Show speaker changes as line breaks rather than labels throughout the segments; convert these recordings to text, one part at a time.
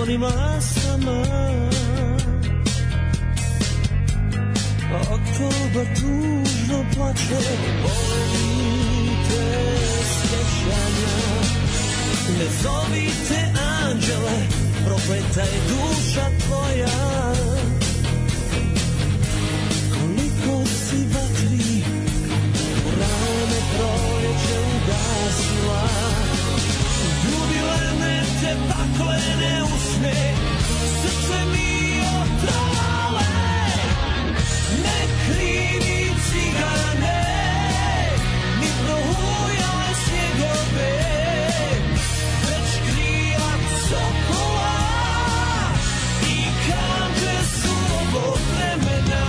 onim asama. Oktobar tužno plače, volite sjećanja. Ne zovite anđele, prokleta je duša tvoja. Koliko si vatri, rane proljeće ugasila. Ljubilene te paklene usne, srce mi otrale. Ne krivi cigane, ni prohujale snjegove, već krila sokola i kanđe surovog vremena.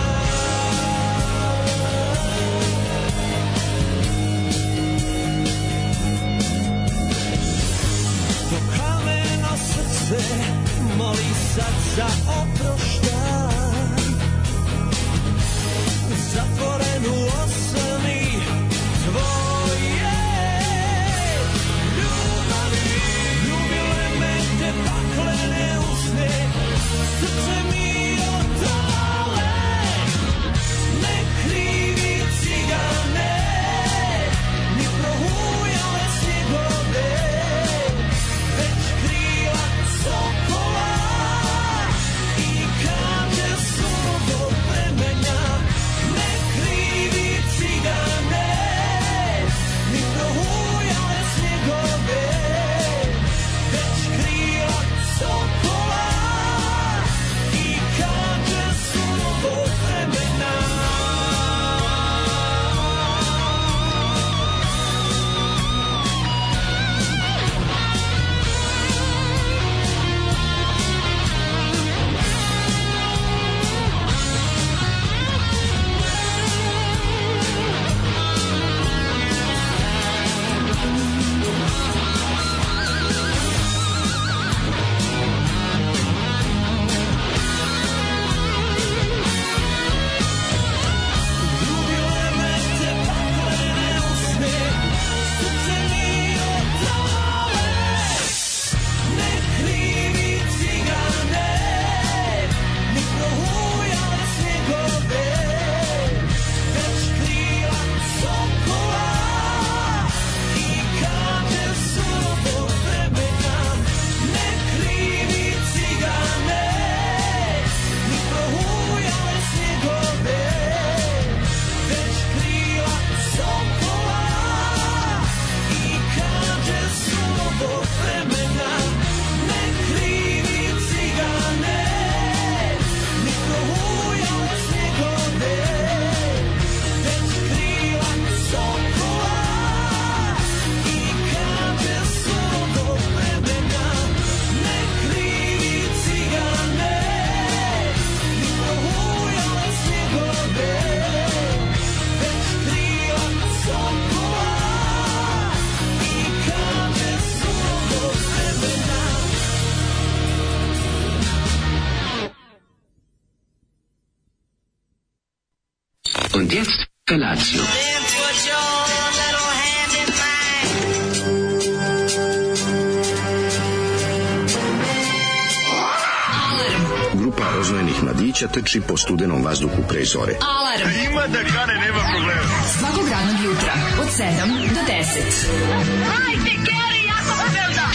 To kameno srce moli sad za oproštaj. Zatvoren u osami tvoje ljubavi. Ljubile me te paklene usne, srce mi otrale. Ne krivi cigane, ni prohujale snjegove, već krila sokola i kanđe surovog vremena.
Und jetzt Felatio.
Grupa roznojenih mladića trči po studenom vazduhu pre zore.
Alarm!
Ima da kane, nema problema.
Svakog radnog jutra, od 7 do 10.
Hajde, Geri, jako se velda!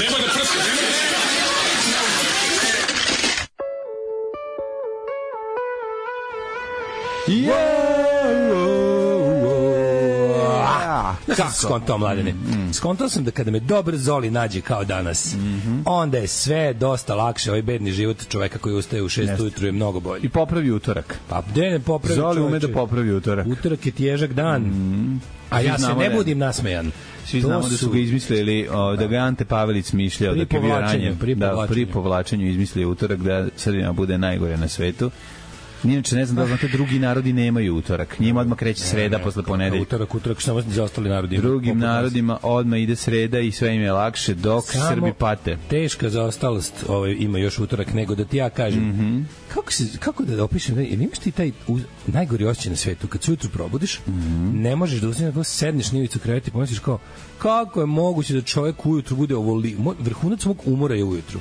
Nema da prska, nema da prska!
Kako skontao, Mladene? Skontao sam da kada me dobar Zoli nađe kao danas, onda je sve dosta lakše. Ovaj bedni život čoveka koji ustaje u 6 ujutru je mnogo bolji.
I popravi utorak.
Pa gde ne popravi
Zoli
čoveče?
ume da popravi utorak.
Utorak je težak dan. A ja se ne budim nasmejan.
Svi znamo da su ga izmislili, da ga Ante Pavelić smišljao, dok je bio ranjen. Pri povlačenju izmislio utorak da Srbima bude najgore na svetu. Inače, ne znam da znate, drugi narodi nemaju utorak. Njima odmah kreće sreda posle ponedeljka.
Utorak, samo za ostali narodi.
Drugim narodima odmah ide sreda i sve im je lakše, dok Srbi pate.
Teška zaostalost ima još utorak, nego da ti ja kažem. Kako da opišem, jer imaš ti taj najgori osjećaj na svetu, kad se ujutru probudiš, ne možeš da uzmeš, da sedneš na ivicu kreveta i pomisliš kao, kako je moguće da čovjek ujutru bude vrhunac mog umora je ujutru.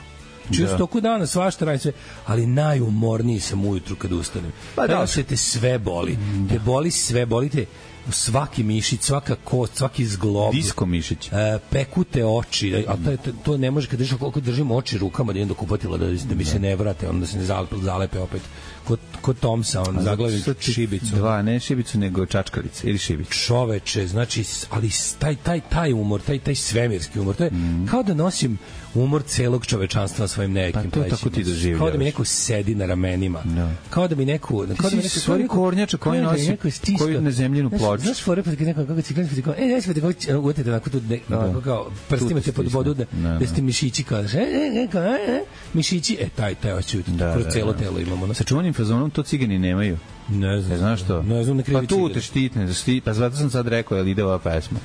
Čisto toku dana svašta radim sve, ali najumorniji sam ujutru kad ustanem. Pa da se te sve boli. Te boli sve, bolite svaki mišić, svaka kost, svaki zglob.
Disko mišić.
Pekute oči, a to ne može kad držim, koliko držim oči rukama da idem do kupatila da mi se ne vrate, onda se ne zalepe opet. Kod Tomsa, on zaglavi šibicu.
Ne šibicu, nego čačkalice ili šibicu.
Čoveče, znači, ali taj umor, taj svemirski umor, to je kao da nosim umor celog čovečanstva na svojim nekim
plećima. Pa to tako ti doživljavaš.
Kao da mi neko sedi na ramenima. Kao da mi neko...
Ti si stvari kornjača koji nosi, koji na zemljinu ploču.
Znaš, fore, pa nekako kako ciklani, pa kao, ne smete kako uvjetite onako tu, kao prstima te pod vodu, da ste mišići, kao, mišići, taj oči, kroz celo telo imamo.
Sa čuvanim fazonom to cigani nemaju.
Ne znam.
Znaš što?
Ne znam, ne krivi
cigan. Pa tu te štitne, pa zato sam sad rekao, jel ide ova pesma.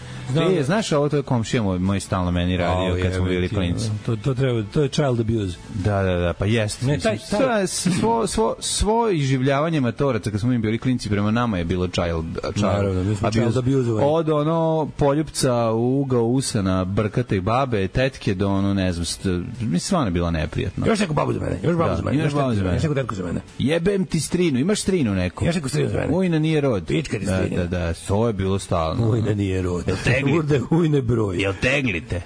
Znaš, ovo to je komšija moj stalno meni radio kad smo bili klinci.
To je child abuse.
Da, pa jeste. Svo iživljavanje matoraca kad smo im bili klinci prema nama je bilo child abuse. Od ono poljupca u ugao usana brkate babe, tetke do ono, ne znam, mi stvarno je bila neprijatno.
Još neku babu za mene, još neku tetku za mene.
Jebem ti strinu, imaš strinu neku.
Još neku strinu za mene.
Ujna nije rod.
Pička ti strinu.
Da, to je bilo stalno.
Ujna nije rod. Ujne broj.
Jel teglite?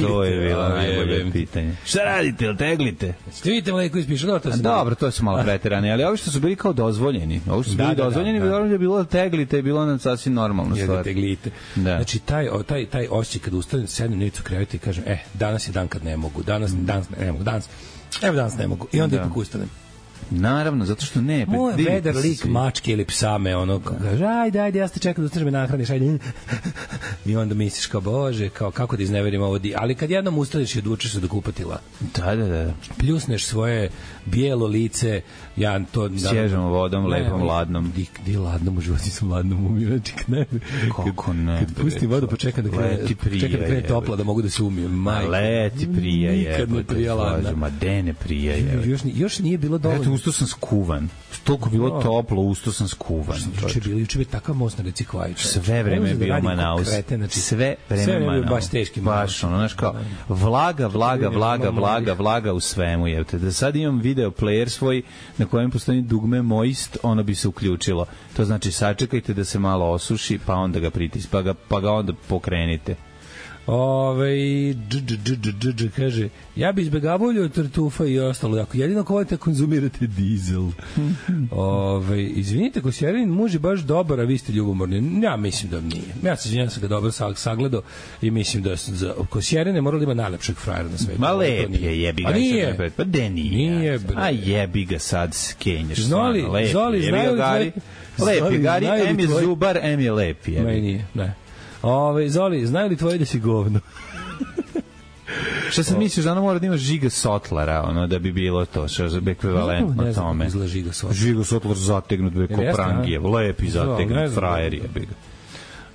To je bilo najbolje pitanje. Šta radite, jel teglite?
Ste vidite mleko ispišu?
Dobro, to su malo preterane, ali ovi što su bili kao dozvoljeni. Ovi što su bili dozvoljeni, je bilo teglite, je bilo nam sasvim normalno stvar.
Teglite. Znači, taj osjećaj kad ustanem, sednem na ivicu kreveta i kažem, danas je dan kad ne mogu, danas ne mogu. I onda ipak ustanem.
Naravno, zato što ne.
Moj vedar lik mačke ili psa me ono kaže, ajde, ja ste čekao da ustaš me nahraniš, ajde. I onda misliš kao, bože, kao, kako da izneverim ovo ali kad jednom ustaneš i odvučeš se do kupatila.
Da.
Pljusneš svoje bijelo lice, ja to...
Sježemo vodom, lepom, ladnom.
Di ladnom, u životu sam ladnom umijem,
kako ne?
Kad pustim vodu, pa čekam da krene topla, da mogu da se umijem.
Ma leti prija je.
Nikad ne prija ladna.
Ma dene prija je.
Još nije bilo dovoljno.
Usto sam skuvan. Toliko bilo toplo, usto sam skuvan.
Juče je takav most na reci Kvajića.
Sve vreme je bio Manaus. Sve vreme Manaus.
Baš teški.
Baš ono, znaš kao, vlaga u svemu. Jevte. Da sad imam video player svoj na kojem postoji dugme moist, ono bi se uključilo. To znači sačekajte da se malo osuši, pa onda ga pritisnite, pa ga onda pokrenite.
Kaže, ja bi izbegavao ulje od tartufa i ostalo, ako jedino ako volite konzumirate dizel. Izvinite, Kosjerin muž je baš dobar, a vi ste ljubomorni. Ja mislim da nije. Ja se izvinjam, sam ga dobro sagledao i mislim da za Kosjerine morali ima najlepšeg frajera na svetu.
Ma lep je, jebi ga.
A nije.
Pa de nije. A jebi ga sad skenješ.
Zoli, znaju li
lep je, Gari, em je zubar, em je lep.
Ma i nije, ne. Zoli, znaju li tvoji da si govno?
Šta sam misliš da ono mora da ima Žiga Sotlara, ono da bi bilo to, što je ekvivalentno tome.
Ne znam kako izgleda Žiga Sotlar.
Žiga Sotlar zategnut, ko Prangijev, lepi zategnut, frajer je, bi ga.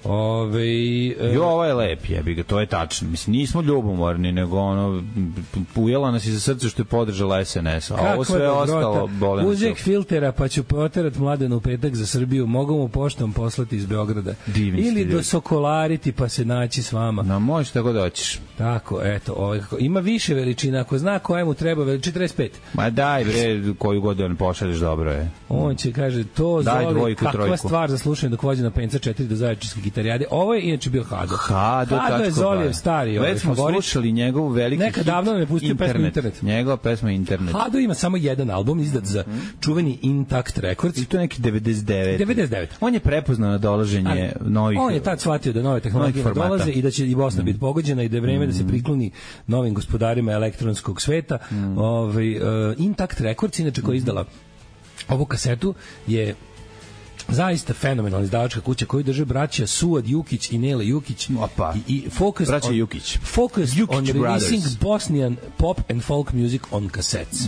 Ovo je lep, jebi ga, to je tačno. Mislim, nismo ljubomorni, nego ono, ujela nas iza srca što je podržala SNS, a ovo sve ostalo bole nas.
Uzek filtera, pa ću poterat Mladenu u petak za Srbiju, mogu mu poštom poslati iz Beograda. Ili do Sokolariti, pa se naći s vama.
No, možeš tako da hoćeš.
Tako, eto, ima više veličina, ako zna koja mu treba, 45.
Ma daj bre, koju god on pošalješ, dobro je.
On će, kaže, to Zoli, kakva stvar za slušanje dok vođe na Penca 4 do Zaječarske gitarijade. Ovo je inače bio Hado.
Hado
je Zolijev stari.
Već smo slušali njegov veliki
hit. Nekad davno me pustio pesmu Internet.
Njegova pesma Internet.
Hado ima samo jedan album izdat za čuveni Intact Records.
I to je neki 99. On je prepoznao na dolaženje novih...
On je tad shvatio da nove tehnologije dolaze i da će i Bosna biti pogođena i da je vreme da se prikloni novim gospodarima elektronskog sveta. Intact Records, inače koja je izdala ovu kasetu, je zaista fenomenalna izdavačka kuća koju drže braća Suad Jukić i Nele Jukić.
Opa.
I focused
braća Jukić.
Focused
Jukić
on releasing
Brothers.
Bosnian pop and folk music on cassettes.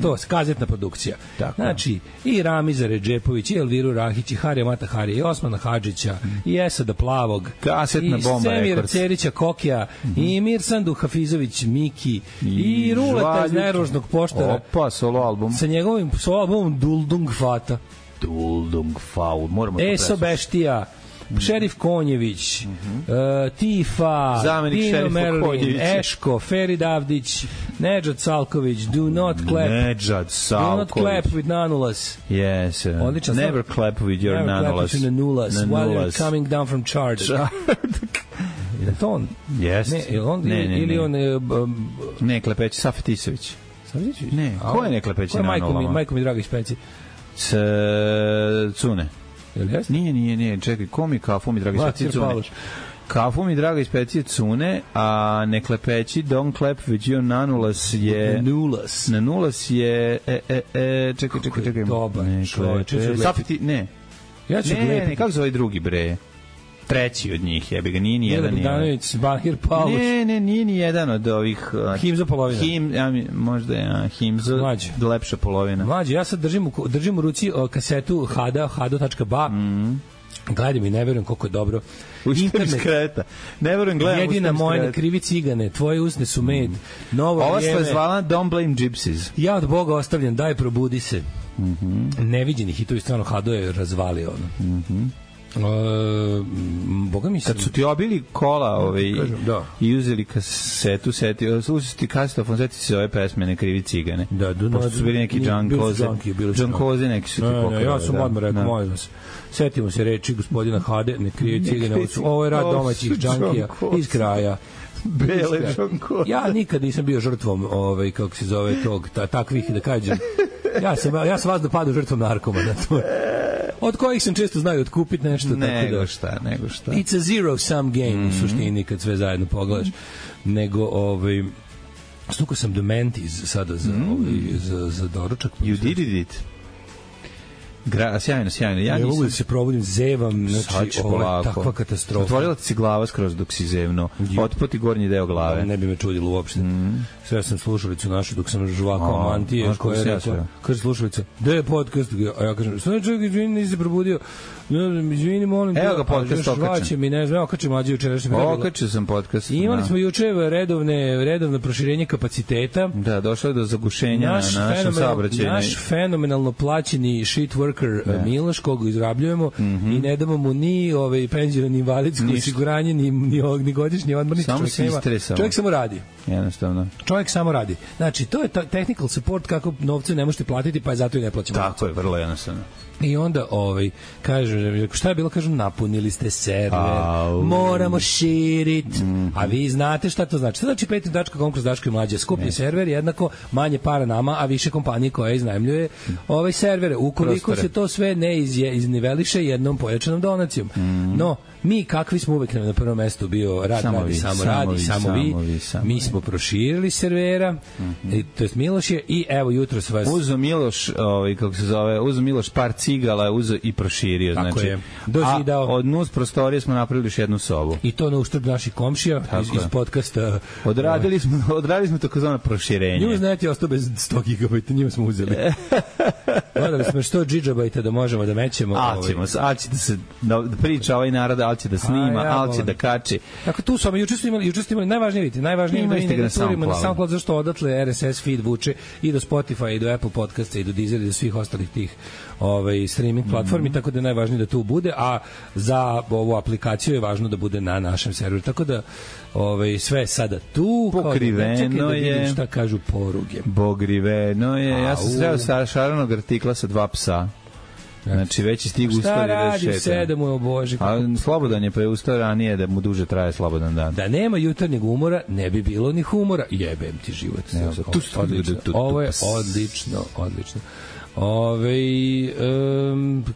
To, kazetna produkcija.
Tako.
Znači, i Ramiza Redžepović, i Elviru Rahić, i Harija Mata Harija, i Osmana Hadžića, i Esada Plavog,
Kasetna bomba
i Semira
Records.
Cerića Kokija, i Mirsandu Hafizović Miki, i Ruleta iz Nerožnog poštara.
Opa, solo album.
Sa njegovim solo albumom Duldung Fata.
Duldung Faul, moramo to
Eso Beštija, Šerif Konjević, Tifa,
Zamenik
Dino
šerifa
Merlin,
Konjevića.
Eško, Ferid Avdić, Nedžad Salković, Do Not Clap,
Nedžad
Do Not Clap
Salković.
with Nanulas.
Yes.
Odličan
Never clap with your
Never clap
nanulas.
with your nanulas while you're coming down from Čardak. Je to on?
Yes.
Ne, je on,
ne,
ili on...
Ne, Klepeći, Safet Tisović.
Savljićević?
Ne, ko je ne Klepeći na nulama?
Majko mi draga iz Peci.
Cune.
Je li jeste?
Nije, čekaj, ko mi kafu mi draga iz Pecije
Matir
Cune?
Paloš.
Kafu mi draga iz Pecije Cune, a ne Klepeći, Don't Clap with your nanulas je...
Nanulas.
Nanulas je... Čekaj.
Dobar čovječ.
Safeti, ne.
Ja ću
Ne, kako zove drugi bre? Treći od njih, jebi ga, nije ni jedan.
Bogdanović, Bahir Pavlović.
Ne, nije ni jedan od ovih...
Himzo polovina.
Možda je Himzo, lepša polovina.
Mlađe, ja sad držim u ruci kasetu hado.ba. Gledam i ne verujem koliko je dobro.
Ustajem iz kreta. Ne verujem, gledam
jedina moja na krivi cigane, tvoje usne su med. Novo
ova
vrijeme.
se zvala Don't Blame Gypsies.
Ja od Boga ostavljam, daj probudi se. Neviđeni hitovi, stvarno Hado je razvalio ono. Boga mi
kad su ti obili kola i uzeli kasetu, uzeli ti kasetofon, seti se ove pesme Ne krivi cigane. Pošto su bili neki John Koze, neki su ti pokrali.
Ja sam odmah rekao, molim vas, setimo se reči gospodina Hade, Ne krivi cigane, ovo je rad domaćih džankija iz kraja.
Bele John Koze.
Ja nikad nisam bio žrtvom kako se zove tog, takvih, da kažem, ja sam vas da padu žrtvom narkomana, to je. Od kojih sam često znaju otkupiti nešto.
Nego šta.
It's a zero-sum game u suštini kad sve zajedno pogledaš. Nego, snukao sam Dementis sada za doručak.
You did it. Sjajno. Ja
ne mogu da se probudim, zevam, znači ovo je takva katastrofa.
Otvorila ti se glava skroz dok si zevno. Otpoti gornji deo glave.
Ne bi me čudilo uopšte. Sve sam slušalicu našu dok sam žvakao mantije. Kaže slušalica, gde je podcast? A ja kažem, sve čovjek, izvini, nisi se probudio. Izvini, molim.
Evo ga podcast okačen.
Okačem mlađe jučerašnje.
Okačio sam podcast.
Imali smo juče redovno proširenje kapaciteta.
Da, došlo je do zagušenja na našem saobraćaju.
Naš fenomenalno plaćeni shit worker Miloš, koga izrabljujemo i ne damo mu ni penziju, ni invalidsko osiguranje, ni godišnji odmor, ništa. Čovjek samo radi.
Jednostavno.
Čovjek samo radi. Znači, to je technical support kako novce ne možete platiti, pa je zato i ne plaćamo.
Tako je, vrlo jednostavno.
I onda kaže, šta je bilo, kažem, napunili ste server, moramo širiti, a vi znate šta to znači. To znači patreon.com kroz Daško i Mlađe, skuplji server, jednako manje para nama, a više kompanije koja iznajmljuje servere. Ukoliko se to sve ne izniveliše jednom pojačanom donacijom. No, mi kakvi smo uvek na prvom mestu bio samo vi. Mi smo proširili servera, to jest Miloš je, i evo jutro s vas...
Uzo Miloš, uzo Miloš par cigala, uzo i proširio.
Tako
znači,
je. Dozidao.
A od nus prostorije smo napravili još jednu sobu.
I to na uštrb naših komšija iz podcasta.
Odradili smo takozvano proširenje.
Newsnet je ostao bez 100 GB, njima smo uzeli. Gledali smo što gigabajta da možemo da mećemo.
Ali će da se priča ovaj narod, ali će da snima, ali će da kači.
Tako tu smo, juče ste imali najvažnije da ne turimo na SoundCloud, zašto odatle RSS feed vuče i do Spotify, i do Apple podcasta, i do Deezer, i do svih ostalih tih streaming platformi, tako da je najvažnije da tu bude, a za ovu aplikaciju je važno da bude na našem serveru, tako da sve sada tu,
pokriveno
da
je,
šta kažu poruge.
Pokriveno je, ja sam sreo sa šaranog artikla sa 2 psa. Znači, već je stigu ustali da šeta.
Šta radi 7, o Bože.
A slobodan je preustao ranije da mu duže traje slobodan dan.
Da nema jutarnjeg umora, ne bi bilo ni humora. Jebem ti život. Ovo je odlično.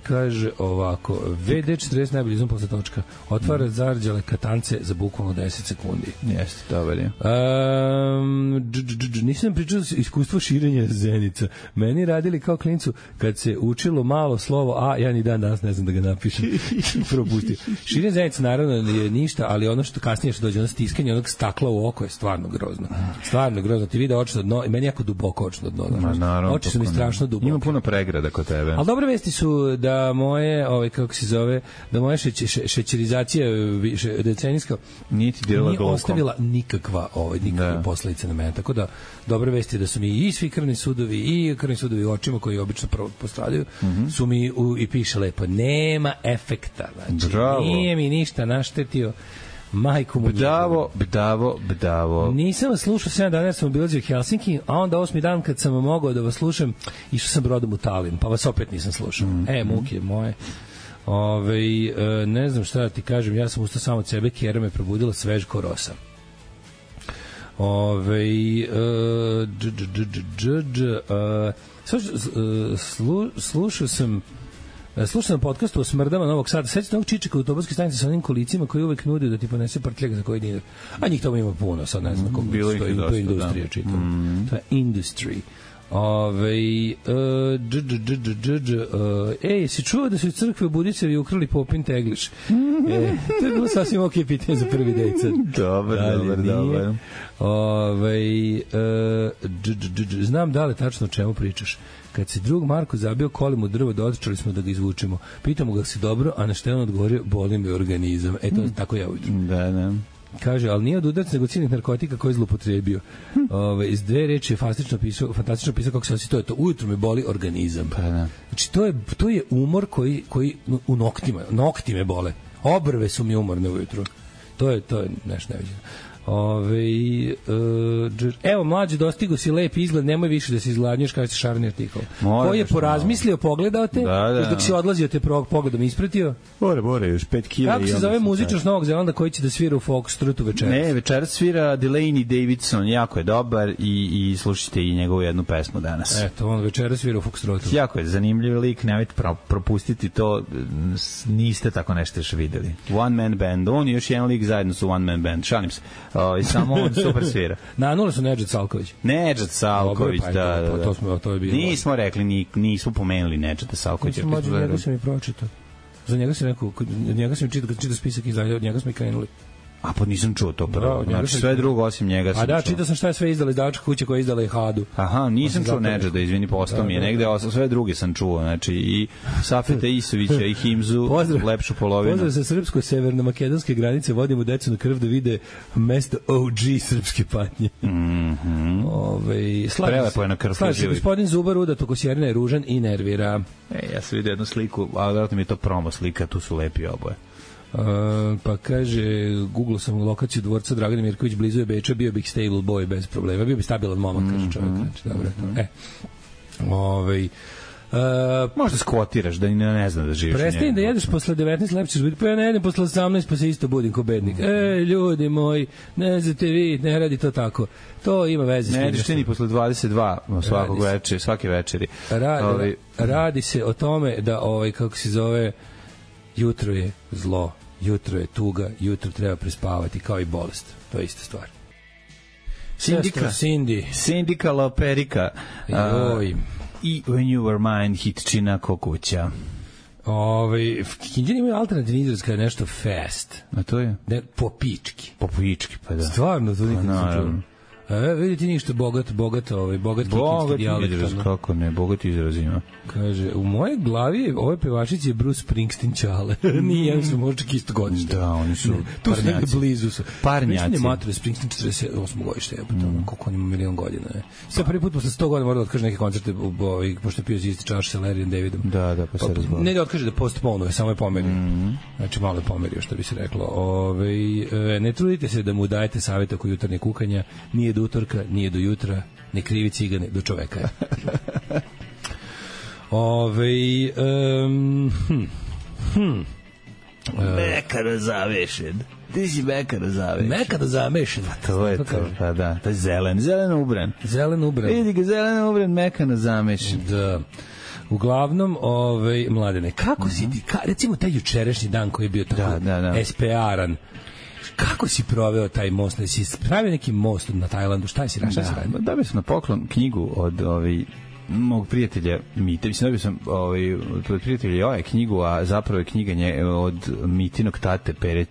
Kaže ovako, VD40 najbolji izum posle točka. Otvara zarđale katance za bukvalno 10 sekundi.
Jeste, dobar je.
Nisam pričao iskustvo širenja zenica. Meni radili kao klincu kad se učilo malo slovo A, ja ni dan danas ne znam da ga napišem. Propustio. Širenje zenica naravno je ništa, ali ono što kasnije što dođe, ono stiskanje onog stakla u oko je stvarno grozno. Stvarno grozno. Ti vide očno dno, i meni jako duboko očno dno. Oči su mi strašno duboke.
Ima puno pregrada kod tebe.
Ali dobre vesti su da moje, kako se zove, da moja šećerizacija decenijska nije ostavila nikakva posledica na mene. Tako da dobre vesti da su mi i svi krvni sudovi u očima koji obično postradaju su mi i piše lepo, nema efekta. Znači, nije mi ništa naštetio. Majku mu
Bdavo.
Nisam vas slušao 7 dana jer sam obilazio Helsinki, a onda 8. dan kad sam mogao da vas slušam, išao sam brodom u Talin, pa vas opet nisam slušao. Muke moje. Ne znam šta da ti kažem, ja sam ustao samo od sebe, Kjera me probudila svež ko rosa. Slušao sam podcast o smrdama Novog Sada. Sećate ovog čičeka u autobuskoj stanici sa onim kolicima koji uvek nudio da ti ponese prtljak za koji dinar. A njih tamo ima puno, sad ne znam kako stoji. To je industrija, čitam. To je industry. Si čuo da su iz crkve u Budicevi ukrali Popin Tegliš? To je bilo sasvim ok pitanje za prvi dejca.
Dobar.
Znam da li tačno o čemu pričaš. Kad se drug Marko zabio kolim u drvo, dočeli smo da ga izvučemo. Pitamo ga si dobro, a na što je on odgovorio, boli me organizam. To tako ja ujutru.
Da.
Kaže, ali nije od udaraca, nego ciljnih narkotika koje je zlupotrebio. Iz dve reči je fantastično pisao kako se osjeća, to je to, ujutru me boli organizam. Znači, to je umor koji u nokti me bole. Obrve su mi umorne ujutru. To je nešto neviđeno. Evo, mlađe, dostigo si lep izgled, nemoj više da se izgladnješ, kaže se šarni artikol. Koji je porazmislio, pogledao te, dok si odlazio te pogledom ispratio.
More, još 5 kila.
Kako se zove muzičar s Novog Zelanda koji će da svira u Foxtrotu večeras?
Ne, večeras svira Delaney Davidson, jako je dobar i slušajte i njegovu jednu pesmu danas.
Eto, on večeras svira u Foxtrotu.
Jako je zanimljiv lik, nemojte propustiti to, niste tako nešto još videli. One man band, on i još jedan lik zajedno su one man band, šalim se. Samo on super svira.
Na nula su Nedžad Salković.
Nedžad Salković, da.
To je bilo.
Nismo rekli, nismo pomenuli Nedžada Salkovića.
Njega sam i pročitao. Za njega sam rekao, njega sam čitao spisak izdanja, od njega smo i krenuli.
A pa nisam čuo to prvo. Znači sve drugo osim njega sam čuo.
A da, čitao sam šta je sve izdala izdavačka kuća koja je izdala i Hadu.
Aha, nisam čuo Nedžada, izvini, postao mi je negde, sve druge sam čuo. Znači i Safeta Isovića i Himzu, lepšu polovinu.
Pozdrav sa srpsko-severno-makedonske granice, vodimo decu na krv da vide mesto OG srpske patnje.
Prelepo je na krv.
Slaži, gospodin Zubar udat oko Sjerina je ružan i nervira.
Ja sam vidio jednu sliku, ali vjerojatno mi je to promo slika, tu su lepi oboje.
Pa kaže, googlao sam lokaciju dvorca Dragana Mirković blizu je Beča, bio bih stable boy bez problema, bio bi stabilan momak, kaže čovjek. Znači, dobro,
možda skvotiraš da ne znam da živiš.
Prestani da jedeš posle 19, lepše ćeš biti. Pa ja ne jedem posle 18, pa se isto budim ko bednik. Ljudi moji, ne znate vi, ne radi to tako. To ima veze s tim.
Ne jedeš ni posle 22 svake večeri.
Radi se o tome da, kako se zove, jutro je zlo, jutro je tuga, jutro treba prespavati, kao i bolest. To je ista stvar.
Sindika Loperika. I When You Were Mine, Hitčina Kokuća.
Kinđani imaju alternativni izraz kada je nešto fast.
A to je?
Po pički.
Po pički, pa da.
Stvarno, to nikad ne čuo. Vidite ništa bogat kikinski dijalekt.
Izraz, kako ne, bogat izraz ima.
Kaže, u mojoj glavi ove pevačici je Bruce Springsteen čale. Nije, oni su možda čak isto godište.
Da, oni su
tu su negde blizu su.
Parnjaci.
Mislim je mater Springsteen 48 godište, koliko on ima milion godina. Sad prvi put posle 100 godina mora da otkaže neke koncerte, pošto je pio isti čaš sa Larryem Davidom.
Da, pa se razgovara.
Ne da otkaže da postponuje, samo je pomerio. Znači, malo je pomerio, što bi se reklo. Ne trudite se da mu dajete savjet oko jutarnje kukanja, nije do utorka, nije do jutra, ne krivi cigane, do čoveka je.
Mekano zavešen. Ti si mekano zavešen.
Mekano zavešen.
Pa to je to, pa da. To je zeleno ubran.
Zeleno ubran.
Vidi ga, zeleno ubran, mekano zamešen.
Da. Uglavnom, Mladene, kako si ti, recimo taj jučerašnji dan koji je bio tako SPR-an, kako si proveo taj most? Si pravio neki most na Tajlandu? Šta si radio?
Dobio sam na poklon knjigu od mog prijatelja Mite. Mislim, dobio sam od prijatelja knjigu, a zapravo je knjiga od Mitinog tate Pere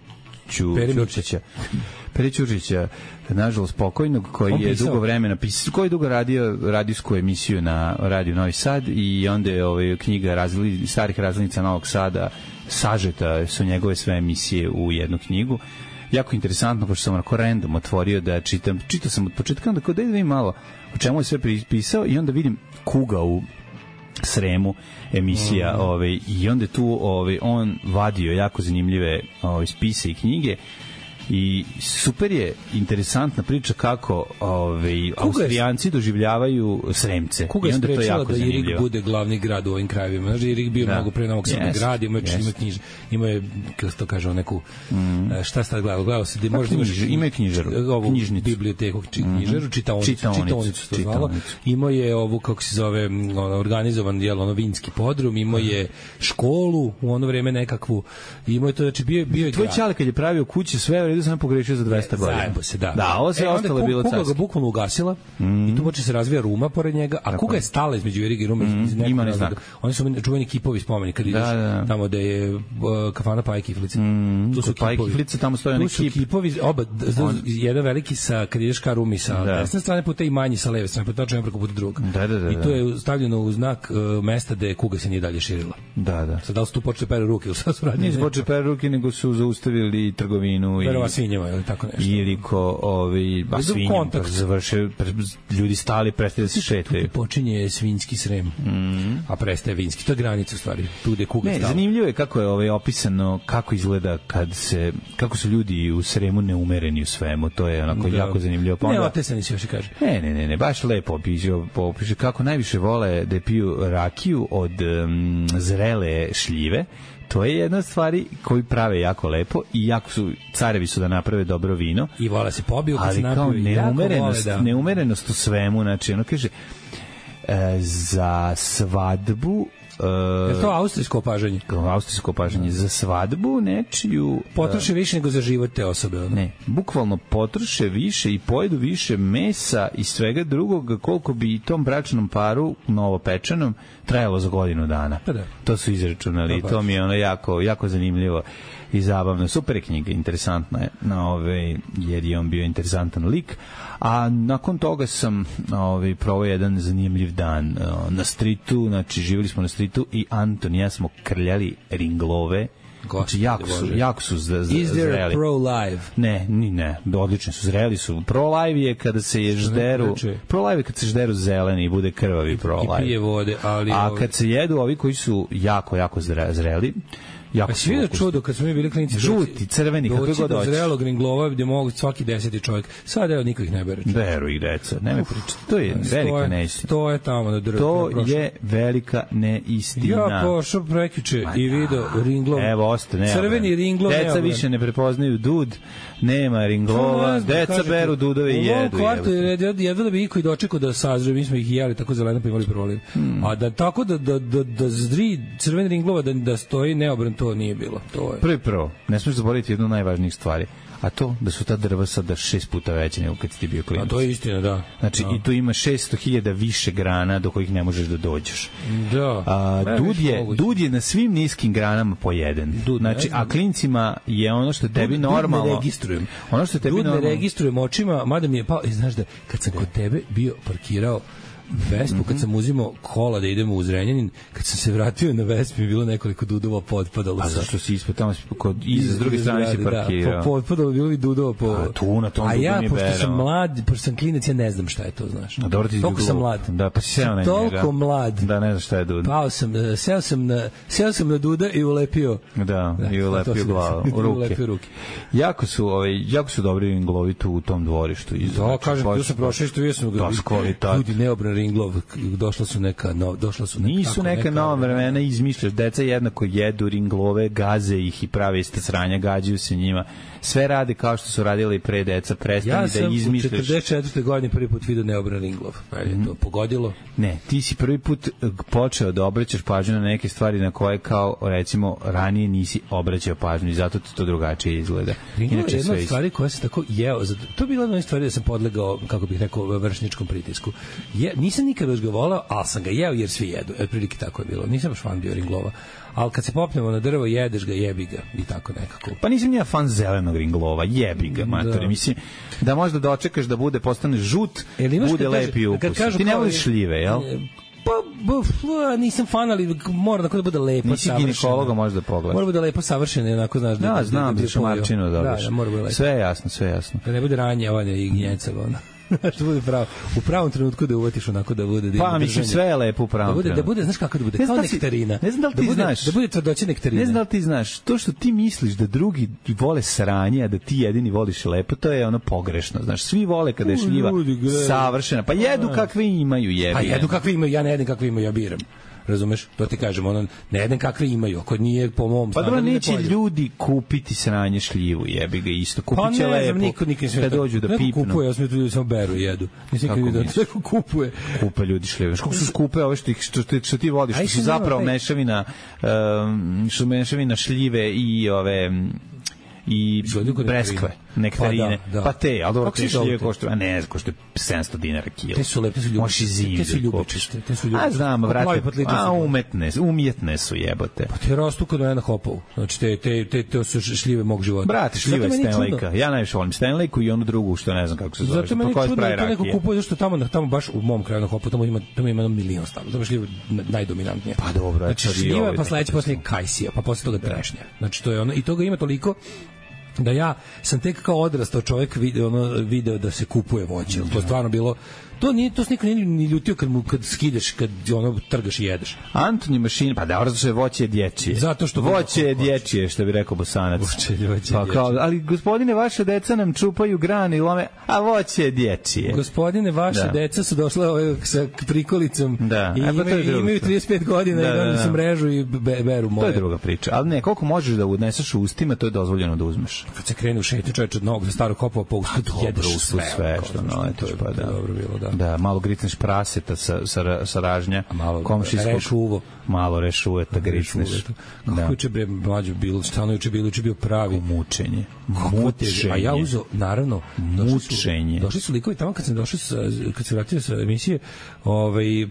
Ćurčića, nažalost pokojnog, koji je dugo vremena pisao, koji je dugo radio radijsku emisiju na Radio Novi Sad, i onda je knjiga starih razglednica Novog Sada, sažeta su njegove sve emisije u jednu knjigu. Jako interesantno, pošto sam onako random otvorio da čitam. Čitao sam od početka, onda da vidim malo o čemu je sve pisao, i onda vidim Kuga u Sremu emisija, i onda tu on vadio jako zanimljive spise i knjige, i super je interesantna priča kako Austrijanci doživljavaju Sremce.
Kuga je sprečila da Irig bude glavni grad u ovim krajevima. Znači, Irig bio mnogo pre Novog Sada grad, ima je, kako se to kaže, neku, šta sad gledao se, možda
ima knjižaru,
knjižnicu, biblioteku, knjižaru, čitaonicu to zvalo. Imao je ovu, kako se zove, organizovan vinski podrum, imao je školu u ono vreme nekakvu, imao je to, znači bio je grad. Tvoj
čale kad je pravio kuće, sve sam pogrešio za 200 godina.
Zajebo se, da.
Da, ovo sve ostalo je bilo carsko.
Kuga ga bukvalno ugasila i tu počne se razvija Ruma pored njega, a Kuga je stala između Iriga i Rume.
Ima ne znak.
Oni su čuveni kipovi spomeni kad ideš tamo da je kafana Paja Kiflice.
Tu su Paja Kiflice, tamo stoje neki kip.
Tu su kipovi, jedan veliki kad ideš ka Rumi sa desne strane puta i manji sa leve strane puta, točno preko puta drugog. I to je stavljeno u znak mesta da je Kuga se nije dalje širila.
Da.
Sad da li su tu počeli pere ruke ili sad su radili?
Nisu počeli pere ruke, nego su zaustavili trgovinu i
svinjama ili tako nešto.
Ili svinjom završe, ljudi stali, prestaje da se šetaju.
Tu počinje svinjski Srem, a prestaje vinski. To je granica u stvari. Tu gde Kuga stala.
Zanimljivo je kako je opisano, kako izgleda kako su ljudi u Sremu neumereni u svemu. To je onako jako zanimljivo.
Ne, otesani se još i kaže.
Ne, baš lepo opiše kako najviše vole da piju rakiju od zrele šljive. To je jedna od stvari koju prave jako lepo, i jako carevi su da naprave dobro vino.
I vole se pobiju kad
se napiju. Ali neumerenost u svemu, znači ono kaže za svadbu.
Je to austrijsko opažanje?
Austrijsko opažanje. Za svadbu nečiju...
Potroše više nego za život te osobe. Ono?
Ne, bukvalno potroše više i pojedu više mesa i svega drugog, koliko bi i tom bračnom paru, novopečenom, trajalo za godinu dana.
Pa da.
To su izračunali. To mi je ono jako zanimljivo i zabavno. Super je knjiga, interesantna je, jer je on bio interesantan lik. A nakon toga sam provao jedan zanimljiv dan na stritu, znači živjeli smo na stritu i Anton i ja smo krljali ringlove. Znači, jako su zreli.
Is there a pro-live?
Ne, odlično su, zreli su. Pro-live je kada se pro-live je kad se žderu zeleni i bude krvavi pro-live.
I pije vode, ali...
A kad se jedu ovi koji su jako zreli,
a si vidio čudo kad smo mi bili klinici,
žuti, crveni, kako god hoćeš,
doći do zrelog ringlova gde mogu svaki 10. čovjek. Sad niko ih ne bere.
Beru ih deca, nemoj pričati. To je velika neistina.
To je tamo na drvu.
To je velika neistina.
Ja pošao prekjuče i video ringlov.
Evo, ostane.
Crveni ringlov.
Deca više ne prepoznaju dud, nema ringlova, deca beru dudove i jedu.
U kvartu je jedva da bi iko i dočekao da sazre, mi smo ih jeli tako zeleno pa imali proliv. A da tako da zri crveni ringlova da stoji neobran, to nije bilo. To je.
Prvo, ne smiješ zaboraviti jednu od najvažnijih stvari, a to da su ta drva sada 6 puta veće nego kad si ti bio klinac.
A to je istina, da.
Znači, i tu ima 600.000 više grana do kojih ne možeš da dođeš.
Da.
Dud je na svim niskim granama po jedan. Znači, a klincima je ono što tebi normalno...
Dud ne registrujem.
Ono što tebi normalno...
Dud ne registrujem očima, mada mi je pao... Znaš da, kad sam kod tebe bio parkirao Vespu, kad sam uzimao kola da idemo u Zrenjanin, kad sam se vratio na Vespi, mi je bilo nekoliko dudova potpadalo.
A zašto si ispod tamo, s druge strane si parkirao?
Da, potpadalo, bilo bi dudova po...
A tu na tom dudu nije berao.
A ja, pošto sam mlad, pošto sam klinac, ja ne znam šta je to, znaš.
A dobro ti
toliko sam mlad.
Da, pa si seo na njega.
Toliko mlad.
Da, ne znam šta je dud.
Pao sam, seo sam na duda i ulepio.
Da, i ulepio glavu, ruke. Jako su dobri inglovi tu u tom dvorištu.
Da, kažem, tu sam prošao, što vidio sam
ljudi
Ringlov, došla su neka
nisu neka nova vremena, izmišljaš, deca jednako jedu Ringlove, gaze ih i prave iste sranja, gađaju se njima, sve rade kao što su radili pre, deca, prestani da izmišljaš.
Ja sam u 44. godini prvi put vidio neobran Ringlov, je to pogodilo?
Ne, ti si prvi put počeo da obraćaš pažnju na neke stvari na koje kao, recimo, ranije nisi obraćao pažnju i zato ti to drugačije izgleda.
Ringlov je jedna od stvari koja se tako jeo, to je bila jedna stvari da sam podlegao, kako bih rekao, vršničkom pritisku. Nisam nikada još ga volao, ali sam ga jeo jer svi jedu. Prilike tako je bilo. Nisam baš fan bio Ringlova. Ali kad se popnemo na drvo, jedeš ga, jebi ga i tako nekako.
Pa nisam ja fan zelenog Ringlova, jebi ga, matori. Mislim, da možda dočekaš da postane žut, bude lepi ukus. Ti ne voliš šljive, jel?
Pa nisam fan, ali mora da bude lepo
nisi savršeno. Nisi ginekologa možda pogledaš.
Mora bude lepo savršeno, onako znaš
da znam da šamarčinu dobiš.
Da, mora bude lepo.
Sve je jasno.
Da ne bude ranje, i gnjeca, što bude u pravom trenutku da uvatiš onako da bude.
Pa mislim sve je lepo u pravom trenutku.
Da bude, znaš kako da bude, kao nektarina.
Ne znam da li ti znaš.
Da bude tvrdoća nektarina.
Ne znam da li ti znaš, to što ti misliš da drugi vole sranje, a da ti jedini voliš lepo, to je ono pogrešno. Znaš, svi vole kada je šljiva savršena. Pa jedu kakve imaju, jebi.
Pa jedu kakve imaju, ja ne jedem kakve imaju, ja biram. Razumeš? To ti kažem, ono, ne jedan kakve imaju, ako nije po mom
pa dobro, neće ljudi kupiti sranje šljivu, jebi ga isto, kupit će lepo, kad dođu da pipnu.
Neko kupuje, ja sam ljudi samo beru i jedu. Nisam nikad vidio, neko kupuje.
Kupe ljudi šljive. Kako su skupe ove što ti voliš, što su zapravo mešavina šljive i ove i breskve, nektarine. Pa te, ali dobro, te šljive koštaju, a ne, koštaju 700 dinara kilo.
Te su lepe, te su ljubičiste.
A znam, vrate, umjetne su jebote.
Pa te rastu kod mene na Hopovu. Znači, te su šljive mog života.
Brate, šljive Stanleyka. Ja najviše volim Stanleyku i onu drugu, što ne znam kako se zove.
Zato meni čudno da to neko kupuje, zašto tamo baš u mom kraju na Hopovu, tamo ima milion stavlja. Tamo šljive najdominantnije.
Pa dobro,
znači, šljiva, pa sledeće posle kajsija, pa posle toga trešnja. Znači, to je ono, i toga ima toliko da ja sam tek kao odrastao čovjek video da se kupuje voće. To je stvarno bilo to se niko nije ni ljutio kad skideš, kad trgaš i jedeš.
Antoni mašina, pa da, što je voće dječje.
Zato što
voće je dječje, što bi rekao Bosanac. Pa kao, ali gospodine, vaše deca nam čupaju grane i lome, a voće je dječje.
Gospodine, vaše deca su došla sa prikolicom i imaju 35 godina i onda se mrežu i beru moje.
To je druga priča, ali ne, koliko možeš da odneseš u ustima, to je dozvoljeno da uzmeš.
Kad se krene u šetnju čovječ od novog za starog Hopova po ustu, jedeš sve
što naletiš, pa da.
Dobro bilo, da.
Da, malo gricneš praseta sa ražnja, komšijskog, malo rešuveta gricneš.
Kako juče bre mlađo bilo, stvarno juče bio pravi
mučenje.
A ja uzo, naravno,
mučenje.
Došli su likovi tamo kad se vratio sa emisije,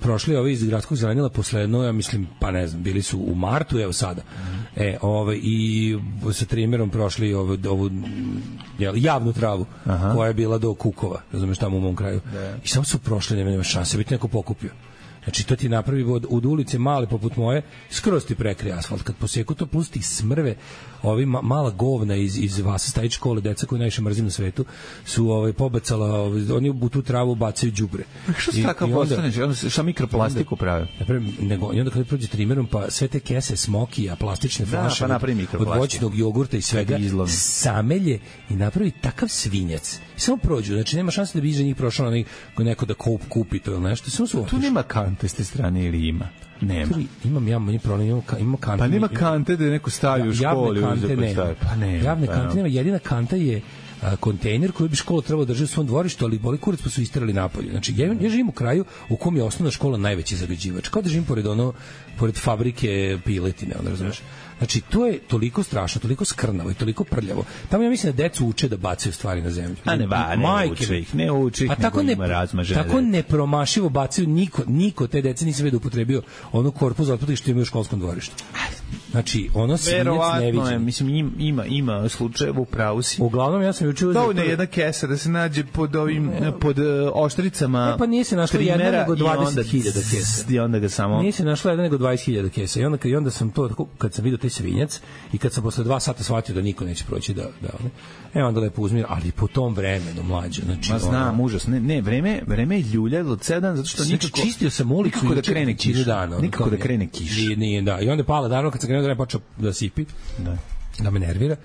prošli iz gradskog zelenila posledno, ja mislim, pa ne znam, bili su u martu, evo sada. I sa trimerom prošli ovu javnu travu koja je bila do Kukova, razumeš, tamo u mom kraju. I samo su prošli, nema šanse, biti neko pokupio. Znači, to ti napravi od ulice male poput moje, skroz ti prekrije asfalt. Kad poseku to, plus ti smrve, ovi mala govna iz Vasa Stajić škole, deca koju najviše mrzim na svetu, su pobacala, oni u tu travu bacaju đubre.
Što se takav postaneš? Šta mikroplastiku prave?
I onda kada prođe trimerom, pa sve te kese smokija, plastične flaše, od voćnog jogurta i svega, samelje i napravi takav svinjac. I samo prođu, znači nema šanse da bi iza njih prošao neko da kupi to ili nešto.
Tu nema kante s te strane ili ima? Nema.
Imam problem, imam kante.
Pa nema kante da neko stavi u školi.
Javne kante nema. Jedina kanta je kontejner koji bi škola trebalo držati u svom dvorištu, ali boli kurac pa su isterali napolje. Znači, ja živim u kraju u kom je osnovna škola najveći zagađivač. Kao da živim pored fabrike piletine, razumeš? Znači, to je toliko strašno, toliko skrnavo i toliko prljavo. Tamo ja mislim da decu uče da bacaju stvari na zemlju.
A ne uče ih,
pa tako nepromašivo bacaju, niko te dece nisam vidio upotrebio onu korpu za otpad što imaju u školskom dvorištu. Znači, ono svinjac neviđen.
Mislim, ima slučajeva u pravu si.
Uglavnom, ja sam juče
dovoljno je jedna kesa da se nađe pod oštricama.
Pa nije se našla jedna nego 20.000 kesa.
I onda ga samo...
Nije se našla jedna nego 20.000 kesa. I onda sam to, kad sam vidio taj svinjac i kad sam posle 2 sata shvatio da niko neće proći onda lepo uzmir, ali po tom vremenu mlađe. Znači,
znam, užas. Ne, vreme je ljuljalo od 7 zato što
nikako... Čistio sam ulicu
nikako da krene kiša. Nikako da krene kiša.
Nije, da. I onda je pala, naravno, kad sam krenuo da počeo da sipi.
Da.
da me nervira.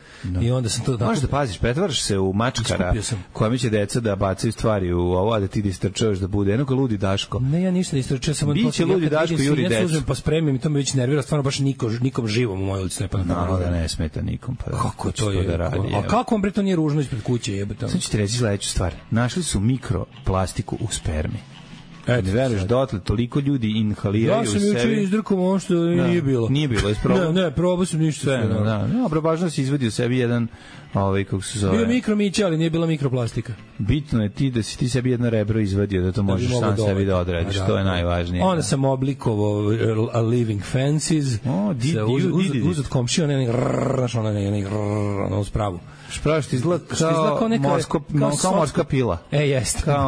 I onda sam to...
Možeš da paziš, pretvaraš se u mačkara kojima će deca da bacaju stvari u ovo, a da ti istrčavaš da bude jednog ludi Daško.
Ne, ja ništa ne istrčao, samo
biće ludi Daško juri decu.
Ja uzmem pa spremim i to me već nervira, stvarno baš nikom živom u mojoj ulici ne pada.
No, da ne smeta nikom. Pa
kako to je?
Da radi,
a kako vam bre to nije ružno ispred kuće, jebote?
Sad ću ti reći sledeću stvar. Našli su mikroplastiku u spermi. Ne veruješ, dotle toliko ljudi inhaliraju u sebi.
Ja sam juče izdrkao ono što nije bilo.
Nije bilo, isprobao?
Ne, probao sam ništa.
Sve, dobro, važno si izvadio sebi jedan, kako se zove...
Bio mikromiće, ali nije bila mikroplastika.
Bitno je ti da si ti sebi jedno rebro izvadio, da to možeš sam sebi da odradiš, to je najvažnije.
Onda sam oblikovao A Living Fancies, uzet komšiju, ono spravu.
Špraviš ti izgleda kao morska pila.
Jeste.
Kao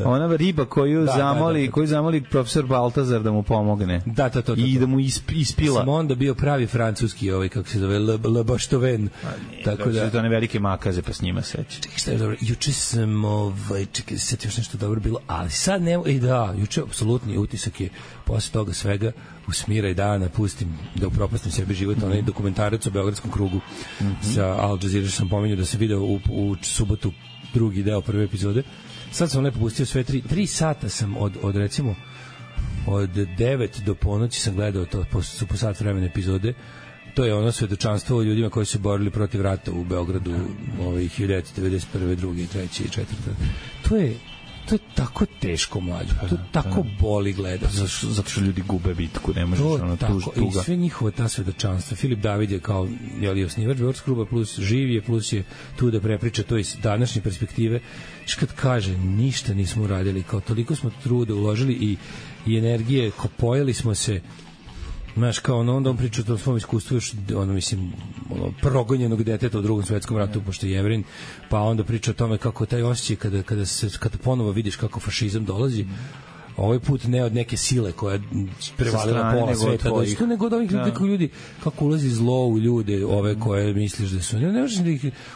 ona riba koju zamoli profesor Baltazar da mu pomogne.
Da.
I da mu ispila.
Sam onda bio pravi francuski, kako se zove, Le Bastoven.
Tako da to ne velike makaze, pa s njima seći.
Čekaj, šta je dobro? Juče sam, čekaj, sad još nešto dobro bilo, ali sad ne, juče apsolutni utisak je posle toga svega usmiraj dana, pustim da upropastim sebi život, onaj dokumentarac o Beogradskom krugu sa Al Jazeera, što sam pominjao da se video u subotu drugi deo prve epizode. Sad sam lepo pustio sve 3 sata sam od recimo od 9 do ponoći sam gledao to po sat vremena epizode. To je ono svedočanstvo o ljudima koji su borili protiv rata u Beogradu 1991. 2. 3. i 4. To je tako mlađo, to tako boli gledati.
Zato što ljudi gube bitku, ne možeš ono tuga.
I sve njihova ta svedočanstva. Filip David je kao osnivač Beogradskog kluba, plus živ je, plus je tu da prepriča to iz današnje perspektive. Kad kaže, ništa nismo uradili, kao toliko smo truda uložili i energije, pojeli smo se. Znaš, kao onda on priča o tom svom iskustvu još, progonjenog deteta u Drugom svetskom ratu, pošto je Jevrin, pa onda priča o tome kako taj osjećaj kada ponovo vidiš kako fašizam dolazi, ovaj put ne od neke sile koja prevalila pola sveta, nego od ovih ljudi, kako ulazi zlo u ljude, ove koje misliš da su...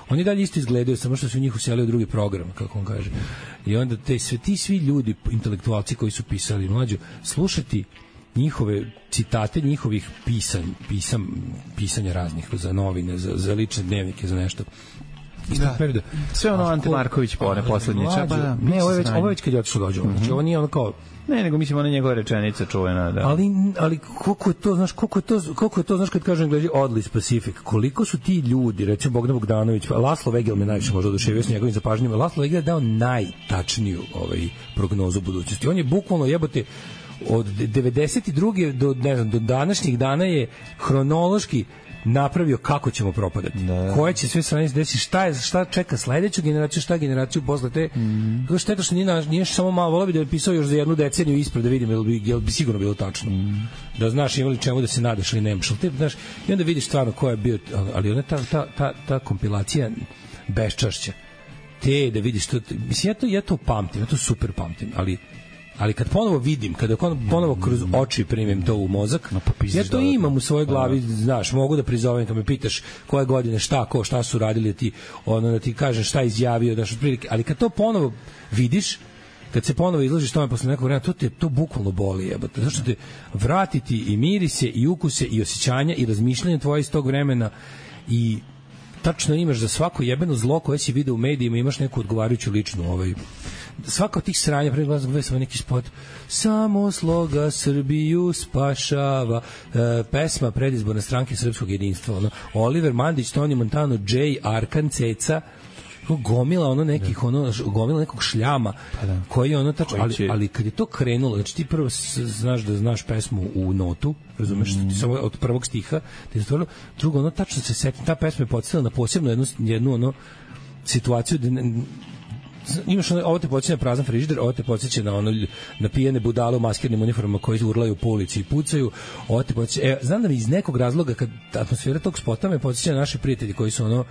Oni dalje isto izgledaju, samo što su njih uselili u drugi program, kako on kaže. I onda ti svi ljudi, intelektualci koji su pisali mlađu, slušati njihove citate, njihovih pisanja raznih za novine, za lične dnevnike, za nešto.
Sve ono Ante Marković poslednje čapa.
Ne, ovo je već kad je otišao dođe. Znači, ovo nije ono kao...
Ne, nego mislim, ona njegova rečenica čuvena, da.
Ali koliko je to, znaš, kad kažem gledaj oddly specific, koliko su ti ljudi, recimo Bogdan Bogdanović, Laslo Vegel me najviše možda oduševio s njegovim zapažnjima, Laslo Vegel je dao najtačniju prognozu budućnosti. On je bukvalno jebote od 92. do današnjih dana je hronološki napravio kako ćemo propadati. Koje će sve strane desiti, šta čeka sledeću generaciju, šta generaciju posle te. Kako šteta što nije samo malo, volao bi da je pisao još za jednu deceniju ispred da vidim jel bi sigurno bilo tačno. Da znaš imali čemu da se nadaš ili nemaš. Znaš, i onda vidiš stvarno ko je bio, ali ona ta kompilacija beščašća. Te da vidiš to, mislim ja to pamtim, ja to super pamtim, ali kad ponovo vidim, kada ponovo kroz oči primim to u mozak, ja to imam u svojoj glavi, znaš, mogu da prizovem kad me pitaš koje godine, šta su radili, da ti kažem šta izjavio, daš otprilike, ali kad to ponovo vidiš, kad se ponovo izložiš tome posle nekog vremena, to bukvalno boli, jebote, zašto te vratiti i mirise i ukuse i osjećanja i razmišljanja tvoje iz tog vremena i tačno imaš za svako jebeno zlo koje si video u medijima, imaš neku odgovarajuću ličnu svaka od tih sranja, pre glasa gledam neki spot, samo sloga Srbiju spašava, pesma predizborne stranke Srpskog jedinstva, Oliver Mandić, Toni Montano, Jay, Arkan, Ceca, gomila gomila nekog šljama koji je tačno, ali kad je to krenulo, znači ti prvo znaš da znaš pesmu u notu, razumeš, ti samo od prvog stiha ti je stvarno, drugo, tačno se seti, ta pesma je podsjetila na posebno jednu situaciju imaš ovo te podsjeća na prazan frižider, ovo te podsjeća na pijene budale u maskirnim uniformama koji urlaju po ulici i pucaju, ovo te podsjeća, znam da mi iz nekog razloga kad atmosfera tog spota me podsjeća na naše prijatelji koji su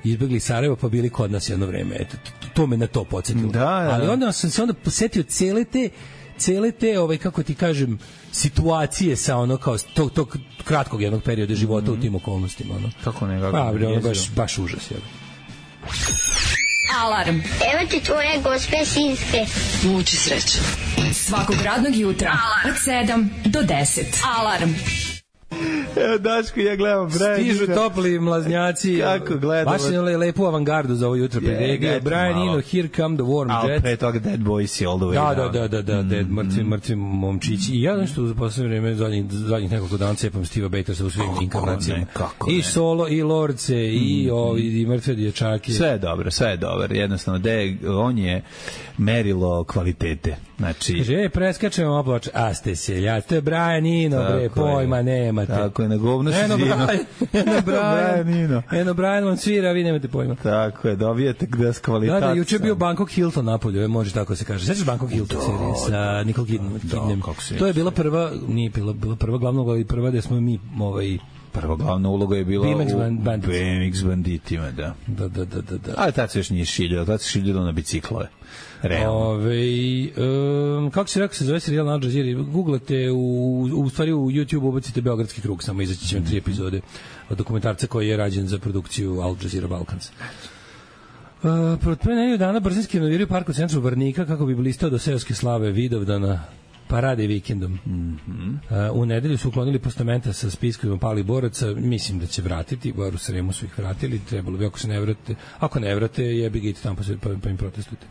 izbegli iz Sarajeva pa bili kod nas jedno vreme, eto, to me na to podsjetilo. Ali onda sam se posetio cele te kako ti kažem, situacije sa kao tog kratkog jednog perioda života u tim okolnostima.
Kako nekako?
Baš užas, jel?
Alarm.
Evo ti tvoje gospe sinske.
Muči sreće. Svakog radnog jutra od 7 do 10. Alarm.
Evo Daško, ja gledam Brian Eno.
Stižu topli mlaznjaci.
Kako gledamo.
Baš je lepu avangardu za ovo jutro priredio. Brian Eno, Here Come the Warm Jets.
A pre toga Dead Boys all the way
down. Da, Dead, mrtvi momčići. I ja nešto u poslednje vreme, zadnjih nekoliko dana cepam Steva Bakersa u svim inkarnacijama. I solo, i lorce, i mrtve dječake.
Sve je dobro. Jednostavno, on je merilo kvalitete. Znači...
Kaže, preskačemo oploč, a ste seljaci, to je Brian Eno, bre, pojma nemate.
Tako je, na govno si zvino.
Eno Brian vam svira, vi nemate pojma.
Tako je, dobijete gde s kvalitatom.
Da, juče je bio Bangkok Hilton napolju, može tako se kaže. Sećaš Bangkok Hilton serije sa Nicole Kidman? To je bila prva, nije bila prva glavna uloga, prva gde smo mi
prva glavna uloga je bila BMX banditima, da. Ali tad se još nije šiljalo, tad se šiljalo na biciklove.
Kako se rekao se zove serijal na Al Jazeera? Googlate, u stvari u YouTube ubacite Beogradski krug, samo izaći će vam 3 epizode od dokumentarca koji je rađen za produkciju Al Jazeera Balkans. Pre nedelju dana brzinski renoviraju park u centru Varnika kako bi blistao do seoske slave Vidovdana parade vikendom. U nedelju su uklonili postamenta sa spiskovima palih boraca, mislim da će vratiti, bar u Sremu su ih vratili, trebalo bi ako ne vrate, jebi ga idite tamo pa im protestujte.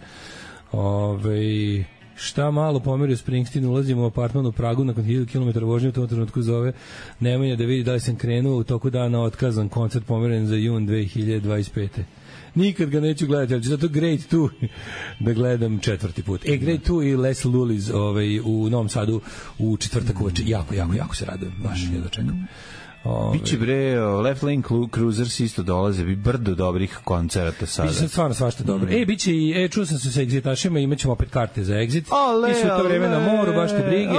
Šta malo pomerio Springsteen, ulazimo u apartman u Pragu nakon 1000 km vožnje, u tom trenutku zove Nemanja da vidi da li sam krenuo, u toku dana otkazan koncert pomeren za jun 2025. Nikad ga neću gledati, ali ću zato Great 2 da gledam 4. put. Great 2 i Les Lulis u Novom Sadu u četvrtak uveče. Jako se radujem. Baš je da čekam.
Biće bre, Left Lane Cruisers isto dolaze, bi brdo dobrih koncerata sada.
Biće stvarno svašta dobro. Biće i, čuo sam se sa Exitašima, imaćemo opet karte za Exit. I su to vreme na moru, baš te brige.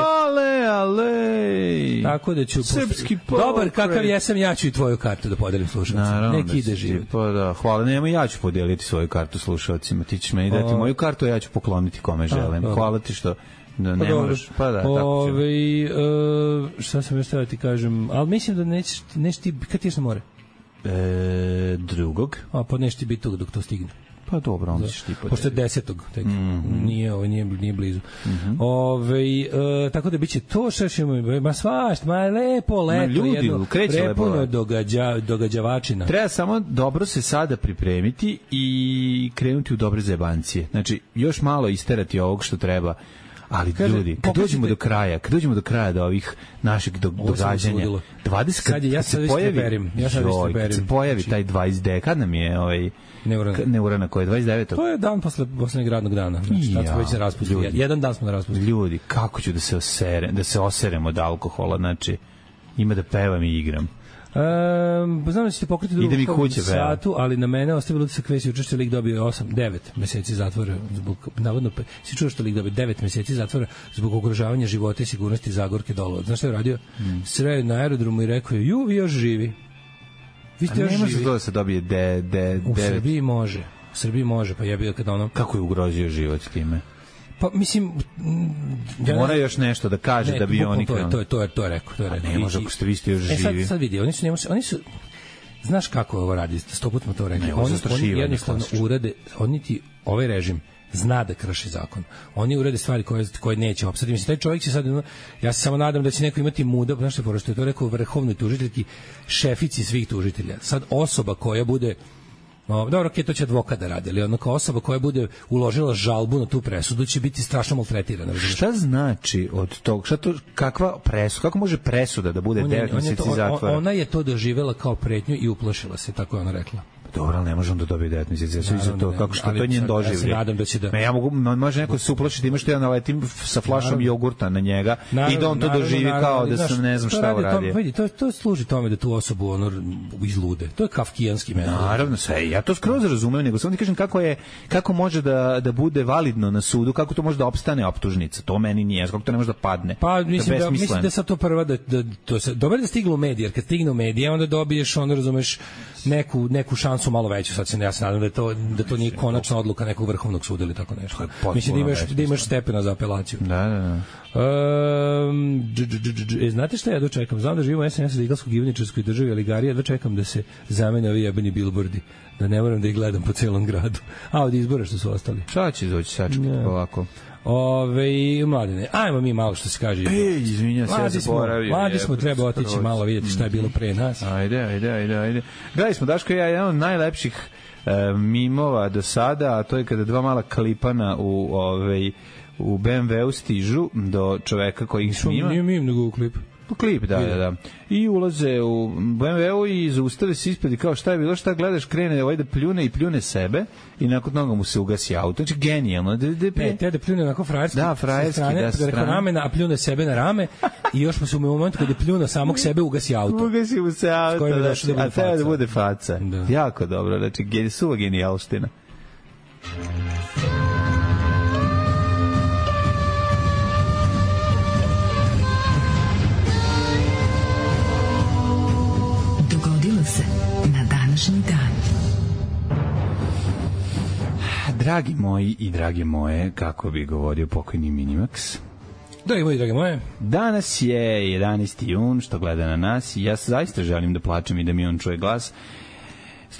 Ale.
Tako da ću...
Srpski
dobar kakav jesam, ja ću i tvoju kartu da podelim slušalcima. Neki ide život.
Pa da, hvala, nema, ja ću podeliti svoju kartu slušalcima. Ti ćeš meni dati moju kartu, a ja ću pokloniti kome želim. Hvala ti što... Da, ne moraš, pa da, tako će.
Šta sam još tada ti kažem, ali mislim da nećeš ti, kad ti ješ na more?
Drugog.
Pa nećeš ti biti tu dok to stigne.
Pa dobro, onda ćeš ti podeliti.
Pošto je 10. tek, nije blizu. Tako da biće to što ima svašta, lepo leto, jedno prepuno događavačina.
Treba samo dobro se sada pripremiti i krenuti u dobre zajebancije. Znači, još malo isterati ovog što treba. Ali ljudi, kad dođemo do kraja do ovih naših događanja, 20 kad se pojavi taj 20 kad nam je Neurana koji je 29.
To je dan poslednjeg radnog dana. Znači, tad smo već na raspustu. Jedan dan smo na raspustu.
Ljudi, kako ću da se oserem od alkohola, znači ima da pevam i igram.
Znam da ćete pokriti drugu satu, ali na mene ostavilo da se kvesi učešće lik dobio 9 meseci zatvora zbog, navodno, si čuo što lik dobio 9 meseci zatvora zbog ugrožavanja života i sigurnosti Zagorke Dolovac. Znaš šta je radio? Sreo na aerodromu i rekao je, vi još živi. Vi ste još živi.
Ne može to da se dobije 9.
U Srbiji može, pa je bio kad ono...
Kako je ugrozio život time?
Pa mislim
mora još nešto da kaže da bi oni
to je rekao.
Ne može ako ste vi ste još živi.
Sad vidi, oni su znaš kako ovo radi, 100 puta smo to rekli. Oni jednostavno urade, ovaj režim zna da krši zakon. Oni urade stvari koje neće opstati. Mislim, taj čovjek će sad, ja se samo nadam da će neko imati muda, znaš što je to rekao vrhovnoj tužiteljki, šefici svih tužitelja. Sad osoba koja bude dobro, to će advokat da radi, ali onako osoba koja bude uložila žalbu na tu presudu će biti strašno maltretirana.
Šta znači od tog? Kakva presuda? Kako može presuda da bude 9 meseci zatvora?
Ona je to doživela kao pretnju i uplašila se, tako je ona rekla.
Dobro, ali ne može on da dobije 9 meseci. Kako što to njen doživlje. Ja se
nadam da će da...
Ja može neko se uplašiti, ima što ja naletim sa flašom jogurta na njega i da on to doživi kao da sam ne znam šta uradio.
Vidi, to služi tome da tu osobu izlude. To je kafkijanski metod.
Naravno, sve. Ja to skroz razumem, nego samo ti kažem kako može da bude validno na sudu, kako to može da opstane optužnica. To meni nije, kako to ne može da padne.
Pa mislim da sad to prva dobro da stiglo u medije, jer kad stigne u medije onda dobiješ, onda razumeš neku šansu malo veću. Sad ja se nadam da to nije konačna odluka nekog vrhovnog suda ili tako nešto. Mislim da imaš stepena za apelaciju.
Da.
Znate šta ja dočekam? Znam da živimo u SNS igalskoj givničarskoj državi, ali Garija dočekam da se zamene ovi jebeni bilbordi. Da ne moram da ih gledam po celom gradu. A od izbora što su ostali.
Šta će doći sačekati polako?
Mladene, ajmo mi malo što se kaže.
Izvinjam se, ja zaboravio.
Mladi smo, treba otići malo vidjeti šta je bilo pre nas.
Ajde. Gledali smo, Daško i ja, jedan od najlepših mimova do sada, a to je kada dva mala klipana u BMW-u stižu do čoveka koji ih snima.
Nije mim, nego u klip.
U klip, da. I ulaze u BMW-u i zaustave se ispred i kao šta je bilo, šta gledaš, krene ovaj da pljune i pljune sebe i nakon toga mu se ugasi auto. Znači, genijalno.
Te da pljune onako frajerski.
Da, frajerski, da,
strane. Ramena, a pljune sebe na rame i još mu se u momentu kada je pljuno samog sebe ugasi auto.
Ugasi mu se auto, a treba da bude faca.
Da.
Jako dobro, znači, suva genijalština.
Na današnji dan.
Dragi moji i drage moje, kako bi govorio pokojni Minimax.
Dragi moji i drage moje.
Danas je 11. jun, što gleda na nas i ja zaista želim da plačem i da mi on čuje glas.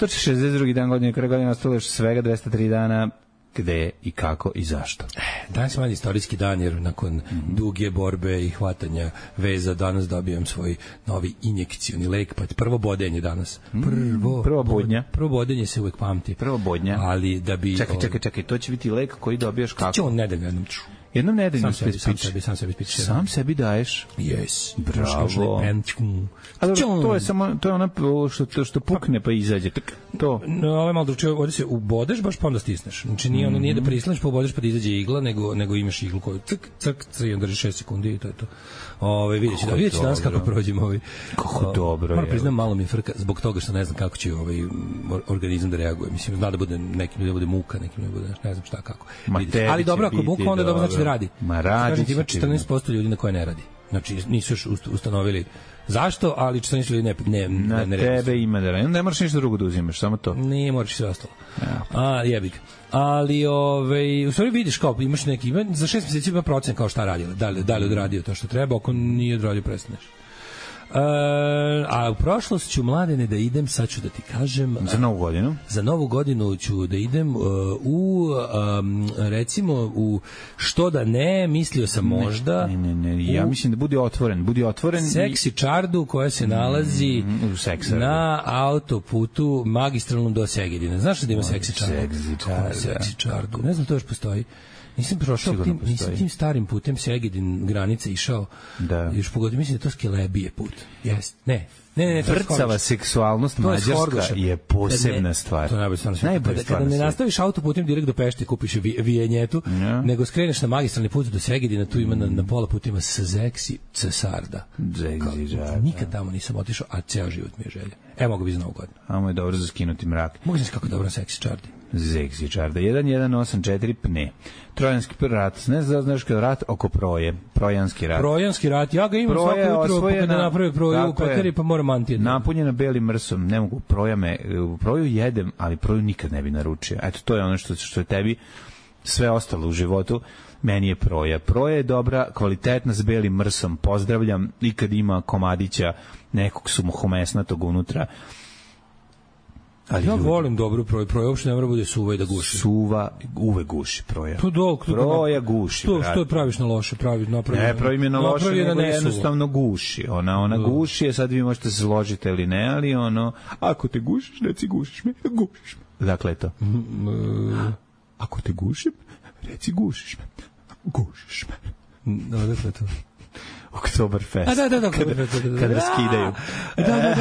162. dan godine, kada godine ostalo još svega 203 dana. Gde i kako i zašto.
Danas je mali istorijski dan, jer nakon duge borbe i hvatanja veza danas dobijem svoj novi injekcioni lek, pa prvo bodenje danas.
Prvo bodnja.
Prvo bodenje se uvek pamti.
Prvo bodnja.
Ali da bi...
Čekaj, to će biti lek koji dobijaš kako?
Će on nedeljno
jednom nedeljno
sam sebi spičeš.
Sam sebi daješ?
Yes.
Bravo. A dobro, to je samo, to je ona što pukne pa izađe. To.
No, ovo je malo drugačije, ovdje se ubodeš baš pa onda stisneš. Znači nije da prislaneš pa ubodeš pa da izađe igla, nego imaš iglu koju crk, i onda drži 6 sekundi i to je to. Vidjet ću danas kako prođemo
Kako dobro.
Moram priznam, malo mi je frka zbog toga što ne znam kako će organizam da reaguje. Mislim, zna da bude nekim da bude muka, nekim da bude ne znam šta kako. Ali dobro, ako muka onda dobro znači da radi.
Ma radi.
Ima 14% ljudi na koje ne radi. Znači nisu još ustanovili zašto, ali 14 ljudi ne
na tebe ima da radi. Ne moraš ništa drugo da uzimaš, samo to.
Nije, moraš sve ostalo. Jebik. Ali u stvari vidiš kao imaš neki za 6 meseci ima procen kao šta radila. Da li odradio to što treba, ako nije odradio prestaneš. A u prošlost ću, Mladene, da idem, sad ću da ti kažem...
Za novu godinu?
Za novu godinu ću da idem recimo, u što da ne, mislio sam možda...
Ne, ja mislim da budi otvoren.
Seksi čardu koja se nalazi na autoputu magistralnom do Segedina. Znaš da ima seksi čardu? Seksi čardu. Ne znam, to još postoji. Nisam prošao tim starim putem Segedin granice išao. Da. Još pogodio, mislim da to Skelebije put. Jest. Ne.
Vrcava seksualnost mađarska je posebna stvar.
To je najbolja stvar. Kada ne nastaviš autoputem direkt do Pešte, kupiš vijenjetu, nego skreneš na magistralni put do Segedina, tu ima na pola puta ima Seksi Cesarda. Nikad tamo nisam otišao, a ceo život mi je želja. Mogu bi za novu godinu.
Amo je dobro za skinuti mrak.
Mogu znaš kako dobro seksi čardi.
Seksi čarda. 1184 pne. Trojanski rat. Ne znaš kada rat oko proje. Projanski rat.
Projanski rat. Ja ga imam svako jutro kada napravim proju u pekari, pa moram mantijeti.
Napunjena belim mrsom. Ne mogu proju jedem, ali proju nikad ne bi naručio. Eto, to je ono što je tebi sve ostalo u životu. Meni je proja. Proja je dobra, kvalitetna s belim mrsom. Pozdravljam i kad ima komadića nekog sumohomesnatog unutra.
Ali ja volim dobru proju. Proja uopšte ne mora bude suva i da guši.
Suva uvek guši proja.
Proja
guši.
Što praviš na loše?
Ne pravim je na loše, nego jednostavno guši. Ona guši, sad vi možete se složiti ili ne, ali ako te gušiš, reci gušiš me. Dakle, to. Ako te gušim, reci gušiš me. Gušiš me.
Dakle, to.
Oktoberfest.
Da.
Kad raskidaju.
Da.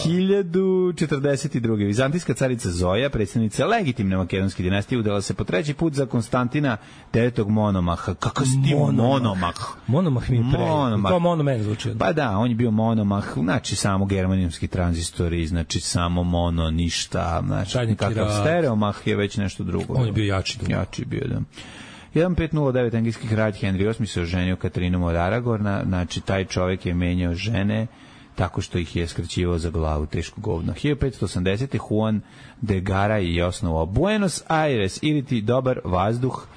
1042. Vizantijska carica Zoja, predsjednica legitimne makedonske dinastije, udala se po treći put za Konstantina IX Monomaha. Kakav si ti Monomah?
Monomah mi je pre. To monomen zvuči.
Pa da, on je bio Monomah, znači samo germanijski tranzistori, znači samo mono, ništa, znači kakav stereomah je već nešto drugo.
On je bio jači.
Jači bio, da. 1509. engleski kralj Henry VIII se oženio Katrinom od Aragorna, znači taj čovjek je menjao žene tako što ih je skraćivao za glavu, teško govno. 1580. Juan de Garay je osnovao Buenos Aires, ili ti dobar vazduh,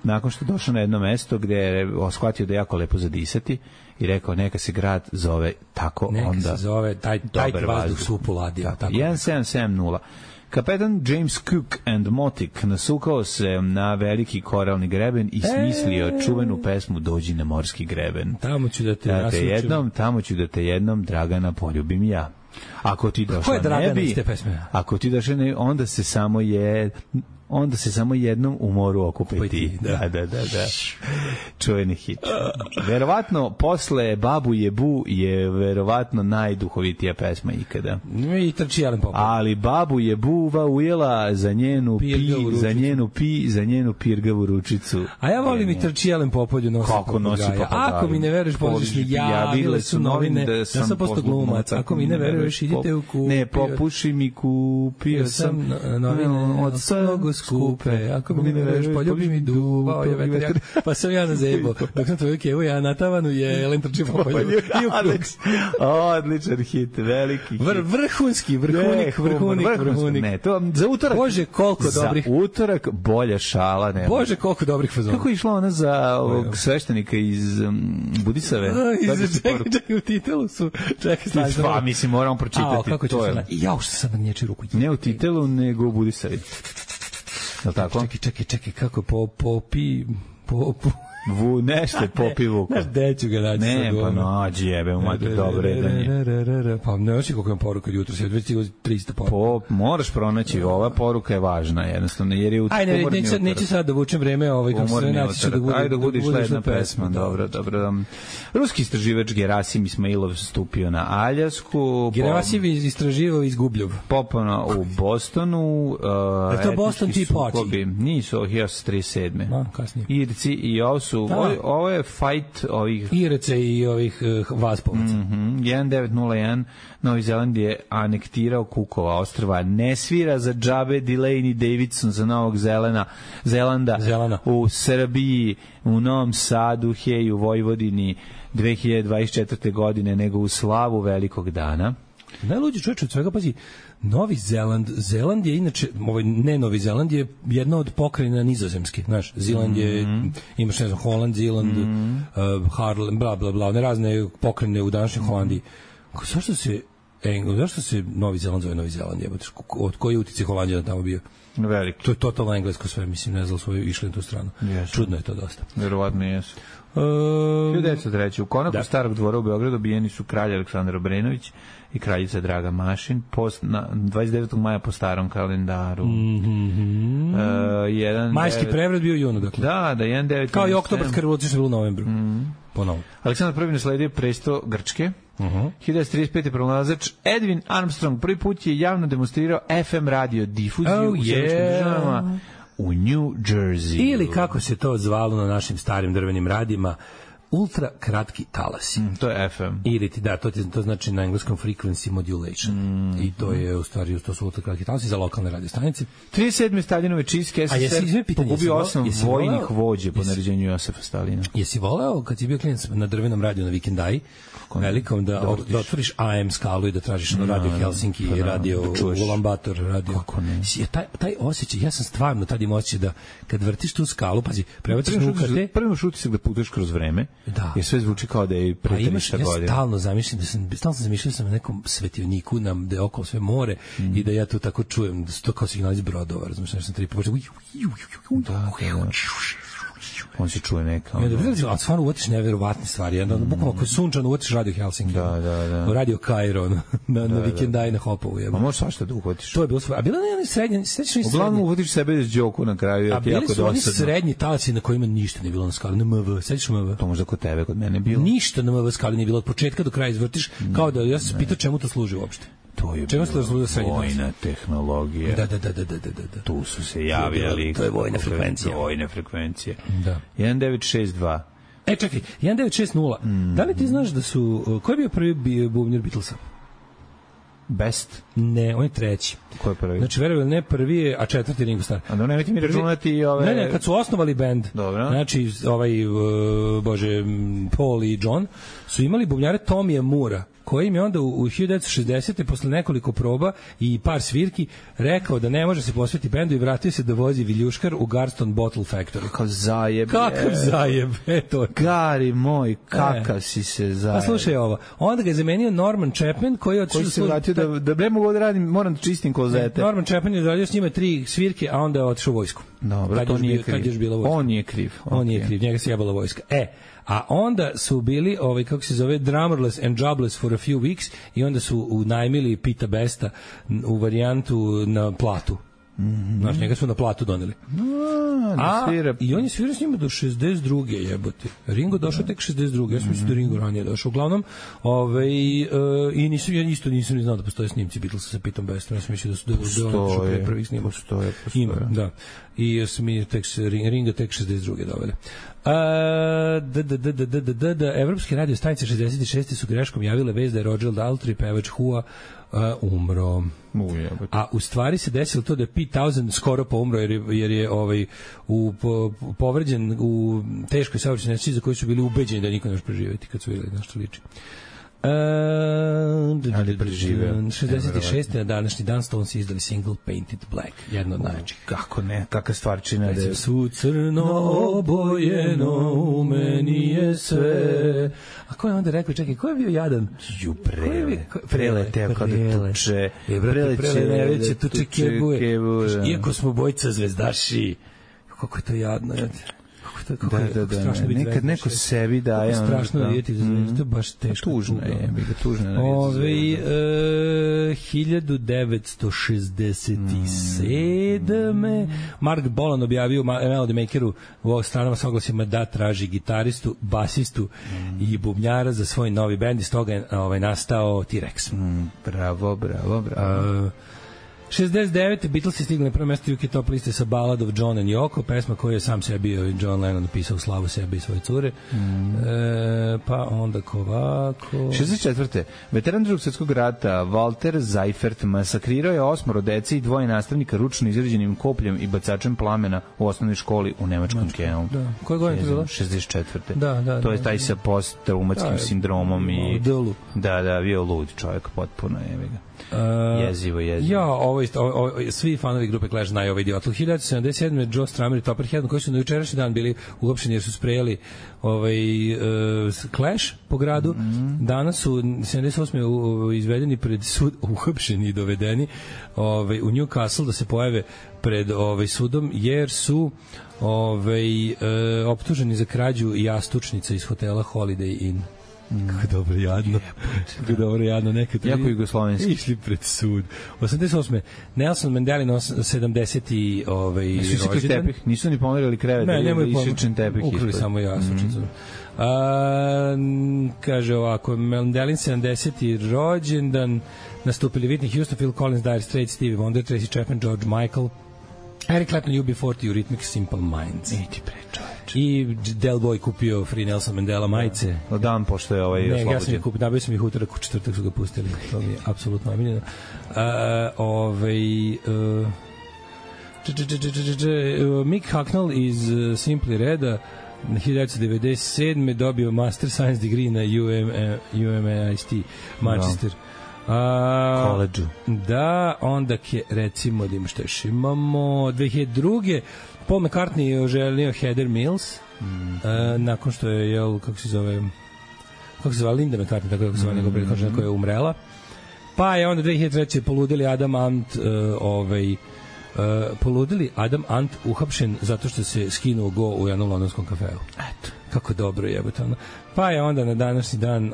nakon što je došao na jedno mesto gde je shvatio da je jako lepo zadisati i rekao neka se grad zove tako,
neka
onda
se zove taj vazduh su upuladio.
1770. Kapetan James Cook and Motic nasukao se na veliki koralni greben i smislio čuvenu pesmu Dođi na morski greben.
Tamo ću da te nasučim.
Tamo ću da te jednom, Dragana, poljubim ja. Ako ti došla ne bi, ako ti došla ne, onda se samo jednom u moru okupiti. Da. Čuveni hit. Verovatno, posle Babu Jebu je verovatno najduhovitija pesma ikada.
I trči Jelen Popov.
Ali Babu Jebuva ujela za njenu za njenu pirgavu ručicu.
A ja volim i trči Jelen Popolju nosi papagaja. Ako mi ne veruješ, pođeš mi, javile su novine, ja sam posto glumac. Ako mi ne veruješ, idite u kupio.
Ne, popuši mi, kupio sam
novine od mnogo skupe, ako mi ne veruješ, poljubi mi duvao je vetar, pa sam ja na zebo. Dok sam tvoju kevu, ja na tavanu je Jelen trči Popolju. I u krug.
Odličan hit, veliki hit.
Vrhunik.
Ne, to za utorak.
Bože, koliko dobrih.
Za utorak bolja šala nema.
Bože, koliko dobrih fazona.
Kako je išla ona za ovog sveštenika iz Budisave?
Čekaj, u titelu su. Čekaj,
pa mislim, moramo pročitati.
Kako će se... Ja, što sam nječi ruku.
Ne u titelu, nego u Budisavi. Je li tako?
Čekaj, kako po
nešto je Popi Vuko.
Znaš, gde ću ga naći?
Ne, pa nađi, jebe, umate dobro jedanje.
Pa ne oči koliko imam poruka jutro, sve već 300 poruka.
Moraš pronaći, ova poruka je važna, jednostavno, jer je
umorni utorak. Neću sad da vučem vreme, kako se naći ću
da budiš jedna pesma. Dobro. Ruski istraživač Gerasim Ismailov stupio na Aljasku.
Gerasim istraživao izgubljov.
Popano u Bostonu.
Je to Boston Tea Party?
Nisu, 1937.
Kasnije.
Irci i ovo su ovo je fight ovih
Irece i ovih Vaspovaca.
1901 Novi Zeland je anektirao Kukova ostrva. Ne svira za džabe Delaney Davidson za Novog Zelanda u Srbiji, u Novom Sadu, hej, u Vojvodini 2024. godine, nego u slavu velikog dana.
Najluđi čovječ od svega, pazi, Novi Zeland je inače, ne Novi Zeland je jedna od pokrajina Nizozemske, znaš, Zeland je, imaš, ne znam, Holland, Zeland, Harlem, bla, bla, bla, one razne pokrajine u današnjoj Holandiji. Zašto se Novi Zeland zove Novi Zeland? Od koji utice Holandija tamo bio?
Veliko.
To je totalno englesko sve, mislim, ne znam, svoje išli na tu stranu.
Yes.
Čudno je to dosta.
Verovatno jesu. 1903. U konaku Starog dvora u Beogradu ubijeni su kralj Aleksandar Obrenović i kraljica Draga Mašin 29. maja po starom kalendaru.
Majski prevrat bio u junu, dakle.
Da, 1.9.
Kao i oktobarska revolucija što je bilo u novembru. Ponovo.
Aleksandar I nasledio presto Grčke. 1935. pronalazač Edwin Armstrong prvi put je javno demonstrirao FM radio difuziju u Sjedinjenim Državama u New Jersey.
Ili kako se to zvalo na našim starim drvenim radijima, ultra kratki talasi.
To je FM.
Ili ti, da, to znači na engleskom frequency modulation. I to je u stvari, to su ultra kratki talasi za lokalne radio stanice.
37. Staljinove čistke SSR pogubio 8 vojnih vođe po naređenju Josefa Stalina.
Jesi voleo kad si bio klinac na drvenom radiju na Vikendaji, velikom, da otvoriš AM skalu i da tražiš radio Helsinki, radio Ulaanbaatar, radio.
Kako ne?
Taj osjećaj, ja sam stvarno tad imao osjećaj da kad vrtiš tu skalu, pazi, prebaciš na UKT.
Prvo šutisak da putuješ kroz vreme.
Da.
Jer sve zvuči kao da je pre 300 godina.
Ja stalno zamišljam da sam na nekom svetioniku da je okolo sve more i da ja tu tako čujem da su to kao signal iz brodova, razumiješ, nešto sam tri počeo.
Da. On se čuje neka.
A stvarno uvatiš neverovatne stvari. Bukvalno ako je sunčano uvatiš radio Helsinki.
Da.
Radio Kairo na Vikendaj na Hopovu.
A možeš svašta da uvatiš.
To je bilo sve. A bila ne srednje, sećaš li srednje?
Uglavnom uvatiš sebe iz džoku na kraju.
A bili su oni srednji talasi na kojima ništa nije bilo na skali. Na MV. Sećaš MV?
To možda kod tebe, kod mene bilo.
Ništa na MV skali nije bilo. Od početka do kraja izvrtiš. Kao da ja se pitao čemu to služi uopšte.
To je vojna tehnologija.
Da.
Tu su se javljali.
To je vojna frekvencija.
Vojne frekvencije.
Da.
1962.
Čekaj, 1960. Da li ti znaš da su... Ko je bio prvi bubnjar Beatlesa?
Best?
Ne, on je treći.
Ko je prvi?
Znači, verujem, ne prvi je, a četvrti Ringo Starr.
A da nemojte mi računati i ove...
Ne, kad su osnovali bend, znači, Paul i John, su imali bubnjare Tomija Moora, koji im je onda u 1960. posle nekoliko proba i par svirki rekao da ne može se posvetiti bendu i vratio se da vozi viljuškar u Garston Bottle Factory.
Kakav zajeb.
Kakav zajeb. Eto.
Gari moj, kakav si se zajeb.
Pa slušaj ovo. Onda ga je zamenio Norman Chapman koji
se vratio da bre mogu da radim, moram da čistim klozete.
Norman Chapman je odradio s njima 3 svirke, a onda je otišao u vojsku.
Dobro, to nije kriv. On nije kriv.
On nije kriv, njega se jebala vojska. A onda su bili, kako se zove, drummerless and jobless for a few weeks i onda su unajmili Pita Besta u varijantu na platu. Znaš, njega su na platu doneli. I on je svirao s njima do 62. jebote. Ringo došao tek 62. Ja sam mislio da Ringo ranije došao. Uglavnom, i nisam ni znao da postoje snimci Beatlesa sa Pitom Bestom. Ja sam mislio da su došao pre prvih snimaka.
Postoje.
Ima, da. I ja sam Ringo tek 62. doveli. Evropske radio stanice 66. su greškom javile vest da je Roger Daltrey, pevač Who-a, umro. A u stvari se desilo to da je Pete Townshend skoro poumro jer je povređen u teškoj saobraćajnoj nesreći za koju su bili ubeđeni da niko ne može preživjeti kad su vidjeli na što liči.
Ali preživeo.
66. na današnji dan Stones izdali single Painted Black, jedno od najjačih.
Kako ne, kakva stvarčina da je.
Su crno obojeno, u meni je sve. A ko je onda rekao, čekaj, ko je bio jadan?
Preleteo kada tuče.
Preleće tuče kebuje. Iako smo bojica zvezdaši. Kako je to jadno,
nekad neko sebi daje
strašno da vidjeti za zvezdu, baš teško.
Tužno je, tužno je.
1967. Mark Bolan objavio Melody Makeru u ovog stranama s oglasima da traži gitaristu, basistu i bubnjara za svoj novi bend, iz toga je nastao T-Rex.
Bravo.
69. Beatlesi stigli na prvo mesto UK top liste sa Ballad of John and Yoko, pesma koju je sam sebi John Lennon napisao u slavu sebe i svoje cure. Pa onda kovako...
64. Veteran Drugog svjetskog rata Walter Seifert masakrirao je 8 dece i 2 nastavnika ručno izrađenim kopljem i bacačem plamena u osnovnoj školi u nemačkom Kenu.
Da. Koje godine to bilo?
64.
Da.
To je taj sa posttraumatskim sindromom i... Da, bio lud čovjek, potpuno je ga. Jezivo.
Ja, svi fanovi grupe Clash znaju ovaj idiot. 1977. Joe Strummer i Topperhead, koji su na jučerašnji dan bili uhapšeni jer su sprejeli Clash po gradu. Danas su 78. izvedeni pred sud, uhapšeni i dovedeni u Newcastle da se pojave pred sudom jer su optuženi za krađu jastučnica iz hotela Holiday Inn. Kako dobro jadno. Kako dobro jadno. Nekad
jako jugoslovenski.
Išli pred sud. 88. Nelson Mandela 70. rođendan.
Nisu ni pomerili krevet.
Ne, nemoj
tepih.
Ukrali samo jastučnicu. Kaže ovako, Mandelin 70. rođendan, nastupili Whitney Houston, Phil Collins, Dire Straits, Stevie Wonder, Tracy Chapman, George Michael, Eric Clapton, UB40, Eurythmics, Simple Minds. I Del Boy kupio Free Nelson Mandela majice.
Dan pošto je oslobođen.
Ne, ja sam ih kupio, nabio sam ih utorak, u četvrtak su ga pustili. To mi je apsolutno omiljeno. Mick Hucknall iz Simply Reda 1997. dobio Master Science degree na UMIT Manchester.
College.
Da, onda recimo da ima što još imamo 2002. Paul McCartney je oženio Heather Mills nakon što je kako se zove Linda McCartney, tako kako se zove njegov prethodna koja je umrela. Pa je onda 2003. poludeli Adam Ant uhapšen zato što se skinuo go u jednom londonskom kafeu. Eto, kako dobro jebote ono. Pa je onda na današnji dan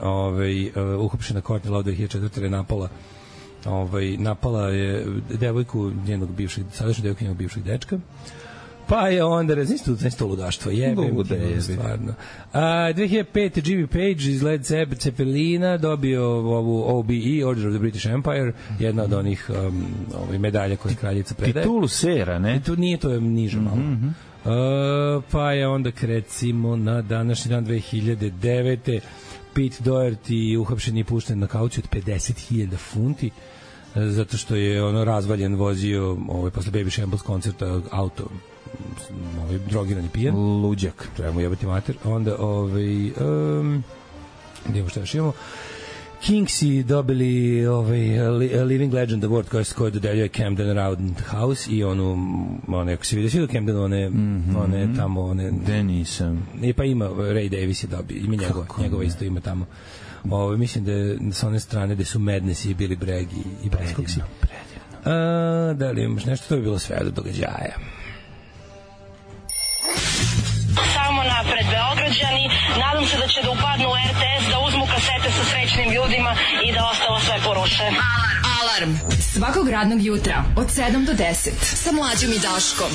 uhapšena Courtney Love 2004. napala je devojku njenog bivšeg, sadašnju devojku njenog bivšeg dečka. Pa je onda rezistentno ludaštvo. Jebe, stvarno. 2005. Jimmy Page iz Led Zeppelina dobio ovu OBE, Order of the British Empire, jedna od onih medalja koje kraljica predaje.
Titulu sera, ne?
Nije, to je niže malo. Pa je onda recimo na današnji dan 2009. Pete Doherty uhapšen i pušten na kauciju od 50.000 funti zato što je razvaljen vozio posle Baby Shambles koncerta auto drogiran i pijan.
Luđak.
Treba mu jebati mater. Onda gdje što još imamo? Kingsi dobili Living Legend Award koji dodeljuje Camden Roundhouse i ako se vidio do Camden, one tamo,
gde nisam.
Pa ima, Ray Davis je dobio, ima njegova isto ima tamo. Mislim da je sa one strane gde su Madness i Billy Bragg i Buzzcocks. Da li imaš nešto? To bi bilo sve do događaja.
Samo napred Beograđani, nadam se da će da upadnu u RTS, da uzmu kasete sa srećnim ljudima i da ostalo sve poruše.
Alarm svakog radnog jutra od 7 do 10 sa Mlađom i Daškom.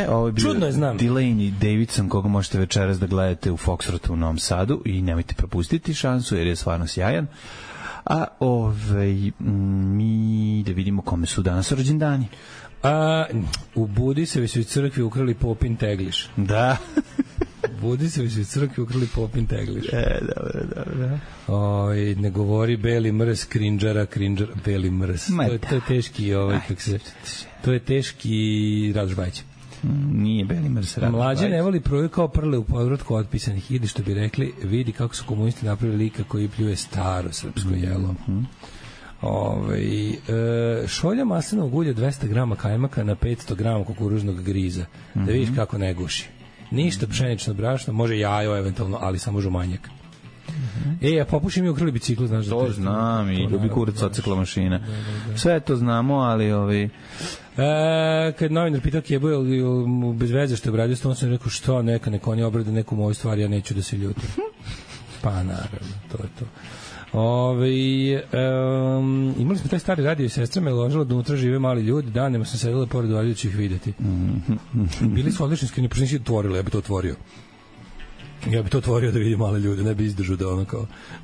Ovo je bio Delaney Davidson, koga možete večeras da gledate u Foxtrotu u Novom Sadu i nemojte propustiti šansu jer je stvarno sjajan. A mi da vidimo kome su danas rođendani.
U Budisevi su iz crkvi ukrali Popin Tegliš.
Da.
Budisevi su iz crkvi ukrali Popin Tegliš.
Dobro.
Ne govori Beli Mrs, Krinđara, Beli Mrs. To je teški, to je teški Radoš Bajić.
Nije Beli Mrs.
Mlađe ne voli proju kao prle u podvratku otpisanih. Idi što bi rekli, vidi kako su komunisti napravili lika koji pljuje staro srpsko jelo. Šolja maslinovog ulja 200 grama kajmaka na 500 grama kukuruznog griza. Da vidiš kako ne guši. Ništa pšenično brašno, može jajo eventualno, ali samo žumanjak. A popušim i ukrili biciklu, znaš da
to znam i ljubi kurac ocekla mašina. Sve to znamo, ali
kad novinar pitao Kebu bez veze što je obradio, on sam rekao što neka oni obrade neku moju stvar, ja neću da se ljutim. Pa naravno, to je to. Imali smo taj stari radio i sestra me ložila da unutra žive mali ljudi, danima sam sedela pored valjućih videti. Bili su odlični skrini, pošto nisi otvorila, ja bi to otvorio. Ja bi to otvorio da vidim male ljude, ne bi izdržao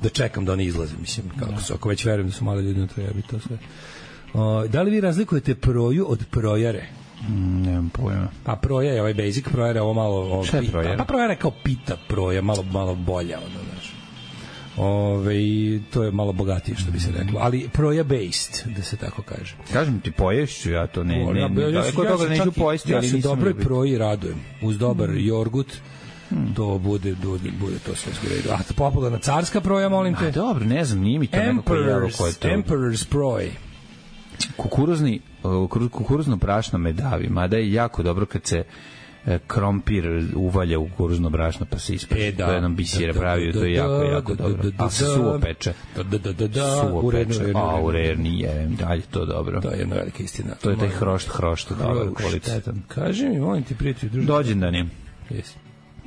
da čekam da oni izlaze, mislim, ako već verujem da su male ljudi unutra, ja bi to sve. Da li vi razlikujete proju od projare?
Nemam pojma.
Pa proja je ovaj basic, projara je ovo malo...
Šta je projara?
Pa projara je kao pita proja, malo bolja, znaš. To je malo bogatije, što bi se reklo, ali proja based, da se tako kaže.
Kažem ti, poješću, ja to ne toga neću pojesti, ali nisam...
Ja se dobroj proji radujem, uz dobar jogurt, to bude to sve u redu. A popularna carska proja, molim te?
Dobro, ne znam, nije mi to nekako jelo koje to...
Emperor's proj.
Kukuruzno brašno me davi, mada je jako dobro kad se krompir uvalja u kukuruzno brašno pa se ispeče. To jednom bisire pravio, to je jako dobro. A se suvo peče. Suvo peče. U rerni je, dalje to dobro.
To je jedna velika istina.
To je taj hrošt dobar, kvalitetan.
Kaži mi, molim ti, prijatelj, druži.
Dođendan je.
Jesi.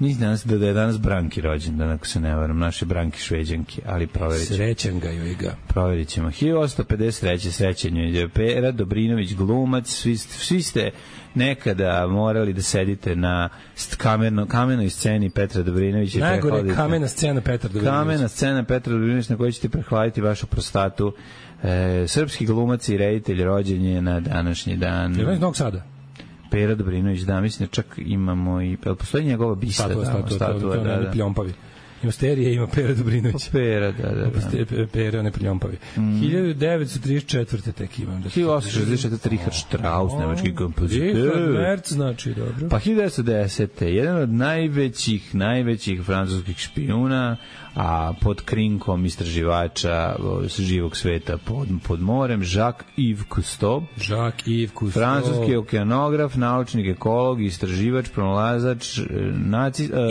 Nisam da je danas Branki rođendan, ako se ne varam, naše Branki Šveđanke, ali proverit ćemo.
Srećan ga joj ga.
Proverit ćemo. 1853. srećan joj Pera Dobrinović, glumac, svi ste nekada morali da sedite na kamenoj sceni Petra Dobrinovića.
Najgore kamena scena Petra Dobrinovića.
Kamena scena Petra Dobrinovića na kojoj ćete prehladiti vašu prostatu. Srpski glumac i reditelj rođen je na današnji dan.
Je li iz Novog Sada?
Pera Dobrinović, da, mislim da čak imamo i... Postoji njegova bista.
Statua, da. Pljompavi. Ima sterije, ima Pera Dobrinović.
Pera, da.
Pera, ne Pljompavi. 1934. tek imam.
1864. Richard Strauss, nemački kompozitor.
Richard Merz, znači, dobro.
Pa 1910. Jedan od najvećih francuskih špijuna, a pod krinkom istraživača živog sveta pod morem, Jacques-Yves Cousteau. Francuski okeanograf, naučnik, ekolog, istraživač, pronalazač,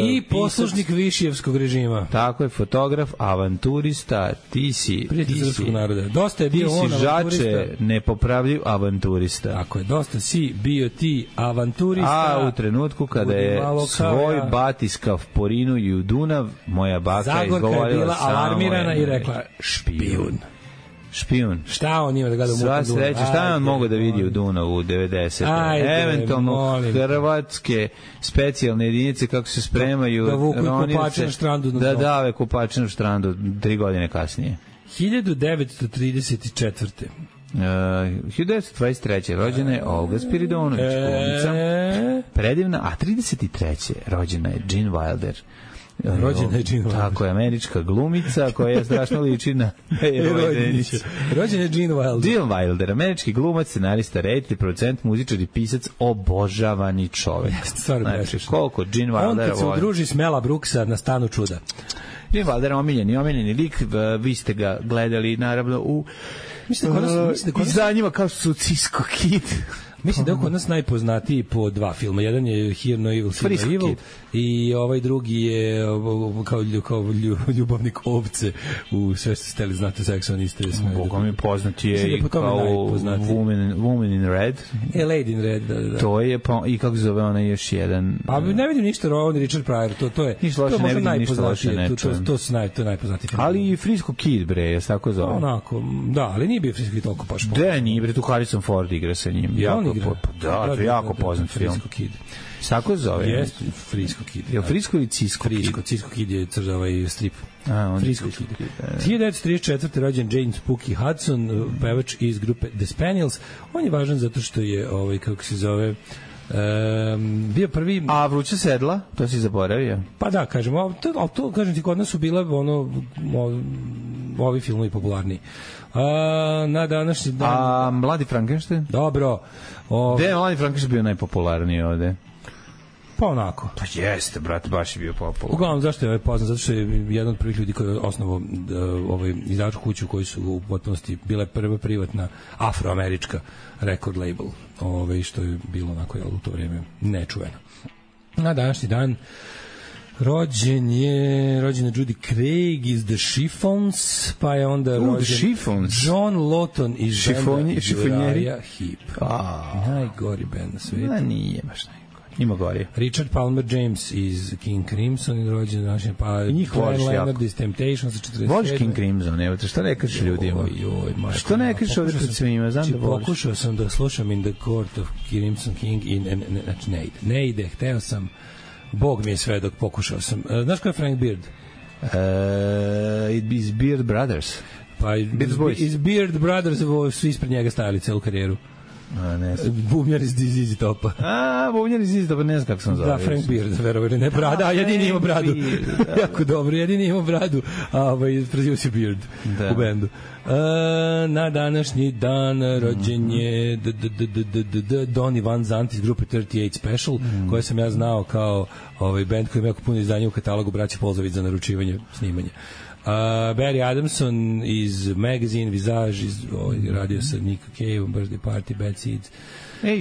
i poslušnik Višijevskog režima.
Tako je, fotograf, avanturista, ti si
srpskog naroda. Dosta je bio on avanturista.
Žače, nepopravljiv avanturista.
Tako je, dosta si bio ti avanturista.
A u trenutku kada je svoj batiskav porinuo u Dunav, moja baka je
Zagorka je bila alarmirana i rekla špijun. Šta on ima da gleda u mutom Dunavu?
Sva sreća, šta on mogu da vidi u Dunavu u 90. Eventualno hrvatske specijalne jedinice kako se spremaju
da vuku kupače na štrandu.
Da dave kupače na štrandu 3 godine kasnije.
1934.
1923. rođena je Olga Spiridonović, glumica, predivna, a 33. rođena je Gene Wilder,
Rođena je Gene Wilder.
Tako je, američka glumica koja je strašno liči na Denića.
Rođena je Gene Wilder.
Gene Wilder, američki glumac, scenarista, reditelj, producent, muzičar i pisac, obožavani čovek. Znači, koliko Gene Wilder
on kad se udruži s Mela Brooksa na Stanu čuda.
Gene Wilder omiljeni lik, vi ste ga gledali naravno u izdanjima kao što su Cisco Kid.
Mislim da je kod nas najpoznatiji po dva filma. Jedan je Hear No Evil, See No Evil i ovaj drugi je kao ljubavnik ovce u Sve ste steli znate seksualiste.
Bogom je poznati je i kao Woman in Red.
Lady in Red, da.
To je, i kako zove ona još jedan...
A ne vidim ništa, on Richard Pryor, to je možda najpoznatije. To je najpoznatiji film.
Ali i Frisco Kid, bre, je tako zove.
Onako, da, ali nije bio Frisco Kid toliko baš.
Da, nije, bre, tu Harrison Ford igra sa njim. Da, to je jako poznat film.
Frisco Kid.
Tako zove?
Jeste, Frisco Kid.
Je li Frisco ili Cisco Kid?
Cisco Kid je strip. Frisco Kid. 1934. rođen James Pookie Hudson, pevač iz grupe The Spaniels. On je važan zato što je, kako se zove, bio prvi...
A Vruća sedla? To si zaboravio?
Pa da, kažem, to kažem ti, kod nas su bile ovi filmovi popularniji. Na današnji dan...
A Mladi Frankenstein?
Dobro.
Gde je Mladi Frankenstein bio najpopularniji ovde?
Pa onako.
Pa jeste, brate, baš je bio popularan.
Uglavnom, zašto je ovaj poznat? Zato što je jedan od prvih ljudi koji je osnovao izdavačku kuću koji su u potpunosti bile prva privatna afroamerička record label, što je bilo onako u to vrijeme nečuveno. Na današnji dan rođena Judy Craig iz The Chiffons, pa je onda rođen John Lawton iz benda Uriah Heep. Najgori band na svijetu.
Nije baš najgori. Ima gori.
Richard Palmer James iz King Crimson i rođen današnji, pa Glenn Leonard iz Temptation sa 47.
Voliš King Crimson, evo te, što ne kažeš ljudima? Što ne kažeš ovdje pred svima, znam da voliš.
Pokušao sam da slušam In the Court of Crimson King i ne ide, hteo sam, Bog mi je sve dok pokušao sam. Znaš ko je Frank Beard?
Iz Beard Brothers.
Pa iz Beard Brothers su ispred njega stajali celu karijeru. Bubnjar iz ZZ Topa.
Bubnjar iz ZZ Topa, ne znam kako sam zove.
Da, Frank Beard, verovali, ne brada, jedini ima bradu. Jako dobro, jedini ima bradu, a preziva se Beard u bendu. Na današnji dan rođen je Donny Van Zandt iz grupe 38 Special, koje sam ja znao kao bend koji ima jako puno izdanja u katalogu braća Polzović za naručivanje snimanja. Barry Adamson iz Magazine, Visage, radio sa Nick Cave, Birthday Party, Bad Seeds.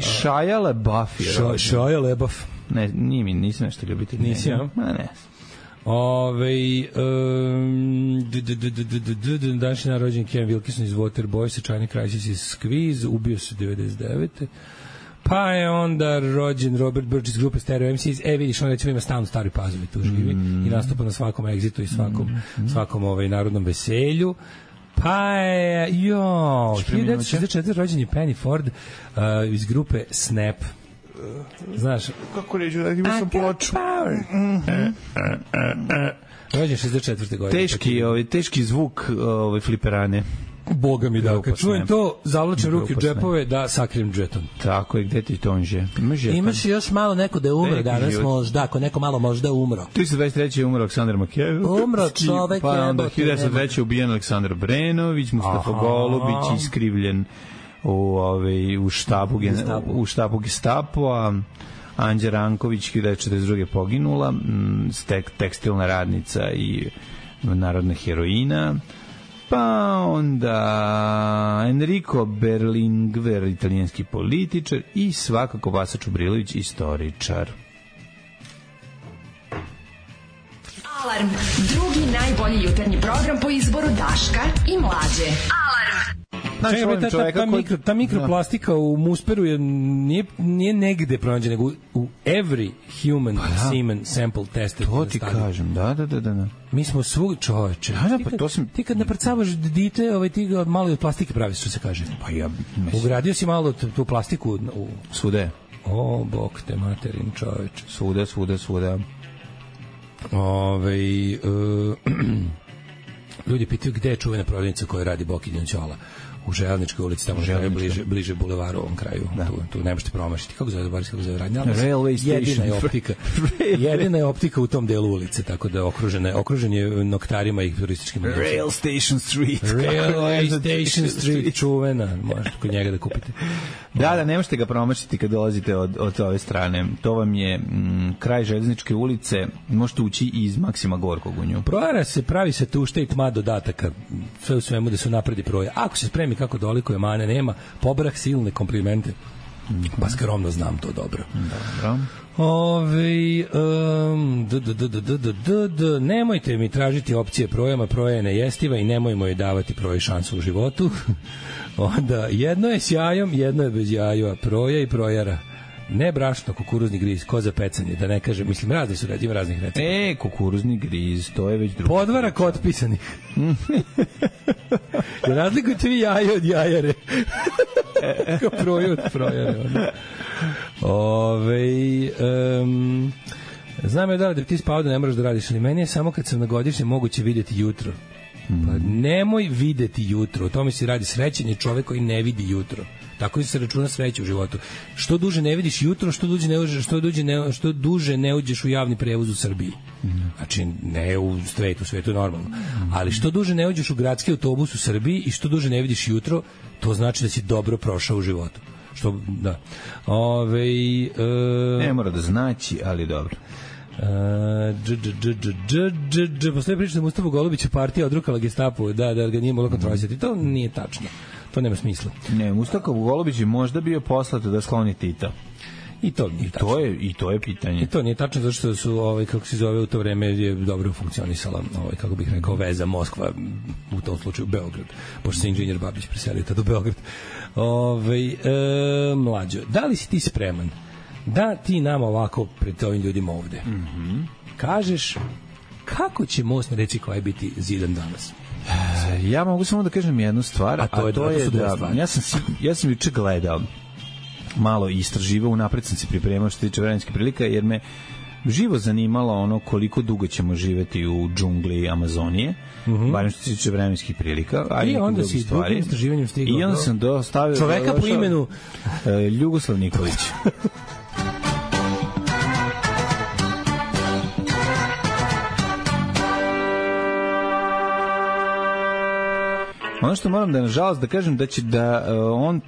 Shia LaBeouf je.
Shia LaBeouf.
Ne, nisam nešto ljubitelj.
Nisi, ja?
Ne.
Današnji dan rođen Ken Wilkinson iz Waterboy, China Crisis iz Squeeze, ubio se 99. Pa je onda rođen Robert Burch iz grupe Stereo MCs. Vidiš, on recimo ima stalno Stari Pazovi, tu živi i nastupa na svakom egzitu i svakom narodnom veselju. Pa je 1964. rođen je Penny Ford iz grupe Snap. Znaš,
kako ređu, da imao sam ploču.
Rođen 64. godine.
Teški zvuk fliperane.
Boga mi da, kad čujem to, zavlačem ruke u džepove da sakrijem džeton.
Tako je, gde ti tonže?
Imaš još malo neko da je umro danas možda, ako neko malo možda umro.
1923. je umro Aleksandar Makević.
Umro čovek.
Pa onda 1903. je ubijen Aleksandar Brenović, Mustafa Golubić, iskrivljen u štabu Gestapo-a. Anđa Ranković 1942. poginula, tekstilna radnica i narodna heroina. Pa onda Enrico Berlinguer, italijanski političar, i svakako Vasa Čubrilović, istoričar.
Alarm, drugi najbolji jutarnji program po izboru Daška i Mlađe. Alarm.
Ta mikroplastika u musperu nije negde pronađena, nego u every human semen sample tested.
To ti kažem, da.
Mi smo svugdje, čoveče. Ti kad naprcavaš dite, ti ga malo od plastike pravi, što se kaže.
Pa ja
ugradio si malo tu plastiku u...
Svude.
O, bok te materin, čoveče.
Svude.
Ljudi pitaju gde je čuvena prodavnica koja radi Boki Đonćola. U Železničkoj ulici, tamo je bliže bulevaru, ovom kraju. Da. Tu ne možete promašiti. Kako zove radnja?
Railway station.
Jedina je optika u tom delu ulice, tako da okružen je noktarima i turističkim ulicama.
Rail Station Street.
Railway Station Street, čuvena. Možete kod njega da kupite.
Da, ne možete ga promašiti kad dolazite od ove strane. To vam je kraj Železničke ulice. Možete ući iz Maksima Gorkog u nju.
Projara se, pravi se tušta i tma dodataka. Sve u svemu da se napredi proja. Ako se spremi kako dolikuje, mane nema, pobrah silne komplimente. Pa skromno znam to dobro. Nemojte mi tražiti opcije projama, proja je nejestiva i nemojmo joj davati proji šansu u životu. Onda, jedno je s jajom, jedno je bez jajova, proja i projara. Ne brašno, kukuruzni griz, ko za pecanje, da ne kažem, mislim, razni su ima raznih recepta.
Kukuruzni griz, to je već drugo.
Podvarak otpisanih. Razlikujte vi jaje od jajare. Kao proju od projare. Znam je da ti spavao da ne moraš da radiš, ali meni je samo kad sam na godišnje moguće vidjeti jutro. Pa nemoj videti jutro, o tome se radi. Srećan je čovek koji ne vidi jutro. Tako se računa sreća u životu. Što duže ne vidiš jutro, što duže ne uđeš u javni prevoz u Srbiji. Znači, ne u svetu normalno. Ali što duže ne uđeš u gradski autobus u Srbiji i što duže ne vidiš jutro, to znači da si dobro prošao u životu. Da.
Ne mora da znači, ali dobro.
Postoje priča da Mustafa Golubića partija odrukala Gestapu, da ga nije mogla kontrolisati. To nije tačno. To nema smisla.
Ne, Mustafa Golubić je možda bio poslat da skloni Tita.
I to nije tačno.
To je pitanje.
I to nije tačno zato što su kako se zove u to vreme je dobro funkcionisala kako bih rekao veza Moskva, u tom slučaju Beograd, pošto se inženjer Babić preselio tada u Beograd. Mlađo, da li si ti spreman da ti nama ovako pred ovim ljudima ovde kažeš kako će most na reci Klaj biti zidan danas?
Ja mogu samo da kažem jednu stvar, a to je da ja sam juče gledao malo i istraživao, unapred sam se pripremao što se tiče vremenskih prilika, jer me živo zanimalo koliko dugo ćemo živeti u džungli Amazonije, barem što se tiče vremenskih prilika, a i onda si drugim
istraživanjem stigao.
I onda sam dostavio
čoveka po imenu
Ljugoslav Nikolić. Ono što moram da nažalost da kažem da on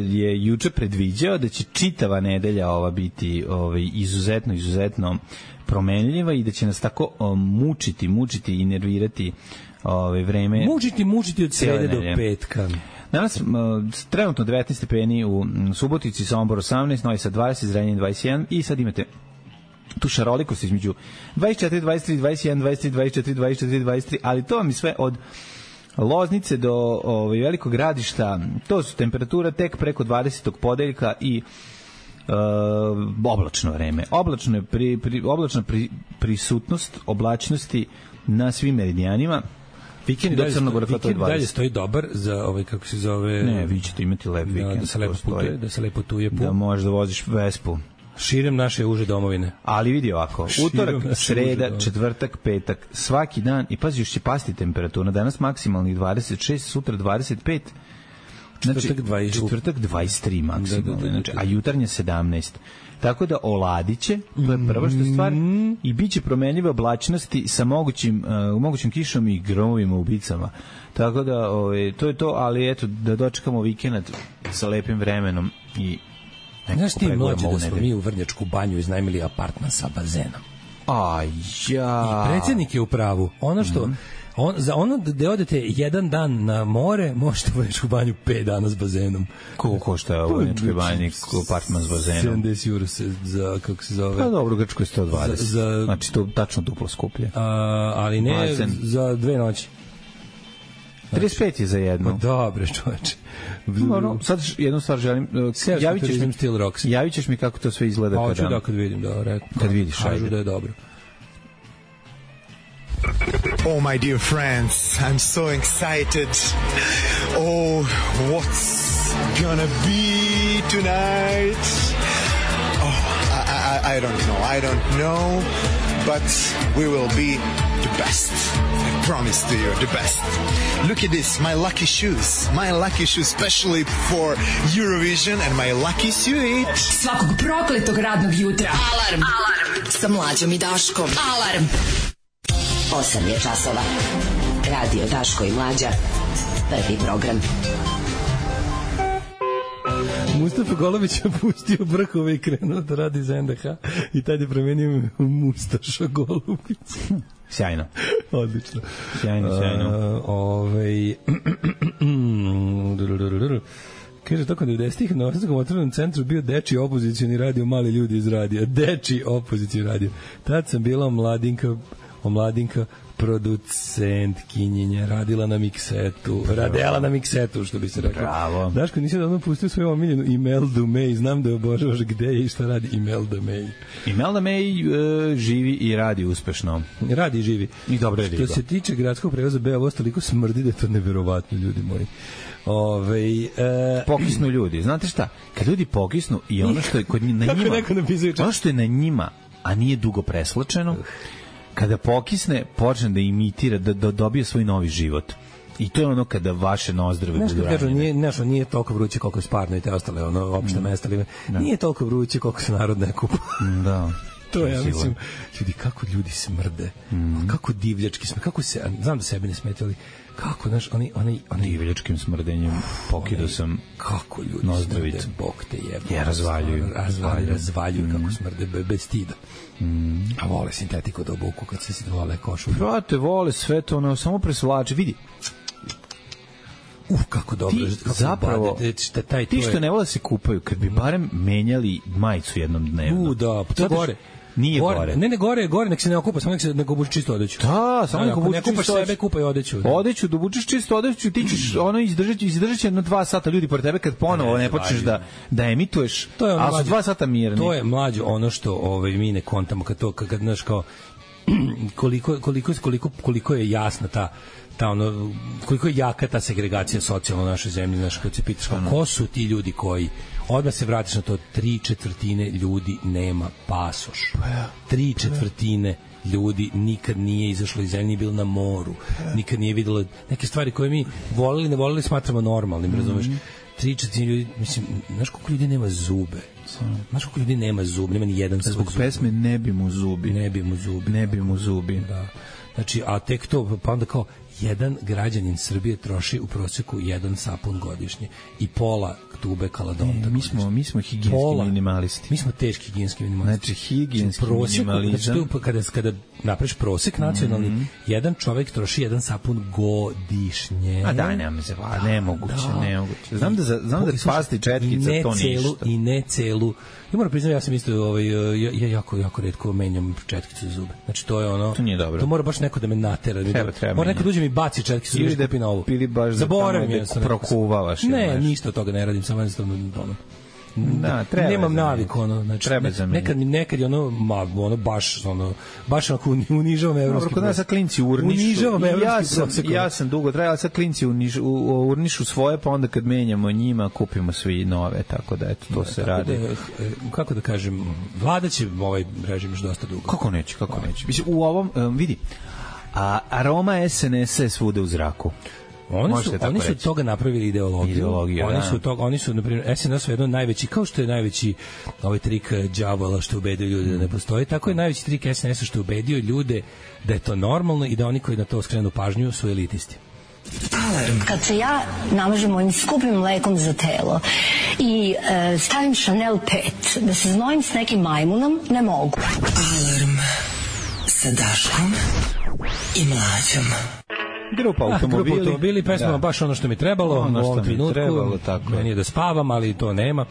je juče predviđao da će čitava nedelja ova biti izuzetno promenljiva i da će nas tako mučiti i nervirati vreme.
Mučiti od srede do petka.
Danas trenutno 19 stepeni u Subotici, Sombor 18, Novi Sad 20, Zrenjanin 21 i sad imate tu šarolikost između 24, 23, 21, 23, 24, 24, 23, ali to vam je sve od Loznice do Velikog Gradišta. To su temperatura tek preko 20. podeljka i oblačno vreme. Oblačna prisutnost oblačnosti na svim meridijanima. Vikend do Crnog Vrha to je 20.
Dalje stoji dobar za kako se zove.
Ne, vi ćete imati lep vikend.
Da se lepo putuje.
Da možeš da voziš Vespu.
Širem naše uže domovine.
Ali vidi ovako, utorak, sreda, četvrtak, petak, svaki dan, i pazi, još će pasti temperatura, danas maksimalnih 26, sutra 25, četvrtak 23 maksimalno, a jutarnja 17. Tako da oladiće, to je prva što stvar, i bit će promenljive oblačnosti sa mogućim kišom i gromovima ubicama. Tako da, to je to, ali eto, da dočekamo vikend sa lepim vremenom i
znaš ti mlađe da smo mi u Vrnjačku banju iznajmili apartman sa bazenom. I predsjednik je u pravu. Ono što za ono da odete jedan dan na more, možete u Vrnjačku banju 5 dana s bazenom.
Koliko košta u Vrnjačkoj banji apartman s bazenom?
70 euro za, kako se zove?
Pa dobro, u Grčkoj je 120. Znači to tačno duplo skuplje.
Ali ne za 2 noći.
35 je za jedno.
Dobre, čoveče.
Sad jednu stvar želim. Javit ćeš mi kako to sve izgleda.
Pa ću da kad vidim, da rekao.
Kad vidiš,
kažu da je dobro.
Oh, my dear friends, I'm so excited. Oh, what's gonna be tonight? Oh, I don't know, but we will be the best. I promise to you, the best. Look at this, my lucky shoes. My lucky shoes specially for Eurovision and my lucky suit.
Svakog prokletog radnog jutra. Alarm. Sa Mlađom i Daškom. Alarm.
8 je časova. Radio Daško i Mlađa. Prvi program.
Mustafa Golović je pustio brkove i krenuo da radi za NDH i tad je promenio u Mustaša Golubić.
Sjajno.
Odlično.
Sjajno.
Kaže, tokom 90-ih na Osnovskom otvorenom centru bio dečiji opozicijni radio Mali ljudi iz radija. Dečiji opozicijni radio. Tad sam bila omladinka producentkinjenja, radila na miksetu, radela na miksetu, što bi se rekao.
Bravo.
Daško, nisi da pustio svoju omiljenu Imelda May, znam da je obožavaš gde je i šta radi Imelda May.
Imelda May živi i radi uspešno.
Radi i živi.
I dobro je riba.
Što se tiče gradskog prevoza Beograd, toliko smrdi da je to neverovatno, ljudi moji.
Pokisnu ljudi. Znate šta? Kad ljudi pokisnu i ono što je kod na njima, ono što je na njima, a nije dugo preslačeno, kada pokisne, počne da imitira, da dobije svoj novi život. I to je ono kada vaše nozdrave budu ranjene.
Nije toliko vruće koliko je Sparno i te ostale opšte mesta. Nije toliko vruće koliko se narod ne kupa.
Da.
To ja mislim, ljudi, kako ljudi smrde, kako divljački smrde, kako se, znam da sebi ne smetali, kako, znaš, oni
divljačkim smrdenjem pokidao sam
kako ljudi
nozdravicu.
Smrde, Bog te jebe.
Ja
Razvaljuju kako smrde, bez stida. A vole sintetiku da obuku kad se vole košulju.
Prate, vole sve to, ono, samo presvlače, vidi.
Kako dobro.
Ti zapravo, ti što ne vole se kupaju, kad bi barem menjali majicu jednom dnevno.
Da, to gore.
Nije gore.
Ne, gore, nek se ne okupa, samo nek obuči čisto odeću.
Da, samo nek obuči čisto odeću.
Sebe kupaj odeću.
Odeću, da obučiš čisto odeću, ti ćeš ono izdržat će jedno 2 sata ljudi pored tebe kad ponovo ne počneš da emituješ, a su 2 sata mirni.
To je mlađo ono što mi ne kontamo, kad znaš kao koliko je jasna ta ono, koliko je jaka ta segregacija socijalna u našoj zemlji, znaš, kad se pitaš ko su ti ljudi koji odmah se vratiš na to, 3/4 ljudi nema pasoš. 3/4 ljudi nikad nije izašlo iz zemlje, nije bilo na moru, nikad nije videlo neke stvari koje mi volili, ne volili, smatramo normalnim, razumeš? 3/4 ljudi, mislim, znaš koliko ljudi nema zube? Znaš koliko ljudi nema zube? Nema ni jedan
zbog pesme Ne bi mu zubi.
Da. Znači, a tek to, pa onda kao, jedan građanin Srbije troši u proseku 1 sapun godišnje i pola tube kaladonta.
Mi smo higijenski minimalisti.
Mi smo teški higijenski minimalisti.
Znači, higijenski minimalizam.
Znači, kada napraviš prosek nacionalni, jedan čovjek troši 1 sapun godišnje.
A daj, nemoguće. Znam da pasti četkica, to ništa.
I ne celu. Ja moram priznati, ja sam isto, ja jako retko menjam četkicu za zube. Znači, to je ono...
To nije dobro.
To mora baš neko da me natera.
Treba.
Mora neko da uđe mi baci četkicu za zube, kupi novu.
Ili baš da prokuvavaš.
Ne, ništa od toga ne radim, samo jednostavno ono.
Da, treba.
Nemam navik, ono, znači nekad je ono baš onako unižavam evropski.
Kod nas sa klinci urnišu. Ja sam dugo trajala sa klinci urnišu svoje, pa onda kad menjamo njima kupimo svi nove, tako da eto to se radi.
Kako da kažem, vlada će ovaj režim još dosta dugo.
Kako neće. Mislim, u ovom vidi. A aroma SNS je svuda u zraku.
Oni su toga napravili ideologiju. Oni su na primjer, SNS je jedno najveći, kao što je najveći ovaj trik đavola što ubedio ljude da ne postoji, tako je najveći trik SNS-a što je ubedio ljude da je to normalno i da oni koji na to skrenu pažnju su elitisti.
Alarm. Kad se ja namažem mojim skupim mlekom za telo i stavim Chanel 5 da se znojim s nekim majmunom, ne mogu.
Alarm sa Daškom i Mlađom.
Grupa automobili,
pesma baš ono što mi trebalo u ovom trenutku. Meni je da spavam, ali to nema.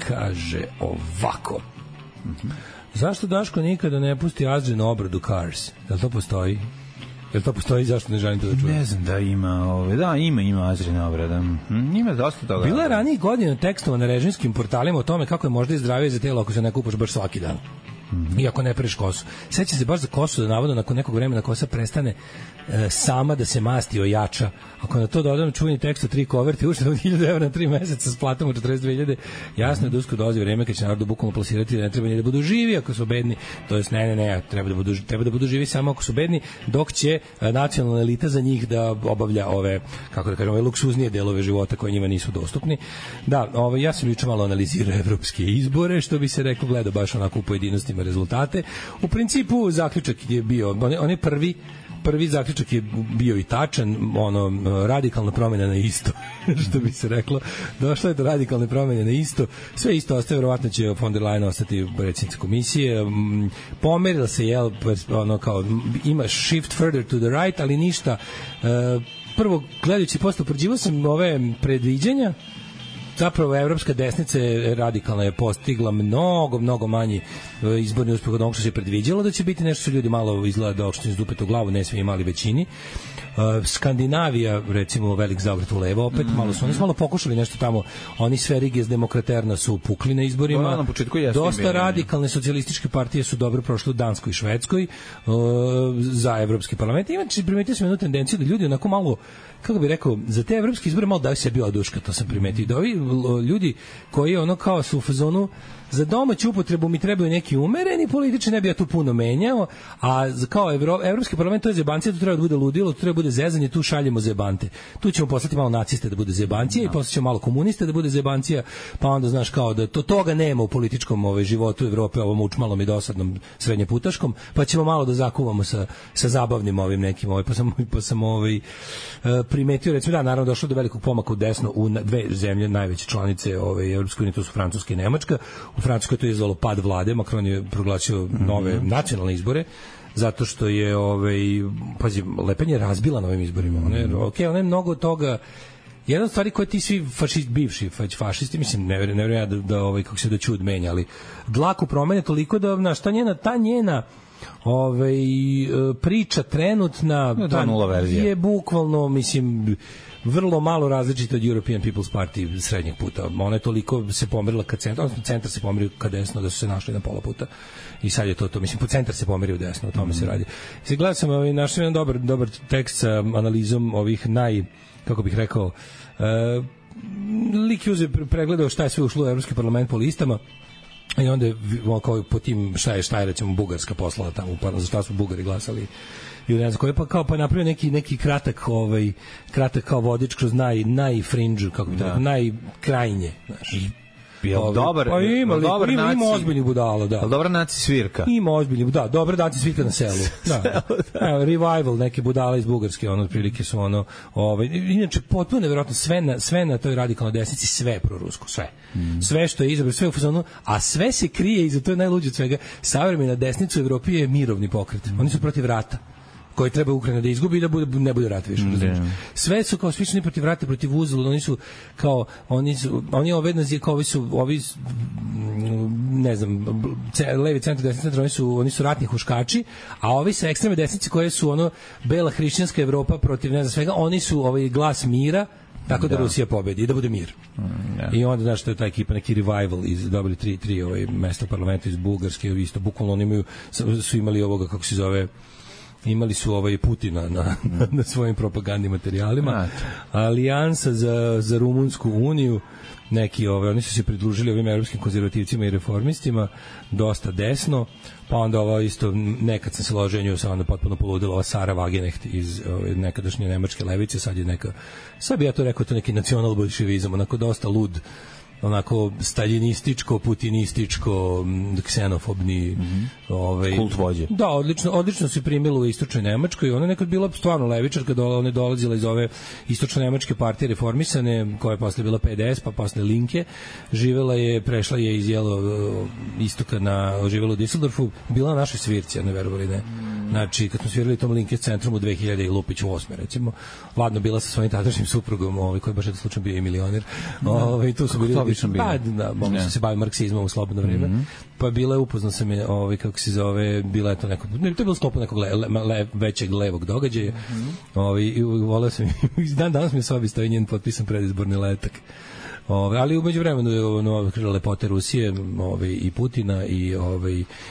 Kaže ovako. Zašto Daško nikada ne pusti Azrin obradu Cars? Da li to postoji? Jel to postoji, zašto ne želim to da čujem?
Ne znam da ima, ima Azrina obrada. Ima dosta toga.
Bila je ranijih godina tekstova na režimskim portalima o tome kako je možda i zdravije za telo ako se ne kupaš baš svaki dan. I ako ne pereš kosu. Seća se baš za kosu da navodno nakon nekog vremena kosa prestane sama da se masti, ojača. Ako na to dodam čuveni tekst od 3 koverte, ušteda od 1000 evra na 3 meseca s platom od 42.000, jasno je da uskoro dolazi vreme kad će narod bukvalno plasirati da ne treba ni da budu živi ako su bedni. To jest ne, treba da budu živi samo ako su bedni, dok će nacionalna elita za njih da obavlja ove, kako da kažem, ove luksuznije delove života koje njima nisu dostupni. Da, ja sam juče malo analizirao evropske izbore, što bi se reklo, gledao baš onako u pojedinostima rezultate. U principu zaključak je bio, on je prvi zaključak je bio i tačan, radikalna promjena na isto, što bi se reklo. Došla je do radikalne promjene na isto, sve isto ostaje, verovatno će von der Leyen ostati predsjednica komisije, pomerila se, kao, ima shift further to the right, ali ništa. Prvo, gledajući posle, upoređivao sam ove predviđanja, zapravo evropska desnica radikalna je postigla mnogo manji izborni uspeh od onog što se predviđalo da će biti, nešto su ljudi malo izgleda da okštini zdupete u glavu, ne svi imali većini. Skandinavija, recimo, velik zaokret u levo, opet oni su malo pokušali nešto tamo, oni sve rige s demokraterna su pukli na izborima.
Na početku
dosta radikalne socijalističke partije su dobro prošle u Danskoj i Švedskoj za evropski parlament. Inače, primetio sam jednu tendenciju da ljudi onako malo, kako bih rekao, za te evropske izbore malo daju sebi oduška, to sam primetio. Da ovi ljudi koji kao su u fazonu za domaću upotrebu mi trebaju neki umereni političari, ne bi ja tu puno menjao, a kao evropski parlament to je zebancija, tu treba da bude ludilo, tu treba da bude zezanje, tu šaljemo zebante. Tu ćemo poslati malo naciste da bude zebancija i poslaćemo malo komuniste da bude zebancija, pa onda znaš kao da toga nema u političkom životu Evrope, ovom učmalom i dosadnom srednjeputaškom, pa ćemo malo da zakuvamo sa zabavnim ovim nekim, pa sam primetio, recimo, da, naravno došlo do velikog pomaka u desno u dve zemlje najveće članice Evropske unije, to su Francuska i Nemačka. U Francuskoj to je izvalo pad vlade, Macron je proglasio nove nacionalne izbore, zato što je, pazi, Le Pen je razbila na ovim izborima. Ona je mnogo toga. Jedna od stvari koje ti svi bivši fašisti, mislim, ne vjerujem kako se da čud menja, ali dlaku promene toliko da, ta njena priča trenutna je bukvalno, mislim, vrlo malo različita od European People's Party srednjeg puta. Ona je toliko se pomerila ka centru, odnosno centar se pomerio ka desno, da su se našli na pola puta. I sad je to. Mislim, po centar se pomerio desno, o tome se radi. I gledao sam, našao jedan dobar tekst sa analizom ovih kako bih rekao, lik je pregledao šta je sve ušlo u Evropski parlament po listama. I onda kao po tim šta je recimo Bugarska poslala tamo, za šta su Bugari glasali ili ne znam koje, pa napravio neki kratak kao vodič kroz najfrinđu, kako bi tako, najkrajnje, znaš.
Dobar
ima ozbiljnih budala, da.
Dobra naci svirka.
Ima ozbiljnih, da, dobra naci svirka na selu. Da. Revival neke budala iz Bugarske, otprilike su inače potpuno neverovatno sve na toj radikalnoj desnici, sve prorusko, sve. Sve što je izabran, sve u fazonu, a sve se krije iza, to je najluđe od svega. Savremena desnica u Evropi je mirovni pokret. Oni su protiv rata, koji treba Ukrajina da izgubi i da ne bude rat više. Sve su kao slični protiv rata, protiv uzalud, oni su kao oni ovi ne znam, levi centar, desni centar, oni su ratni huškači, a ovi sa ekstremne desnice koje su bela hrišćanska Evropa protiv ne znam svega, oni su glas mira, tako da Rusija pobedi i da bude mir. I onda, znaš, to je ta ekipa, neki revival, dobili tri mesta u parlamentu iz Bugarske, isto, bukvalno oni su imali ovoga, kako se zove, imali su Putina na svojim propagandnim materijalima. Alijansa za Rumunsku uniju, neki oni su se pridružili ovim evropskim konzervativcima i reformistima, dosta desno, pa onda isto, nekad sam se ložio nju, sam onda potpuno poludila ova Sara Wagenknecht iz nekadašnje nemačke levice, sad bi ja to rekao, to neki nacional-bolševizam, onako dosta lud, onako staljinističko, putinističko, ksenofobni
kult vođe.
Da, odlično se primilo u istočnoj Nemačkoj. Ona je nekad bila stvarno levičarka, ona je dolazila iz ove istočne nemačke partije reformisane, koja je posle bila PDS, pa posle Linke. Prešla je iz istoka živela u Düsseldorfu, bila na našoj svirci, ne verovali ne. Znači, kad smo svirali tom Linke centrum u 2000 i Lupić u 8. recimo, ladno bila sa svojim tadašnjim suprugom, koji je baš slučajno bio i milioner. Tu su bili mogli su se baviti marksizmom u slobodno vreme. Pa bila je, upoznao sam je, kako se zove, bila je to neko, to je bilo sklopu nekog većeg levog događaja. I voleo sam, danas mi je sobi stoji njen potpisan predizborni letak. Ali umeđu vremenu je lepote Rusije i Putina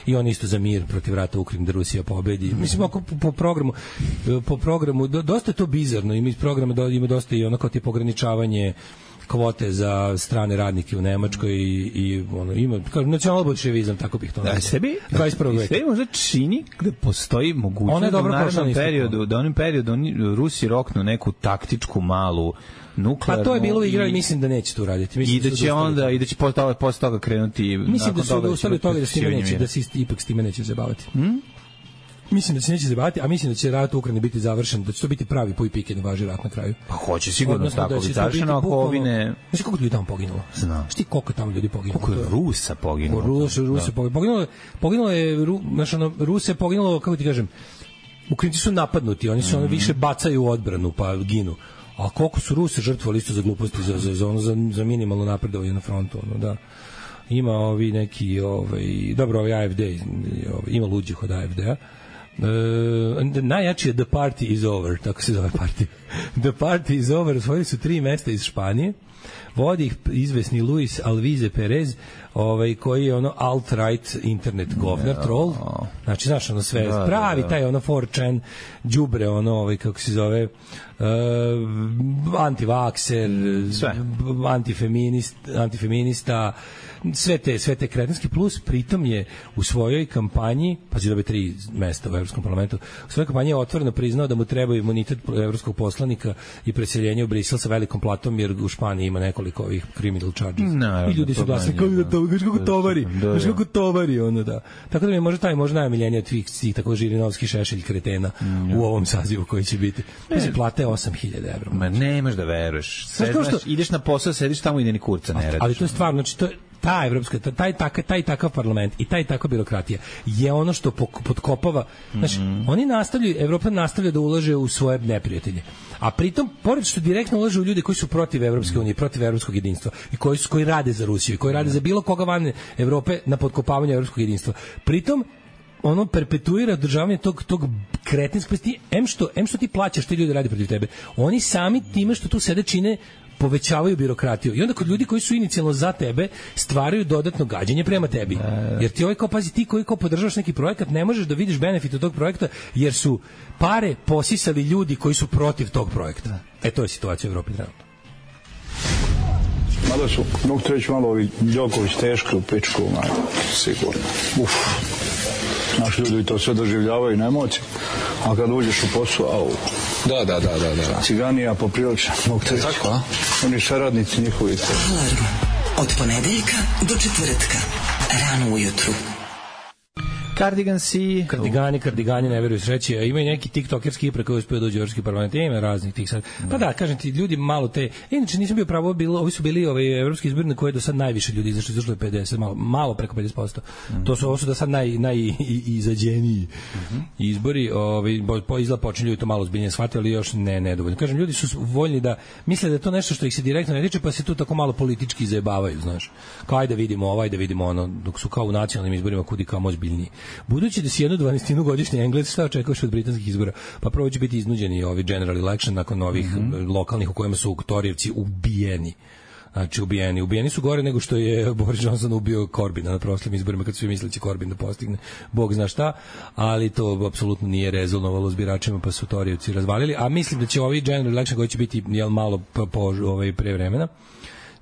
i on isto za mir protiv rata Ukrajine da Rusija pobedi. Mislim, ako po programu dosta je to bizarno, ima iz programa ima dosta i onako tip ograničavanje kvote za strane radnike u Nemačkoj i ono ima nacionalbolševizam, tako bih to nazvao.
Sebi
21. veka.
Sebi možda čini da postoji mogućnost da u narednom periodu, da onim periodu Rusi roknu neku taktičku malu nuklearnu.
Pa to je bilo igrali, mislim da neće to uraditi.
Mislim i da će onda i da će posle toga krenuti.
Mislim da su odustali od toga da se ipak s time neće zabaviti. Mislim da se neće zabaviti, a mislim da će rat u Ukrajini biti završen, da će to biti pravi puj pike da važi rat na kraju.
Pa hoće sigurno tako biti završeno ako ovi ne...
Znaš koliko ljudi tamo poginulo?
Znam.
Šti koliko tamo ljudi poginulo?
Koliko je Rusa poginulo?
Rusa poginulo je, Ruse poginulo, kako ti kažem, Ukrajinci su napadnuti, oni su više bacaju u odbranu, pa ginu. A koliko su Ruse žrtvovali isto za gluposti, za minimalno napredovanje na frontu, da. Ima ovi neki, dobro, AFD, ima luđih od AFD-a. Najjači je The Party is Over, tako se zove partija. The Party is Over, osvojili su 3 mesta iz Španije, vodi ih izvesni Luis Alvize Perez, koji je alt-right internet govnar, troll, znači znaš sve, pravi taj 4chan đubre, kako se zove, antivakser, antifeminista, sve te kretenske, plus pritom je u svojoj kampanji, pa će dobiti 3 mesta u Evropskom parlamentu, u svojoj kampanji je otvoreno priznao da mu treba imunitet evropskog poslanika i preseljenje u Brisel sa velikom platom, jer u Španiji ima nekoliko ovih criminal charges. I ljudi su glasni, kako tovari, da. Tako da mi je možda najomiljeniji od svih tako Žirinovski šešelj kretena u ovom sazivu koji će biti. Mislim, plata je 8.000 evra.
Ma nemaš da veruješ. Ideš na posao, sediš tamo i da ni kurca ne radiš.
Ali to je stvarno, znači to je ta evropska, taj takav parlament i taj takva birokratija je ono što potkopava, znači, oni nastavljaju, Evropa nastavlja da ulaže u svoje neprijatelje. A pritom, pored što direktno ulaže u ljude koji su protiv Evropske unije, protiv evropskog jedinstva i koji rade za Rusiju i koji rade za bilo koga van Evrope na potkopavanje evropskog jedinstva. Pritom, ono perpetuira održavanje tog kretinskog, em što ti plaćaš, ti ljudi radi protiv tebe. Oni sami time što tu sede čine povećavaju birokratiju. I onda kod ljudi koji su inicijalno za tebe stvaraju dodatno gađenje prema tebi. Jer ti pazi, ti koji podržavaš neki projekat, ne možeš da vidiš benefit od tog projekta, jer su pare posisali ljudi koji su protiv tog projekta. To je situacija u Evropi trenutno.
Mada su, mogu te reći malo ovi Đoković teški u pičku, sigurno. Naši ljudi to sve doživljavaju na emocije, a kad uđeš u posao,
Da.
Ciganija poprilično, mogu te reći. Tako, a? Oni saradnici njihovi.
Alarm. Od ponedeljka do četvrtka. Rano ujutru.
Kardigani ne veruju sreći, a ima i neki tiktokerski ipre koji uspio dođu u Evropski parlament, ima raznih tih sad. Pa da, kažem ti, ljudi malo te, inače nisam bio pravo, ovi su bili evropski izbori na koje je do sad najviše ljudi izašlo je 50, malo preko 50%. Ovo su do sad najizađeniji izbori, izgleda počinju to malo zbiljnije shvatiti, ali još ne dovoljno. Kažem, ljudi su voljni da misle da je to nešto što ih se direktno ne tiče, pa se tu tako malo politički zajebavaju, znaš. Kao ajde vidimo ono, dok su kao u nacionalnim izborima kudi kao ozbiljniji. Budući da si 1/12 godišnji Englez, šta očekuješ od britanskih izbora? Pa prvo će biti iznuđeni ovi general election nakon ovih lokalnih u kojima su Torijevci ubijeni. Znači, ubijeni su gore nego što je Boris Johnson ubio Corbina na prošlim izborima, kad su svi mislili će Corbin da postigne Bog zna šta, ali to apsolutno nije rezonovalo s biračima, pa su Torijevci razvalili, a mislim da će ovi general election koji će biti malo pre vremena,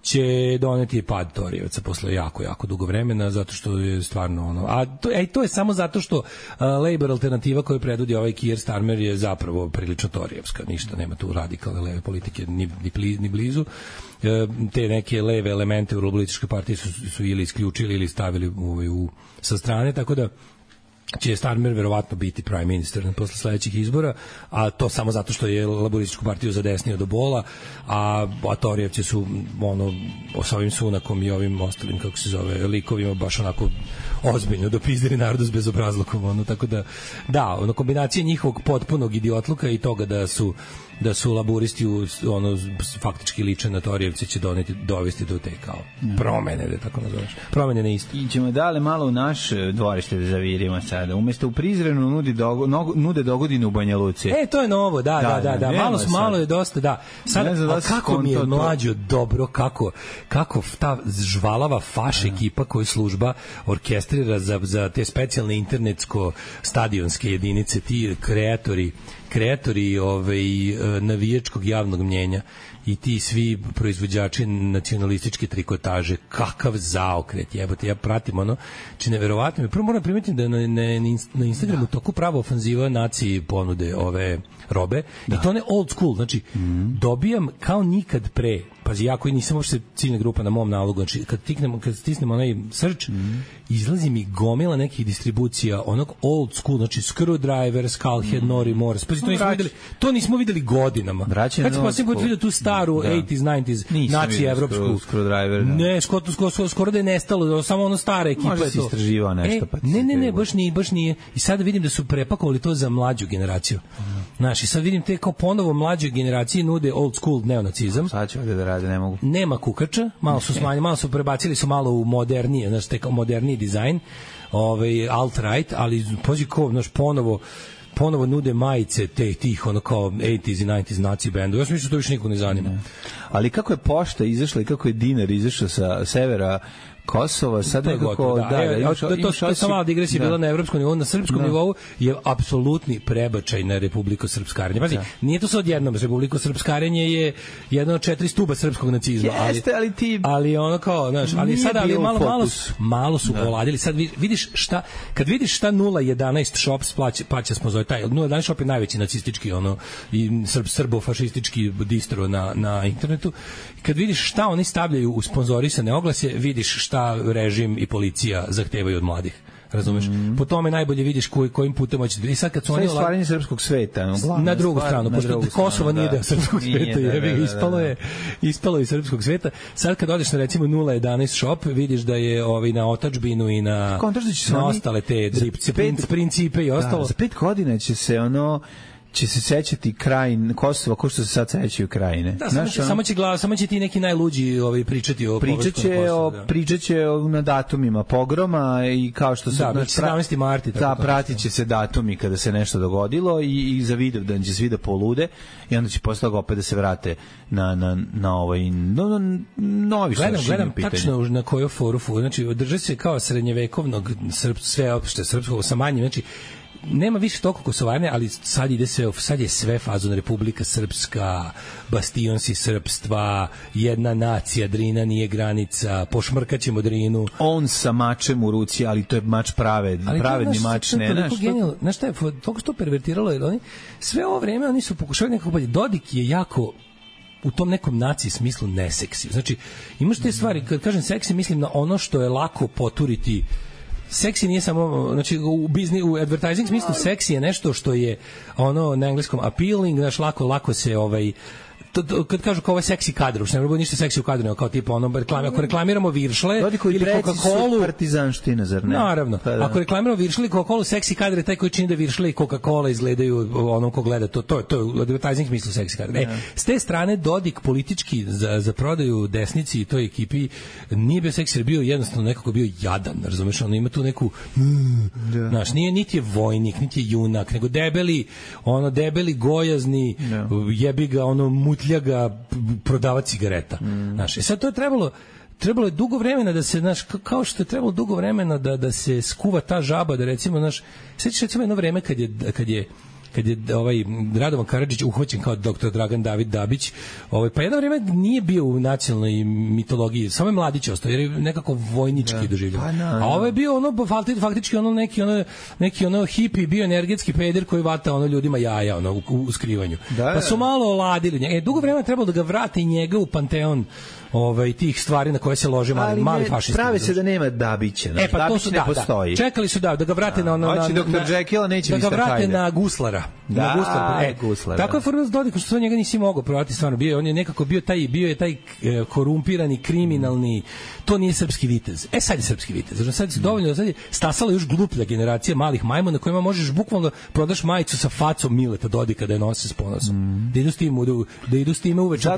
će doneti pad Torijevaca posle jako dugo vremena, zato što je stvarno ono... A to je samo zato što Labour alternativa koju predvodi ovaj Keir Starmer je zapravo prilično Torijevska, ništa, nema tu radikalne leve politike ni blizu. Te neke leve elemente u Laborističkoj partiji su ili isključili ili stavili sa strane, tako da će Starmer verovatno biti prime minister posle sledećih izbora, a to samo zato što je Laborističku partiju zadesnio do bola, a Torijevci su sa ovim Sunakom i ovim ostalim, kako se zove, likovima baš onako ozbiljno dopizdiri narodu s bezobrazlukom, tako da, kombinacija njihovog potpunog idiotluka i toga da su laburisti faktički liče na Torijevce će dovesti do te kao promene, da tako nazoveš. Promene ne isto.
I ćemo dale malo u naš dvorište da zavirimo sad. sada. Umesto u Prizrenu nude dogodine u Banja Luci.
To je novo, da. Malo je dosta, da. Sad, kako mi je mlađo dobro, kako ta žvalava faš ekipa koju služba orkestrira za te specijalne internetsko-stadionske jedinice, ti kreatori navijačkog javnog mnjenja i ti svi proizvođači nacionalističke trikotaže, kakav zaokret, jebote, ja pratim ono, či neverovatno mi. Prvo moram primetiti da na Instagramu toku pravo ofanziva naciji ponude ove robe, i to ne old school, znači dobijam kao nikad pre, pazi, ja koji nisam uopšte ciljna grupa na mom nalogu, znači kad stisnemo onaj search, izlazi mi gomila nekih distribucija onog old school, znači Screwdriver, Skullhead, Nori Morse, pazi, to nismo videli godinama. Kad se posljednji put vidio tu staru 80s, 90s naciju evropsku
Screwdriver,
ne, skoro da je nestalo, samo ono stara ekipa je to.
Možda si istraživao nešto, pa
ne, baš nije. I sada vidim da su prepakovali to za mlađu generaciju. Znaš, i sad vidim te kao ponovo mlađoj generaciji nude old school neonacizam.
Sad će ovdje da rade, ne mogu.
Nema kukača, malo su smanjili, malo su prebacili su malo u modernije, znaš, te kao moderniji dizajn, alt-right, ali pođi ko, znaš, ponovo nude majice tih ono kao 80s i 90s naci bendu. Ja sam mislio da to više nikog ne zanima.
Ali kako je pošta izašla i kako je dinar izašao sa severa Kosova, sad nekako...
To sam malo digresija bila na evropskom nivou, na srpskom nivou je apsolutni prebačaj na Republiko Srpskarenje. Pazi, nije to sad odjednom, Republiko Srpskarenje je jedno od 4 stuba srpskog nacizma.
Jeste,
ali ono kao, znaš, ali sad malo su oladili. Sad vidiš šta, kad vidiš šta 011 Shops plaća sponzor, taj 011 Shop je najveći nacistički i srbo-fašistički distro na internetu. Kad vidiš šta oni stavljaju u sponzorisane oglase, vidiš šta režim i policija zahtevaju od mladih. Razumeš? Po tome najbolje vidiš kojim putem hoćete. I sad kad su oni
stvaranje srpskog sveta,
na drugu stranu, pošto Kosovo nije deo srpskog sveta, ispalo je srpskog sveta. Sad kad odeš na recimo 011 Shop, vidiš da je na otadžbinu i na ostale te principe i ostalo.
Za 5 godina će se sećati krajin Kosova kao što se sad sećaju krajine.
Da, samo će ti neki najluđi pričati o
pričaće na datumima pogroma i kao što su
17. marti.
Da, pratit će se datumi kada se nešto dogodilo i za Vidovdan će svi da polude i onda će posle toga opet da se vrate na novi
gledam tačno na koju foru, znači održe se kao srednjevekovnog sveopšte srpskog sa manjim, znači nema više toliko kosovarne, ali sad je sve fazon Republika Srpska, bastionsi srpstva, jedna nacija, Drina nije granica, pošmrkaćemo Drinu.
On sa mačem u ruci, ali to je mač pravedni mač.
Znaš šta je, toliko što pervertiralo, jer oni sve ovo vreme oni su pokušali nekako bolje. Dodik je jako u tom nekom naciji smislu neseksi. Znači, imaš te stvari, kad kažem seksi, mislim na ono što je lako poturiti. Seksi nije samo, znači u advertising smislu seksi je nešto što je na engleskom appealing, znaš, lako se kad kažu kao ovaj seksi kadar, uopšte ne bude ništa seksi u kadru, kao tipa ako reklamiramo Viršle ili Coca-Colu,
partizanština, zar ne?
Naravno. Ako reklamiramo Viršle ili Coca-Colu, seksi kadar je taj koji čini da Viršle i Coca-Cola izgledaju onom ko gleda to je u advertising smislu seksi kadar. S te strane Dodik politički za prodaju desnici i toj ekipi nije bio seksi, bio jednostavno nekako bio jadan, razumeš, ima tu neku znaš, nije niti je vojnik, niti je junak, nego debeli gojazni, jebi ga mutljaga prodavac cigareta. Znaš, sad to je trebalo je dugo vremena da se, znaš, kao što je trebalo dugo vremena da se skuva ta žaba, da recimo, znaš, sećaš recimo jedno vreme kad je Radovan Karadžić uhvaćen kao dr. Dragan David Dabić, pa jedno vrijeme nije bio u nacionalnoj mitologiji, samo je Mladić ostao, jer je nekako vojnički doživljeno. A ovo je bio faktički neki hipi, bio energetski peder koji vata ljudima jaja u skrivanju. Pa su malo oladili njega. Dugo vremena trebalo da ga vrate njega u panteon tih stvari na koje se lože mali fašisti.
Prave se da nema Dabića. Dabić ne postoji.
Čekali su da ga vrate
Dr. Jekyll neće
da ga vrate na Guslara. Guslar. Tako je formirao Dodik, što njega nisi mogao prodati, stvarno on je nekako bio je taj korumpirani, kriminalni, to nije srpski vitez. Sad je srpski vitez. Znači sad je dovoljno, sad je stasala još gluplja generacija malih majmuna kojima možeš bukvalno prodaš majicu sa facom Mileta Dodika da je nose s ponosom. Da idu s time uveče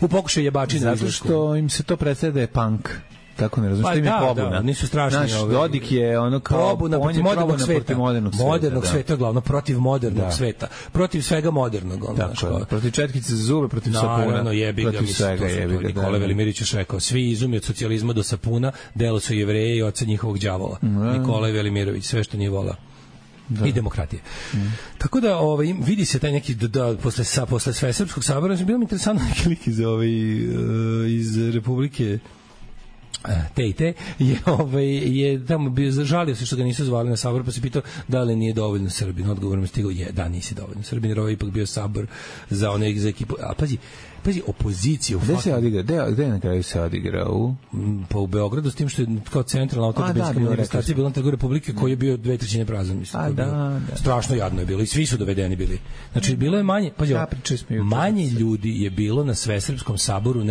u pokušaj jebačine.
Zato što im se to predstavlja da je punk. Tako ne razumiješ, što im je pobuna.
Da, nisu strašni.
Naš Dodik je ono kao
pobuna protiv modernog sveta. Modernog sveta, glavno, protiv modernog sveta. Protiv svega modernog.
Tako, protiv četkice za zube, protiv sapuna.
Naravno, jebi ga, mislim, Nikola Velimirović je rekao, svi izumi od socijalizma do sapuna, delo su Jevreje i oca njihovog đavola. Nikola Velimirović, sve što nije volao. I demokratije. Tako da vidi se taj neki posle Svesrpskog sabora, bilo mi interesantno neki lik iz Republike te je tamo bio, žalio se što ga nisu zvali na sabor, pa se pitao da li nije dovoljno Srbin. Odgovorom je stigao, da, nisi dovoljno Srbin, jer ovo je ipak bio sabor za ekipu. A pazi, opozicija.
Gde se odigra? Gde na kraju se odigrao?
Pa u Beogradu, s tim što je kao centralna automobilska manifestacija bila na Trgu Republike, koji je bio 2/3 prazan, mislim. Strašno jadno je bilo i svi su dovedeni bili. Znači, bilo je manje, manje ljudi je bilo na Svesrpskom saboru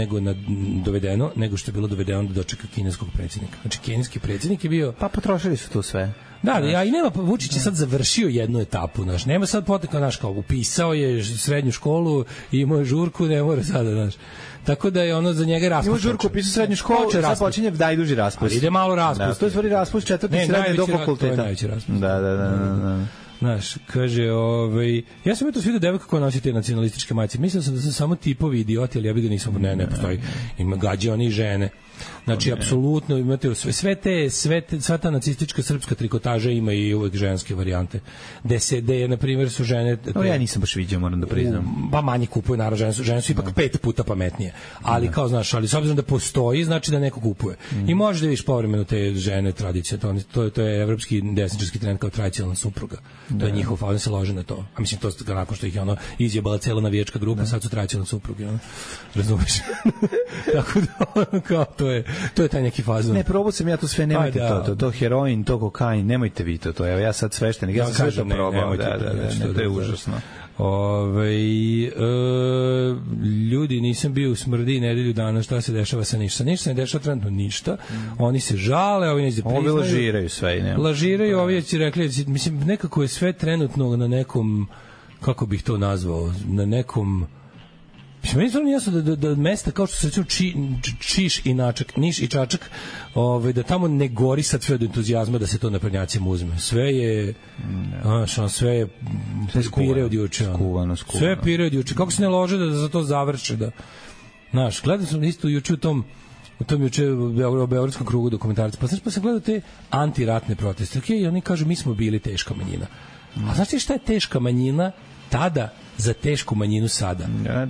dovedeno, nego što je bilo dovedeno da dočeka kineskog predsjednika. Znači, kineski predsjednik je bio...
Pa potrošili su to sve.
Da, i nema, Vučić je sad završio jednu etapu, nema sad potekao, upisao je srednju školu, imao je žurku, ne mora sada, tako da je ono za njega raspust.
Ima žurku, upisao srednju školu, sad počinje najduži raspust.
Ide malo raspust.
To je stvari raspust četvrti srednje do fakulteta.
To je najveći raspust.
Da.
Znaš, kaže, ja sam to svidio devojka koja nosi te nacionalističke majice. Mislio sam da su samo tipovi idioti, ali ja bih ga nisam, ne postoji. Ima gađe oni i žene. Znači, apsolutno imate sva ta nacistička srpska trikotaža ima i uvek ženske varijante. Gde na primjer, su žene...
Ja nisam baš vidio, moram da priznam.
Pa manje kupuju, naravno, žene su ipak 5 puta pametnije. Ali kao, znaš, ali s obzirom da postoji, znači da neko kupuje. I možeš da vidiš povremeno te žene tradicije. To je evropski desničarski trend kao tradicionalna supruga. To je njihov, oni se lože na to. A mislim, to nakon što ih je izjebala cela navijačka grupa, sad su tradicionalne supruge. Razumeš? Tako da, kao, to je taj neki fazon.
Ne, probao sam ja to sve, nemojte to heroin, to kokain, nemojte vi to. Evo, ja sad sveštenik, ja sam sve to probao. To je užasno.
Ljudi, nisam bio u Smrdi nedelju dana, šta se dešava sa ništa? Ništa se ne dešava trenutno ništa. Oni se žale, ovi neće priznaju.
Ovi lažiraju sve.
Lažiraju, ovi će rekli, mislim, nekako je sve trenutno na nekom, kako bih to nazvao, na nekom... Meni je stvarno jasno da mesta kao što se recimo Niš i Čačak, da tamo ne gori sad sve od entuzijazma da se to naprednjacima uzme. Sve je pire od juče. Sve je pire od juče. Kako se ne lože da za to završe? Znaš, gledao sam isto juče u tom juče u Beogradskom krugu dokumentarca. Pa sam gledao te antiratne proteste. Okej, oni kažu mi smo bili teška manjina. A znaš ti šta je teška manjina tada za tešku manjinu sada?
Da.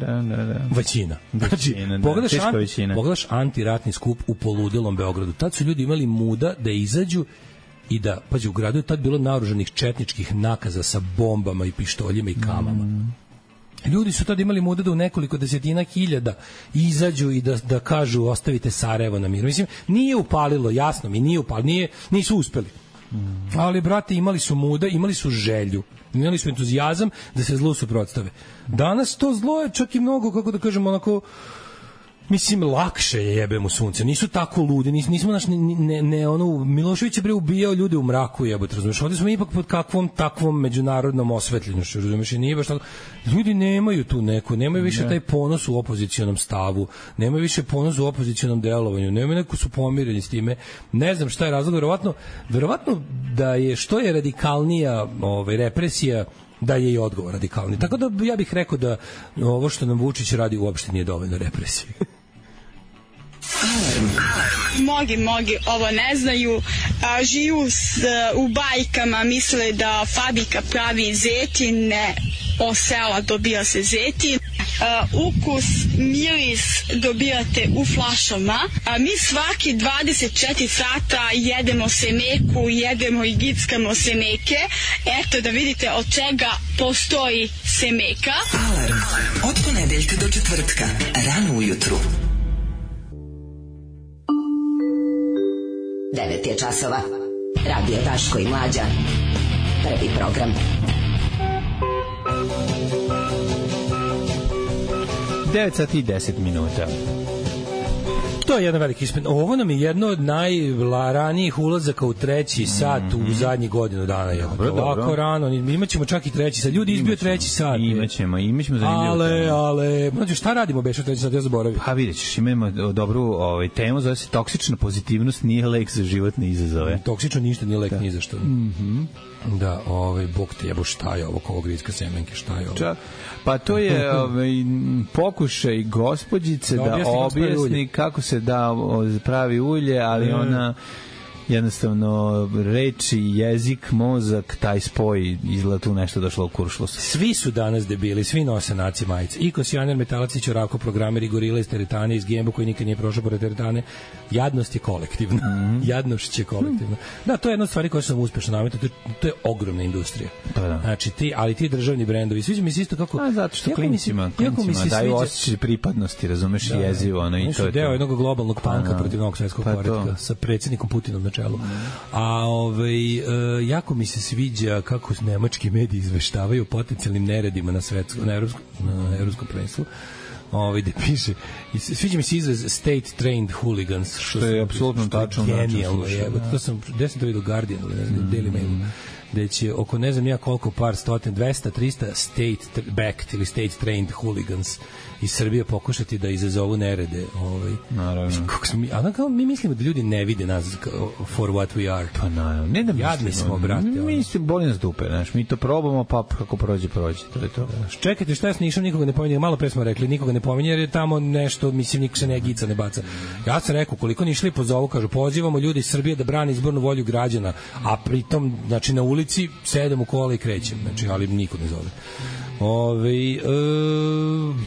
Većina. Znači, pogledaš antiratni skup u poludelom Beogradu. Tad su ljudi imali muda da izađu i da, pađe, u gradu je tad bilo naoružanih četničkih nakaza sa bombama i pištoljima i kamama. Ljudi su tad imali muda da u nekoliko desetina hiljada izađu i da kažu ostavite Sarajevo na miru. Mislim, nije upalilo, jasno mi, nisu uspeli. Ali, brate, imali su muda, imali su želju, imali su entuzijazam da se zlu suprotstave. Danas to zlo je čak i mnogo, kako da kažem, onako, mislim, lakše je jebemo sunce. Nisu tako ludi, nismo Milošević je ubijao ljude u mraku, jebote, razumiješ? Ovdje smo ipak pod kakvom takvom međunarodnom osvetljenošću, razumiješ? I nije baš tako. Ljudi nemaju tu neku, nemaju više taj ponos u opozicionom stavu, nemaju više ponos u opozicionom delovanju, nemaju neko su pomireni s time. Ne znam šta je razlog, verovatno da je što je radikalnija represija, da je i odgovor radikalni. Tako da ja bih rekao da ovo što nam Vučić radi uopšte nije dovoljno represije.
Mnogi ovo ne znaju, žiju u bajkama, misle da fabrika pravi zetin, od sela dobija se zetin, ukus, miris dobijate u flašama, a mi svaki 24 sata jedemo semeku, jedemo i gickamo semeke, eto da vidite od čega postoji semeka.
Alarm od ponedeljka do četvrtka, rano ujutru.
9 je časova. Radio Daško i Mlađa. Prvi program.
9 sati i 10 minuta.
To je jedan veliki ispit. Ovo nam je jedno od najranijih ulazaka u treći sat u zadnjih godinu dana. Ovako rano, imaćemo čak i treći sat. Ljudi izbio treći sat.
Imaćemo zanimljivu temu.
Ale, mlađe, šta radimo beše treći sat, ja zaboravim.
Pa vidjet ćeš, imamo dobru temu, zove se toksična pozitivnost nije lek za životne izazove.
Toksično ništa nije lek ni za što. Da, bog te jebo, šta je ovo, kovo gritska semenke, šta je ovo?
Pa to je pokušaj gospođice da objasni kako se da pravi ulje, ali ona jednostavno reči, jezik, mozak, taj spoj izgleda tu nešto došlo u kuršlus.
Svi su danas debili, svi nose naci majice. Ikos, Janer, Metalac, Ćorako, programeri, Gorila iz teretane, iz Gembo koji nikad nije prošao pored teretane. Jadnost je kolektivna. Jadnošć je kolektivna. Da, to je jedna od stvari koja su nam uspešno nametno. To je ogromna industrija. Znači, ali ti državni brendovi, sviđa mi se isto kako...
zato što klincima daju osjećaj pripadnosti, razumeš, jezivo.
Oni su deo jednog globalnog panka protiv novog svetskog poretka sa predsjednikom Putinom na čelu. A jako mi se sviđa kako nemački mediji izveštavaju o potencijalnim neredima na evropskom prvenstvu. Gde piše, sviđa mi se izraz state trained hooligans,
što je apsolutno tačno.
Genijalno je. Gde sam to vidio, Guardian ili Daily Mail, gde će oko ne znam ja koliko par stotin, 200, 300 state backed ili state trained hooligans iz Srbije pokušati da izazovu nerede.
Naravno.
Mi mislimo da ljudi ne vide nas for what we are.
Pa naravno. Ne da
jadni smo, brate.
Mislim, boli nas dupe. Mi to probamo, pa kako prođe. To je to.
Čekajte, šta je s Nišom? Nikoga ne pominje. Malo pre smo rekli, nikoga ne pominje jer je tamo nešto, mislim, niko se ne gica, ne baca. Ja sam rekao, koliko ni išli pozovu, kažu, pozivamo ljudi iz Srbije da brani izbornu volju građana, a pritom, znači, na ulici sedem u kola i krećem. Znači, ali niko ne zove.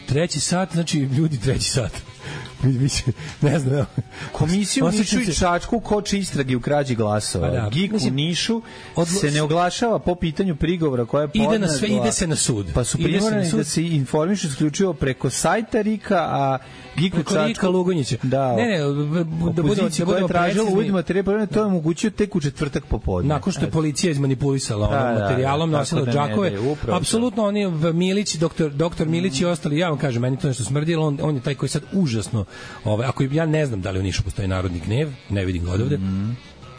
Treći sat, znači ljudi treći sat. Ne znam.
Komisiju u Nišu i Čačku koči istrage u krađi glasova. GIK u Nišu se ne oglašava po pitanju prigovora koja je podneta.
Ide se na sud.
Pa su primorani da se informišu isključivo preko sajta RIK-a, a GIK u Čačku...
Lugonjića.
Da, opozicija koja je tražila uvid materijal, to je omogućio tek u četvrtak popodne.
Nakon što je policija izmanipulisala materijalom, nosila džakove. Apsolutno, oni Milić, doktor Milić i ostali, ja vam kažem, meni to nešto smrdilo, on je taj koji sad užasno, ako ja ne znam da li u Nišu postoji narodni gnev, ne vidim ga odavde,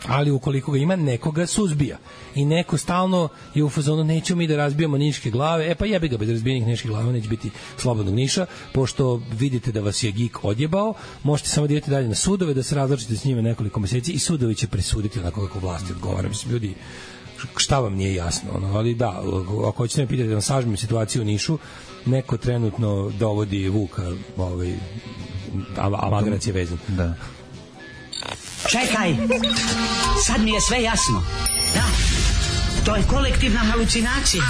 ali ukoliko ga ima, nekoga suzbija. I neko stalno je u fazonu, nećemo mi da razbijamo niške glave, pa jebi ga, bez razbijenih niških glava neće biti slobodnog Niša, pošto vidite da vas je GIK odjebao, možete samo da idete dalje na sudove, da se različite s njime nekoliko meseci i sudovi će presuditi onako kako vlasti odgovara. Mislim, ljudi, šta vam nije jasno? Ali da, ako hoćete me pitati da vam sažmem situaciju u Nišu, neko trenutno dovodi Vuka, a Magarac je vezan.
Da.
Čekaj, sad mi je sve jasno. Da, to je kolektivna halucinacija.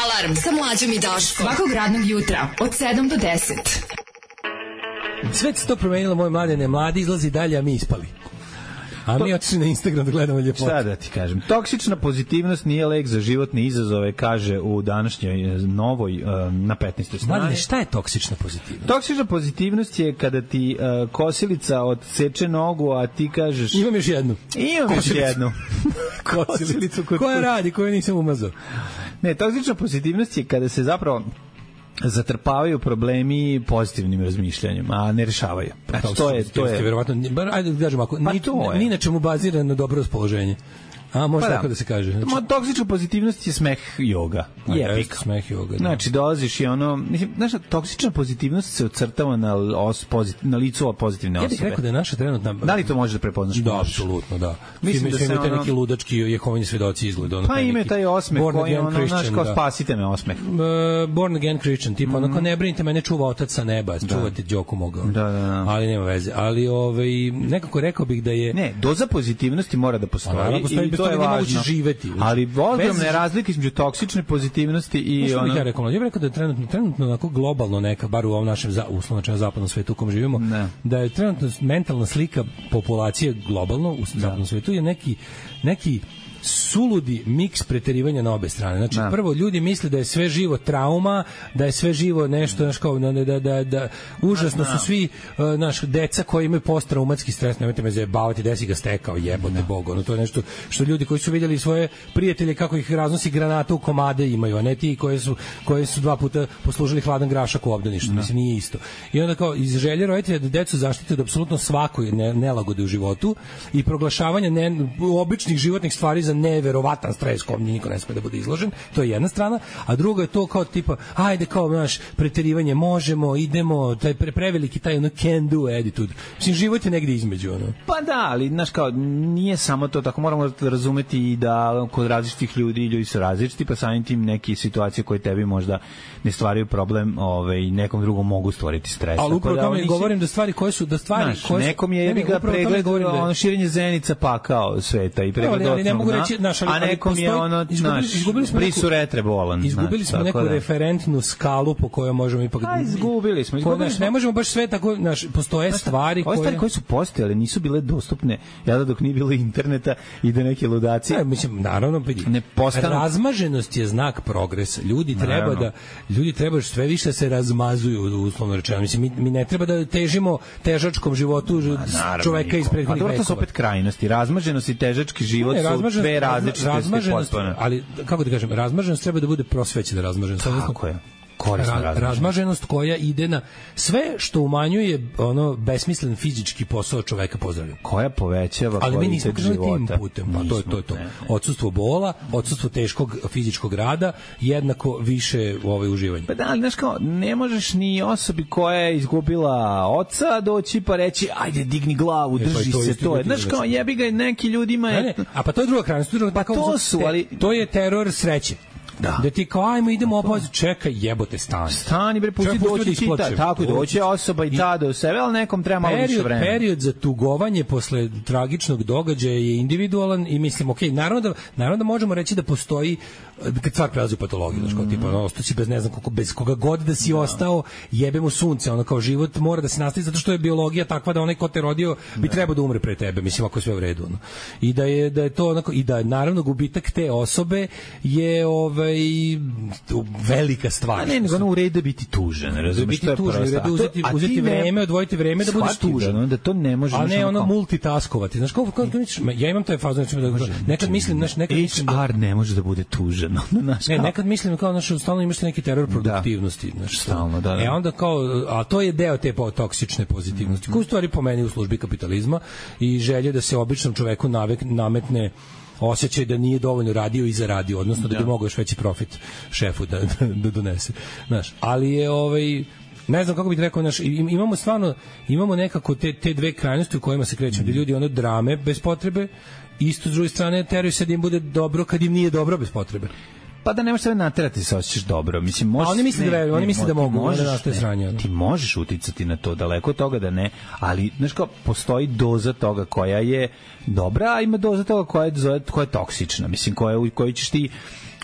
Alarm sa Mlađom i Daškom. Svakog radnog jutra od 7 do 10.
Sve se to promenilo, moje mladene. Mladi izlazi dalje, a mi ispali. A mi otišli na Instagram da gledamo ljepote.
Šta da ti kažem? Toksična pozitivnost nije lek za životne izazove, kaže u današnjoj novoj na 15. strani.
Mladine, šta je toksična pozitivnost?
Toksična pozitivnost je kada ti kosilica odseče nogu, a ti kažeš...
Imam još jednu.
Imam još jednu. Kosilicu.
Koja radi, koju nisam umazao?
Ne, toksična pozitivnost je kada se zapravo zatrpavaju problemi pozitivnim razmišljanjem, a ne rešavaju.
To je verovatno, ajde da kažem, ako ni na čemu bazirano na dobro raspoloženje. A može tako da se kaže.
Znači, toksična pozitivnost je smeh joga.
Jebik. Smeh joga. Da.
Znači, dolaziš i ono... Mislim, znaš, toksična pozitivnost se ocrtava na licu pozitivne osobe.
Ja bih rekao da je naša trenutna...
Da li to možeš da prepoznaš?
Da, apsolutno, da. Mislim da se ono... neki ludački jehovini svedoci izgleda.
Pa ime taj osmeh koji ono, znaš, kao spasite me osmeh.
Born again Christian, tipa ono kao ne brinite, mene čuva otac sa neba, čuvate Đoku mogao.
Da.
Ali nema veze. Ali nekako rekao bih da je...
Ne, doza pozitivnosti mora da postoji. To je važno
živeti.
Ali ogromne razlike između toksične pozitivnosti i
ono... Ja bih rekao da je trenutno onako globalno neka, bar u ovom našem uslovno zapadnom svetu u kom živimo, da je trenutno mentalna slika populacije globalno u zapadnom svetu je neki suludi miks preterivanja na obe strane. Znači, prvo, ljudi misle da je sve živo trauma, da je sve živo nešto, znaš, kao, da užasno su svi, naš, deca koji imaju posttraumatski stres, nemojte me zajebavati, desi ga stekao, jebote Bog, ono, to je nešto što ljudi koji su vidjeli svoje prijatelje kako ih raznosi granata u komade imaju, a ne ti koji su 2 puta poslužili hladan grašak u obdaništu, mislim, nije isto. I onda kao, iz želje roditelja da decu zaštite od apsolutno svakoj nelagode u životu i proglašavanja običnih životnih stvari za neverovatan stres kom niko ne sme da bude izložen, to je jedna strana, a druga je to kao tipa, ajde kao naš preterivanje, možemo, idemo, taj preveliki taj ono can do attitude. Mislim, život je negde između, ono.
Pa da, ali znaš kao, nije samo to tako, moramo razumeti i da kod različitih ljudi su različiti, pa samim tim neke situacije koje tebi možda ne stvaraju problem, nekom drugom mogu stvoriti stres.
Ali upravo tome govorim da stvari koje su,
nekom je ga pregled, ono širenje zenica pakao sveta i pregled,
ali ne mogu reći,
a nekom je ono, brisu retre bolan.
Izgubili smo neku referentnu skalu po kojoj možemo ipak...
Izgubili smo.
Ne možemo baš sve tako, postoje stvari koje...
Stvari koje su postojale nisu bile dostupne, dok nije bilo interneta i da neke ludacije...
Mislim, naravno, razmaženost je znak progresa. Ljudi treba sve više se razmazuju, uslovno rečeno. Mislim, mi ne treba da težimo težačkom životu čoveka iz prethodnih vekova.
To su opet krajnosti. Razmaženost i težački život su dve različite potpuno.
Ali, kako da kažem, razmaženost treba da bude prosvećena razmaženost.
Tako je.
Razmaženost koja ide na sve što umanjuje ono besmislen fizički posao čoveka, pozdravljam.
Koja povećava
kvalitet života. Ali mi nismo krenuli tim putem, pa to je to. Odsustvo bola, odsustvo teškog fizičkog rada, jednako više uživanja.
Pa da, ali znaš kao, ne možeš ni osobi koja je izgubila oca doći pa reći, ajde digni glavu, drži se, to je. Znaš kao, jebi ga neki ljudima je...
A pa to je druga krajnost.
Pa to su, ali...
To je teror sreće. Da ti kao, ajmo, idemo opoziv, čekaj, jebote, stani
bre, pusti doći čita, tako i doći osoba i ta do sebe, ali nekom treba malo više vremena.
Period za tugovanje posle tragičnog događaja je individualan i mislim, okej, naravno da možemo reći da postoji, kad stvar prelazi u patologiju, znaš, kao tipa, ostaći bez ne znam koliko, bez koga god da si ostao, jebe mu sunce, ono kao život mora da se nastavi zato što je biologija takva da onaj ko te rodio bi trebao da umre pre tebe, mislim, ako je sve u redu, ono. I da je to onako, i da naravno gubitak te osobe je velika stvar.
A ne, nego ono u redu biti tužen, razumiješ,
to je prosto. Uzeti vreme, odvojiti vreme da budeš tužen.
Da to ne može.
A ne ono multitaskovati. Znaš, kako ja imam taj fazon, nekad mislim,
HR ne može da bude tužen.
Ne, nekad mislim kao, stalno imaš neki teror produktivnosti.
Stalno, da.
Onda kao, a to je deo te toksične pozitivnosti, koja u stvari po meni u službi kapitalizma i želje da se običnom čoveku nametne osjećaj da nije dovoljno radio i zaradio, odnosno da bi mogao još veći profit šefu da donese. Znaš, ali je ne znam kako bih rekao, imamo nekako te dve krajnosti u kojima se krećemo, da ljudi ono drame bez potrebe, isto s druge strane teraju se da im bude dobro kad im nije dobro bez potrebe.
Pa da ne možeš sebe naterati se osjećaš dobro. Mislim, možeš,
oni misle da mogu,
ti možeš uticati na to, daleko od toga da ne, ali znaš kao, postoji doza toga koja je dobra, a ima doza toga koja je toksična, mislim, koju ćeš ti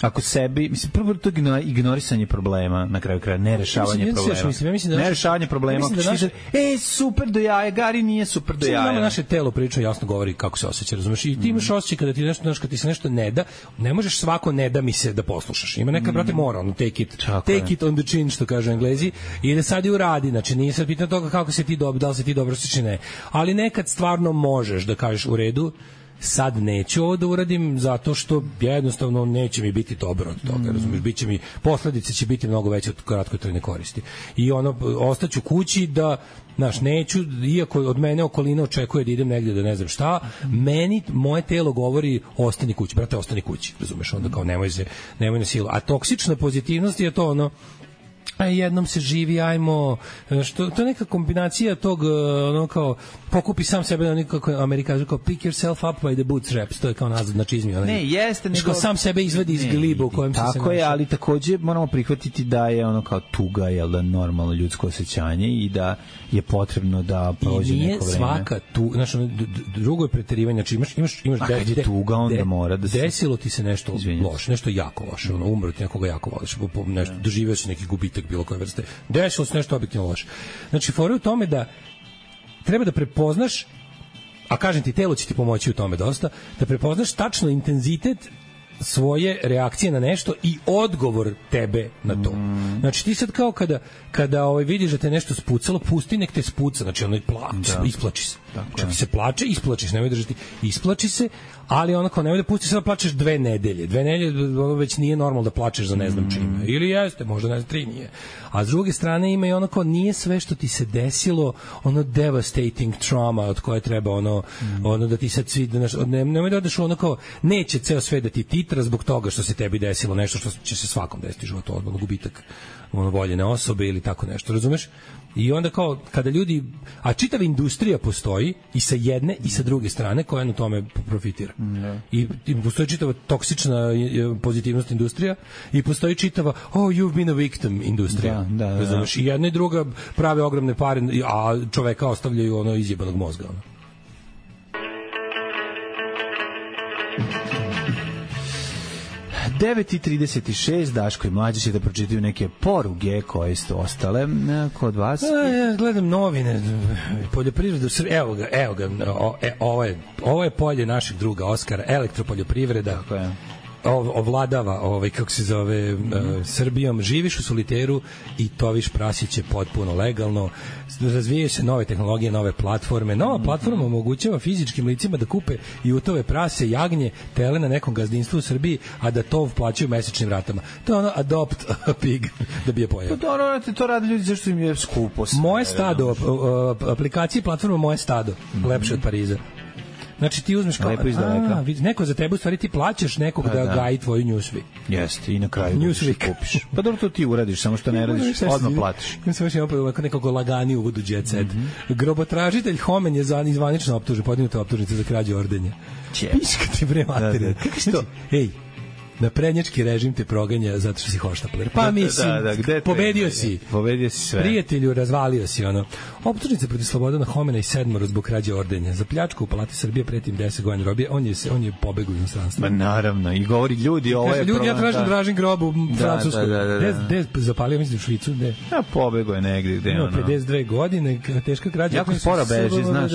ako sebi, mislim, prvo to ignorisanje problema, na kraju kraja, nerešavanje problema. Nerešavanje problema. Super do jaja, Gari nije super do jaja.
Naše telo priča jasno govori kako se osjeća, razumeš? I ti imaš osjećaj kada ti nešto, kad ti se nešto ne da, ne možeš svako ne da mi se da poslušaš. Ima neka, brate, mora, ono, take it on the chin, što kažu Englezi, i da sad i uradi, znači nije sad pitanje toga kako se ti dobro, da li se ti dobro osjeća, ne. Ali nekad stvarno možeš da kažeš u redu, sad neću ovo da uradim zato što jednostavno neće mi biti dobro od toga, razumiješ, biće mi, posledice će biti mnogo veće od kratkotrajne koristi. I ostaću kući da, znaš, neću, iako od mene okolina očekuje da idem negdje da ne znam šta, meni, moje telo govori ostani kući, brate, ostani kući, razumiješ, onda kao nemoj na silu. A toksična pozitivnost je to ono, jednom se živi, ajmo, to je neka kombinacija tog, ono kao, pokupi sam sebe, ono kako Amerikanci kao pick yourself up by the bootstraps, to je kao nazad na čizmi.
Ne, jeste, nego
sam sebe izvadi iz gliba u kojem se našao.
Tako je, ali takođe moramo prihvatiti da je ono kao tuga, jel da, normalno ljudsko osjećanje i da je potrebno da prođe neko vreme. I nije svaka tu, znači, drugo je preterivanje, znači imaš kad je tuga, onda mora da se...
Desilo ti se nešto loše, nešto jako loše, ono, umro ti nekoga jako voliš, nešto, doživio si neki gubitak bilo koje vrste. Desilo se nešto objektivno loše. Znači, fora je u tome da treba da prepoznaš a kažem ti, telo će ti pomoći u tome dosta, da prepoznaš tačno intenzitet svoje reakcije na nešto i odgovor tebe na to. Znači ti sad kao kada vidiš da te nešto spucalo, pusti nek te spuca, znači ono isplači se. Čak se plače, isplači se, nemoj držati, isplači se, ali onako nemoj da pusti se da plačeš 2 nedelje. 2 nedelje već nije normalno da plačeš za ne znam čime. Ili jeste, možda ne znam, 3 nije. A s druge strane ima i onako, nije sve što ti se desilo ono devastating trauma od koje treba ono da ti sad svi, nemoj da odeš onako, neće ceo sve da ti titra zbog toga što se tebi desilo nešto što će se svakom desiti u životu, odmah gubitak voljene osobe ili tako nešto, razumeš? I onda kao, kada ljudi, a čitava industrija postoji i sa jedne i sa druge strane koja na tome profitira. I postoji čitava toksična pozitivnost industrija i postoji čitava you've been a victim industrija. Razumeš? I jedna i druga prave ogromne pare, a čoveka ostavljaju ono izjebanog mozga.
9:36, Daško i Mlađa će da pročitaju neke poruge koje su ostale kod vas.
Ja gledam novine, poljoprivredu, evo ga, ovo je polje našeg druga Oskara, elektropoljoprivreda. Tako je. Ovladava kako se zove Srbijom, živiš u soliteru i toviš prasiće potpuno legalno, razvijaju se nove tehnologije, nove platforme. Nova platforma omogućava fizičkim licima da kupe i utove prase, jagnje, tele na nekom gazdinstvu u Srbiji, a da to plaćaju mesečnim ratama. To je ono adopt a pig da bi je pojao.
To rade ljudi zašto im je skupo.
Moje stado, aplikacije platforma Moje stado, lepše od Pariza. Znači ti uzmeš kao, neko za tebe, u stvari ti plaćaš nekog da gaji tvoju Newsweek.
Jeste, i na kraju kupiš. Pa dobro, to ti uradiš, samo što ne radiš, odmah platiš.
Ja sam još imao nekog lagani uvod u Jet Set. Grobotražitelj Homen je zvanično optužen, podignuta optužnica za krađu ordenja. Piška ti bre materija. Kako si to? Ej, na prednjački režim te proganja zato što si hoštapler. Pa mislim, pobedio si
sve.
Prijatelju, razvalio si ono. Optužnica protiv Slobodana Homena i 7 zbog krađe ordenja. Za pljačku u Palati Srbije pretim 10 godina robije. On je pobegao u inostranstvo.
Ma naravno, i govori ljudi, ovo je
ljudi, ja tražim grob u Francuskoj. Gde zapalio, mislim, u Švicu, gde?
Ja, pobegao je negde, gde ono.
52 godine, teška krađa.
Jako sporo beži, znaš.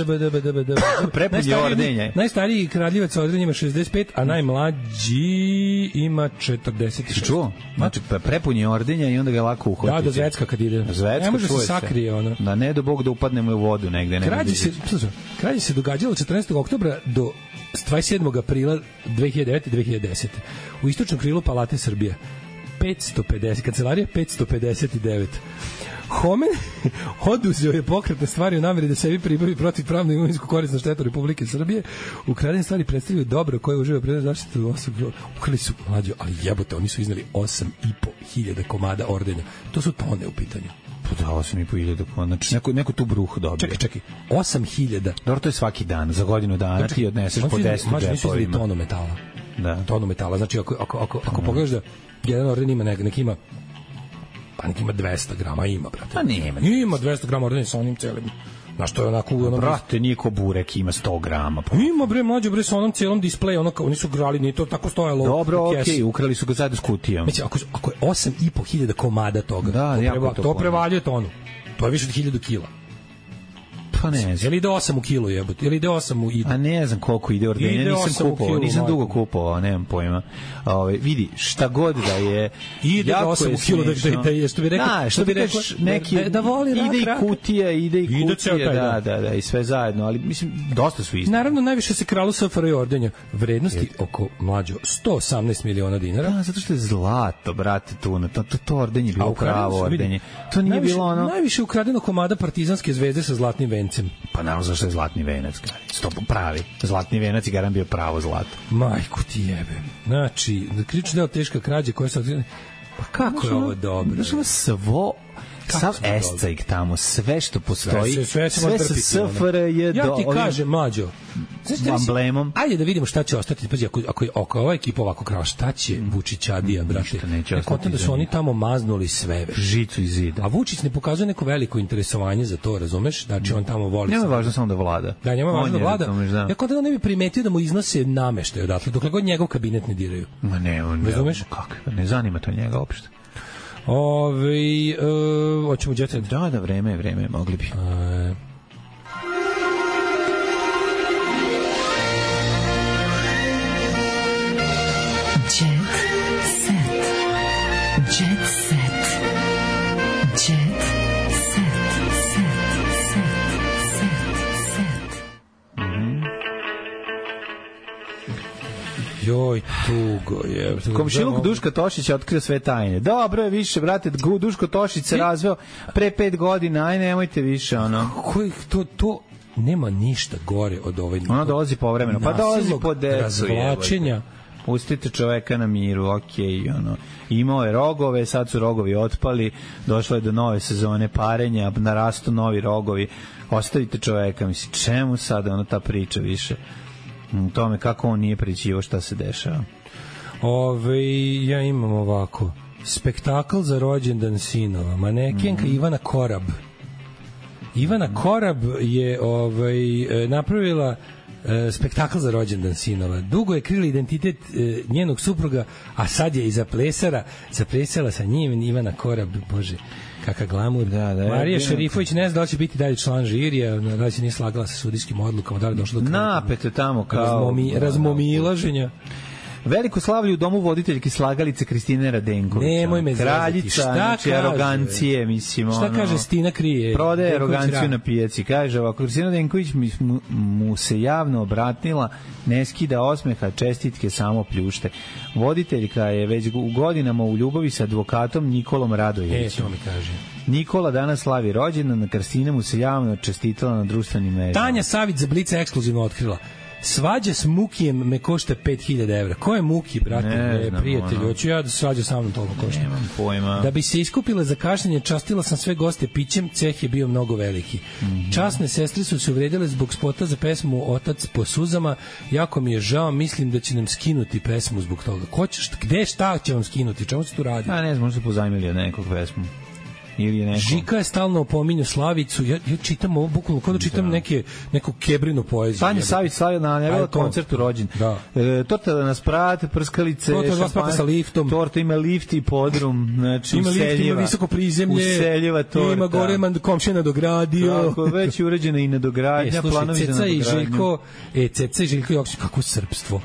Prepun je ordenje.
Najstariji kradljivac ordenja ima 65, a najmlađi ima 40.
Čuo? Znači, prepun je ordenja i onda ga lako uhvatiti.
Da zvecka kad ide. Ne može se sakrije, ono.
Da ne do Bog da upadnemo u vodu negde.
Krađe se događalo 14. oktobra do 27. aprila 2009-2010. U istočnom krilu Palate Srbije. 550, kancelarija 559. Homen oduzeo je pokretne stvari u nameri da sebi pribavi protivpravnu imovinsku korist na štetu Republike Srbije. Ukradene stvari predstavljaju dobro koje uživa predmet zaštitu osoba. Ukrali su, mlađo, ali jebote, oni su izneli 8.500 komada ordenja. To su tone u pitanju.
Pa da, 8.500 komada. Znači, neko tu bruh dobije.
Čekaj, 8.000.
Dobro, to je svaki dan, za godinu dana ti odneseš po 10 džepovima.
Mađo, nisu izneli tonu metala. Da. Tonu metala, znači ako pogledaš da jedan orden ima neki ima pa neki ima 200 grama, ima, brate.
Pa nema.
Ima 200 grama ordenja sa onim celim. Znaš, to je onako...
Brate, nije ko burek, ima 100 grama. Pa.
Ima, bre, mlađo, bre, sa onom celom displeju, oni su grali, nije to tako stojalo.
Dobro, okej, ukrali su ga zajedno s kutijom.
Mislim, ako je 8.500 komada toga, to prevaljuje tonu. To je više od 1000 kila.
Pa ne znam.
Ili ide 8 u kilu, jebote, ili ide 8 u ide.
A ne znam koliko ide ordenja, nisam dugo kupovao, nemam pojma. Vidi, šta god da je,
ide 8 u kilu, da je, što bi rekao,
što bi rekao, da voli rak, ide i kutija, da, i sve zajedno, ali mislim, dosta su isti.
Naravno, najviše se kralo SFRJ ordenja, vrednosti oko, mlađo, 118 miliona dinara.
Da, zato što je zlato, brate, tu, to ordenje je bilo pravo ordenje. To nije bilo ono...
Najviše ukradeno komada Partizanske zvezde sa zlatnim vencem.
Pa naravno zašto je zlatni venac, pravi. Zlatni venac i garan bio pravo zlato.
Majku ti jebe. Znači, krični deo teška krađa koja se... Pa kako je ovo dobro?
Znaš, sav escajk tamo, sve što postoji, sve sa SFRJ
ja ti kažem, mlađo,
emblemom.
Ajde da vidimo šta će ostati. Pazi, ako ova ekipa ovako krava, šta će Vučićadija, brate? Kontent da su oni tamo maznuli sve.
Žicu i zida.
A Vučić ne pokazuje neko veliko interesovanje za to, razumeš? Znači on tamo voli.
Njemu je važno samo da vlada.
Da, njemu je važno da vlada. Ja kontent ne bi primetio da mu iznose nameštaj odatle, dokle god njegov kabinet ne diraju.
Ma ne, on
razumeš?
Kako? Ne zanima to njega uopšte.
Hoćemo djece.
Da, vreme, mogli bi.
Joj, tugo je.
Komšiluk Duška Tošića otkrio sve tajne. Dobro je više, brate, Duško Tošić se razveo pre 5 godina, aj nemojte više, ono.
To nema ništa gore od ovaj.
Ona dolazi povremeno, pa dolazi po decu.
Razvlačenja.
Pustite čoveka na miru, okej, ono. Imao je rogove, sad su rogovi otpali, došlo je do nove sezone parenja, narastu novi rogovi. Ostavite čoveka, mislim, čemu sad ono ta priča više? Tome kako on nije pričivo šta se dešava.
Ja imam ovako. Spektakl za rođendan sinova. Manekenka Ivana Korab. Ivana Korab je napravila spektakl za rođendan sinova. Dugo je krila identitet njenog supruga, a sad je i zaplesala sa njim Ivana Korab. Bože, kakav glamur. Marija Šerifović ne zna da li će biti dalje član žirija, da li se nije slagala sa sudijskim odlukama, da li je došlo do
napete tamo kao
razmomilaženja.
Veliko slavlje u domu voditeljke slagalice Kristine Radenković.
Nemoj me
kraljica,
šta
znači
kaže?
Arogancije, mislim.
Šta kaže Stina Krije?
Prodaje aroganciju na pijaci. Kaže ovako, Kristina Radenković mu se javno obratila, ne skida osmeha, čestitke samo pljušte. Voditeljka je već u godinama u ljubavi sa advokatom Nikolom Radojevićem.
To mi kaže.
Nikola danas slavi rođendan, Kristina mu se javno čestitala na društvenim mrežama.
Tanja Savić za Blica ekskluzivno otkrila. Svađa s Mukijem me košta 5000 evra. Ko je Muki, brate? Prijatelj, hoću ja da se svađa sa mnom toliko košta.
Nemam pojma.
Da bi se iskupila za kašnjenje, častila sam sve goste pićem, ceh je bio mnogo veliki. Časne sestre su se uvredile zbog spota za pesmu Otac po suzama. Jako mi je žao, mislim da će nam skinuti pesmu zbog toga. Šta će vam skinuti? Čemu se tu radi?
Ne znam, možda su pozajmili od nekog pesmu.
Žika je stalno opominju Slavicu. Ja čitam ovo bukvalno kao da čitam neku kebrinu poeziju.
Tanja Savić slavila na koncert u rođen. Torta da nas prate, prskalice,
šampanje sa liftom.
Torta ima lift i podrum, znači
ima
useljiva.
Lift, ima visoko prizemlje.
Useljiva torta.
Ima gore komšija nadogradio.
Tako, već je urađena i nadogradnja, planovi za nadogradnju. Ceca i Željko Joksić, kako srpstvo,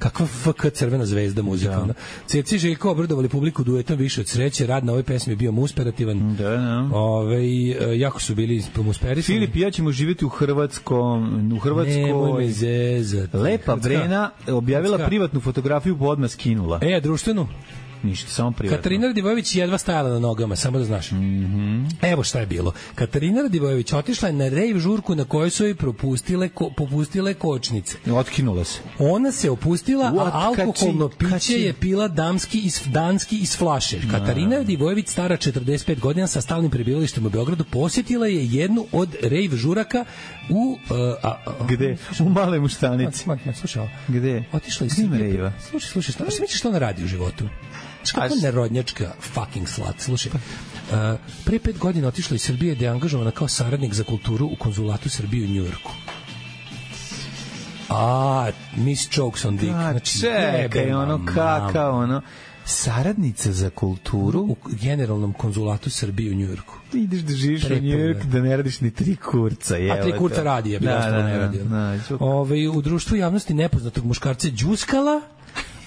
kakva FK Crvena zvezda muzika. Ceca i Željko obradovali publiku duetom Više od sreće, rad na ovoj pesmi je bio musperativan. Jako su bili musperisani. Filip i ja ćemo živjeti u Hrvatskoj.
Nemoj me zezati.
Lepa Brena objavila privatnu fotografiju, pa odmah skinula.
Društvenu?
Ništa, samo privatno.
Katarina Radivojević jedva stajala na nogama, samo da znaš. Evo šta je bilo. Katarina Radivojević otišla je na rejv žurku na kojoj su joj popustile kočnice.
Otkinula se.
Ona se opustila, a alkoholno piće je pila danski iz flaše. Katarina Radivojević, stara 45 godina sa stalnim prebivalištem u Beogradu, posjetila je jednu od rejv žuraka u...
Gde? U Male Muštanici.
Slušaj,
gde?
Otišla iz Srbije. Slušaj, šta misliš što ona radi u životu? Kako nerodnjačka fucking slut. Slušaj, pre 5 godina otišla iz Srbije da je angažovana kao saradnik za kulturu u konzulatu Srbije u Njujorku. Miss Chokes on Dick.
Znači, čekaj, kakao, saradnica za kulturu
u generalnom konzulatu Srbije u Njujorku.
Ti ideš da živiš u Njujorku da ne radiš ni 3 kurca.
A 3 kurca radi, ja bi ostalo ne radio. U društvu javnosti nepoznatog muškarca đuskala,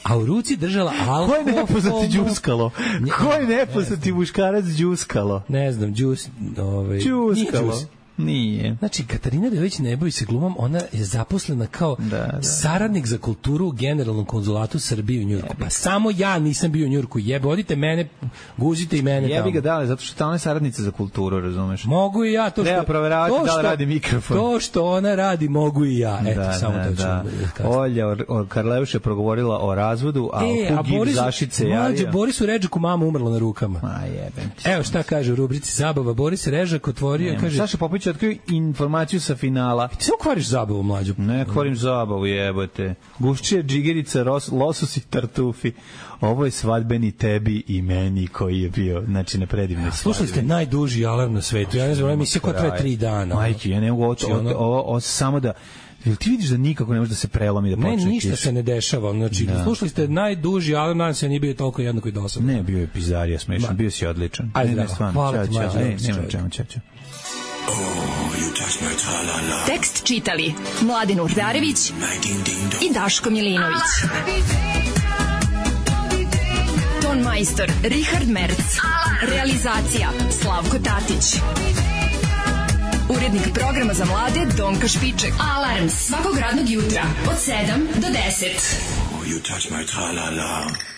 a u ruci držala alkohol.
Ko je nepoznati đuskalo? Ko je nepoznati muškarac đuskalo?
Ne znam,
đuskalo. Nije.
Znači, Katarina Radivojević ne bavi se glumom, ona je zaposlena kao saradnik za kulturu u generalnom konzulatu Srbije u Njujorku. Pa samo ja nisam bio u Njujorku. Odite mene, guzite i mene tamo.
Jebi ga dale, zato što tamo je saradnica za kulturu, razumeš?
Mogu i ja.
Treba proveravati da li radi mikrofon.
To što ona radi, mogu i ja. Eto, samo to ću kažem.
Olja Karleuša je progovorila o razvodu, a Kugiv Zašice javio.
Borisu Redžaku mama umrla na rukama. Evo šta kaže u rubrici Zabava. Boris Režak otvorio, kaže...
Saša Popović otkrio informaciju sa finala.
Ti samo kvariš zabavu, mlađu.
Ne kvarim zabavu, jebote. Guščije, džigerica, losos i tartufi. Ovo je svadbeni tebi i meni koji je bio, znači, na predivnoj svadbi.
Slušali ste najduži alarm na svetu. Ja ne znam, emisija koja traje 3 dana.
Majke, ja ne mogu ovo samo da... Jel ti vidiš da nikako ne može da se prelomi da počne kiša?
Ne, ništa se ne dešava. Znači, slušali ste najduži alarm, nadam se nije bio toliko jednako i dosadno.
Ne, bio je pizarija smešan, bio si odličan.
Ajde, hvala ti, mlađe.
Nema čemu.
Tekst čitali Mladin Urdarević i Daško Milinović. Ton majstor Richard Merc. Realizacija Slavko Tatić. urednik programa za mlade Donka Špiček. Alarms svakog radnog jutra od 7 do 10.
You touch my tra-la-la.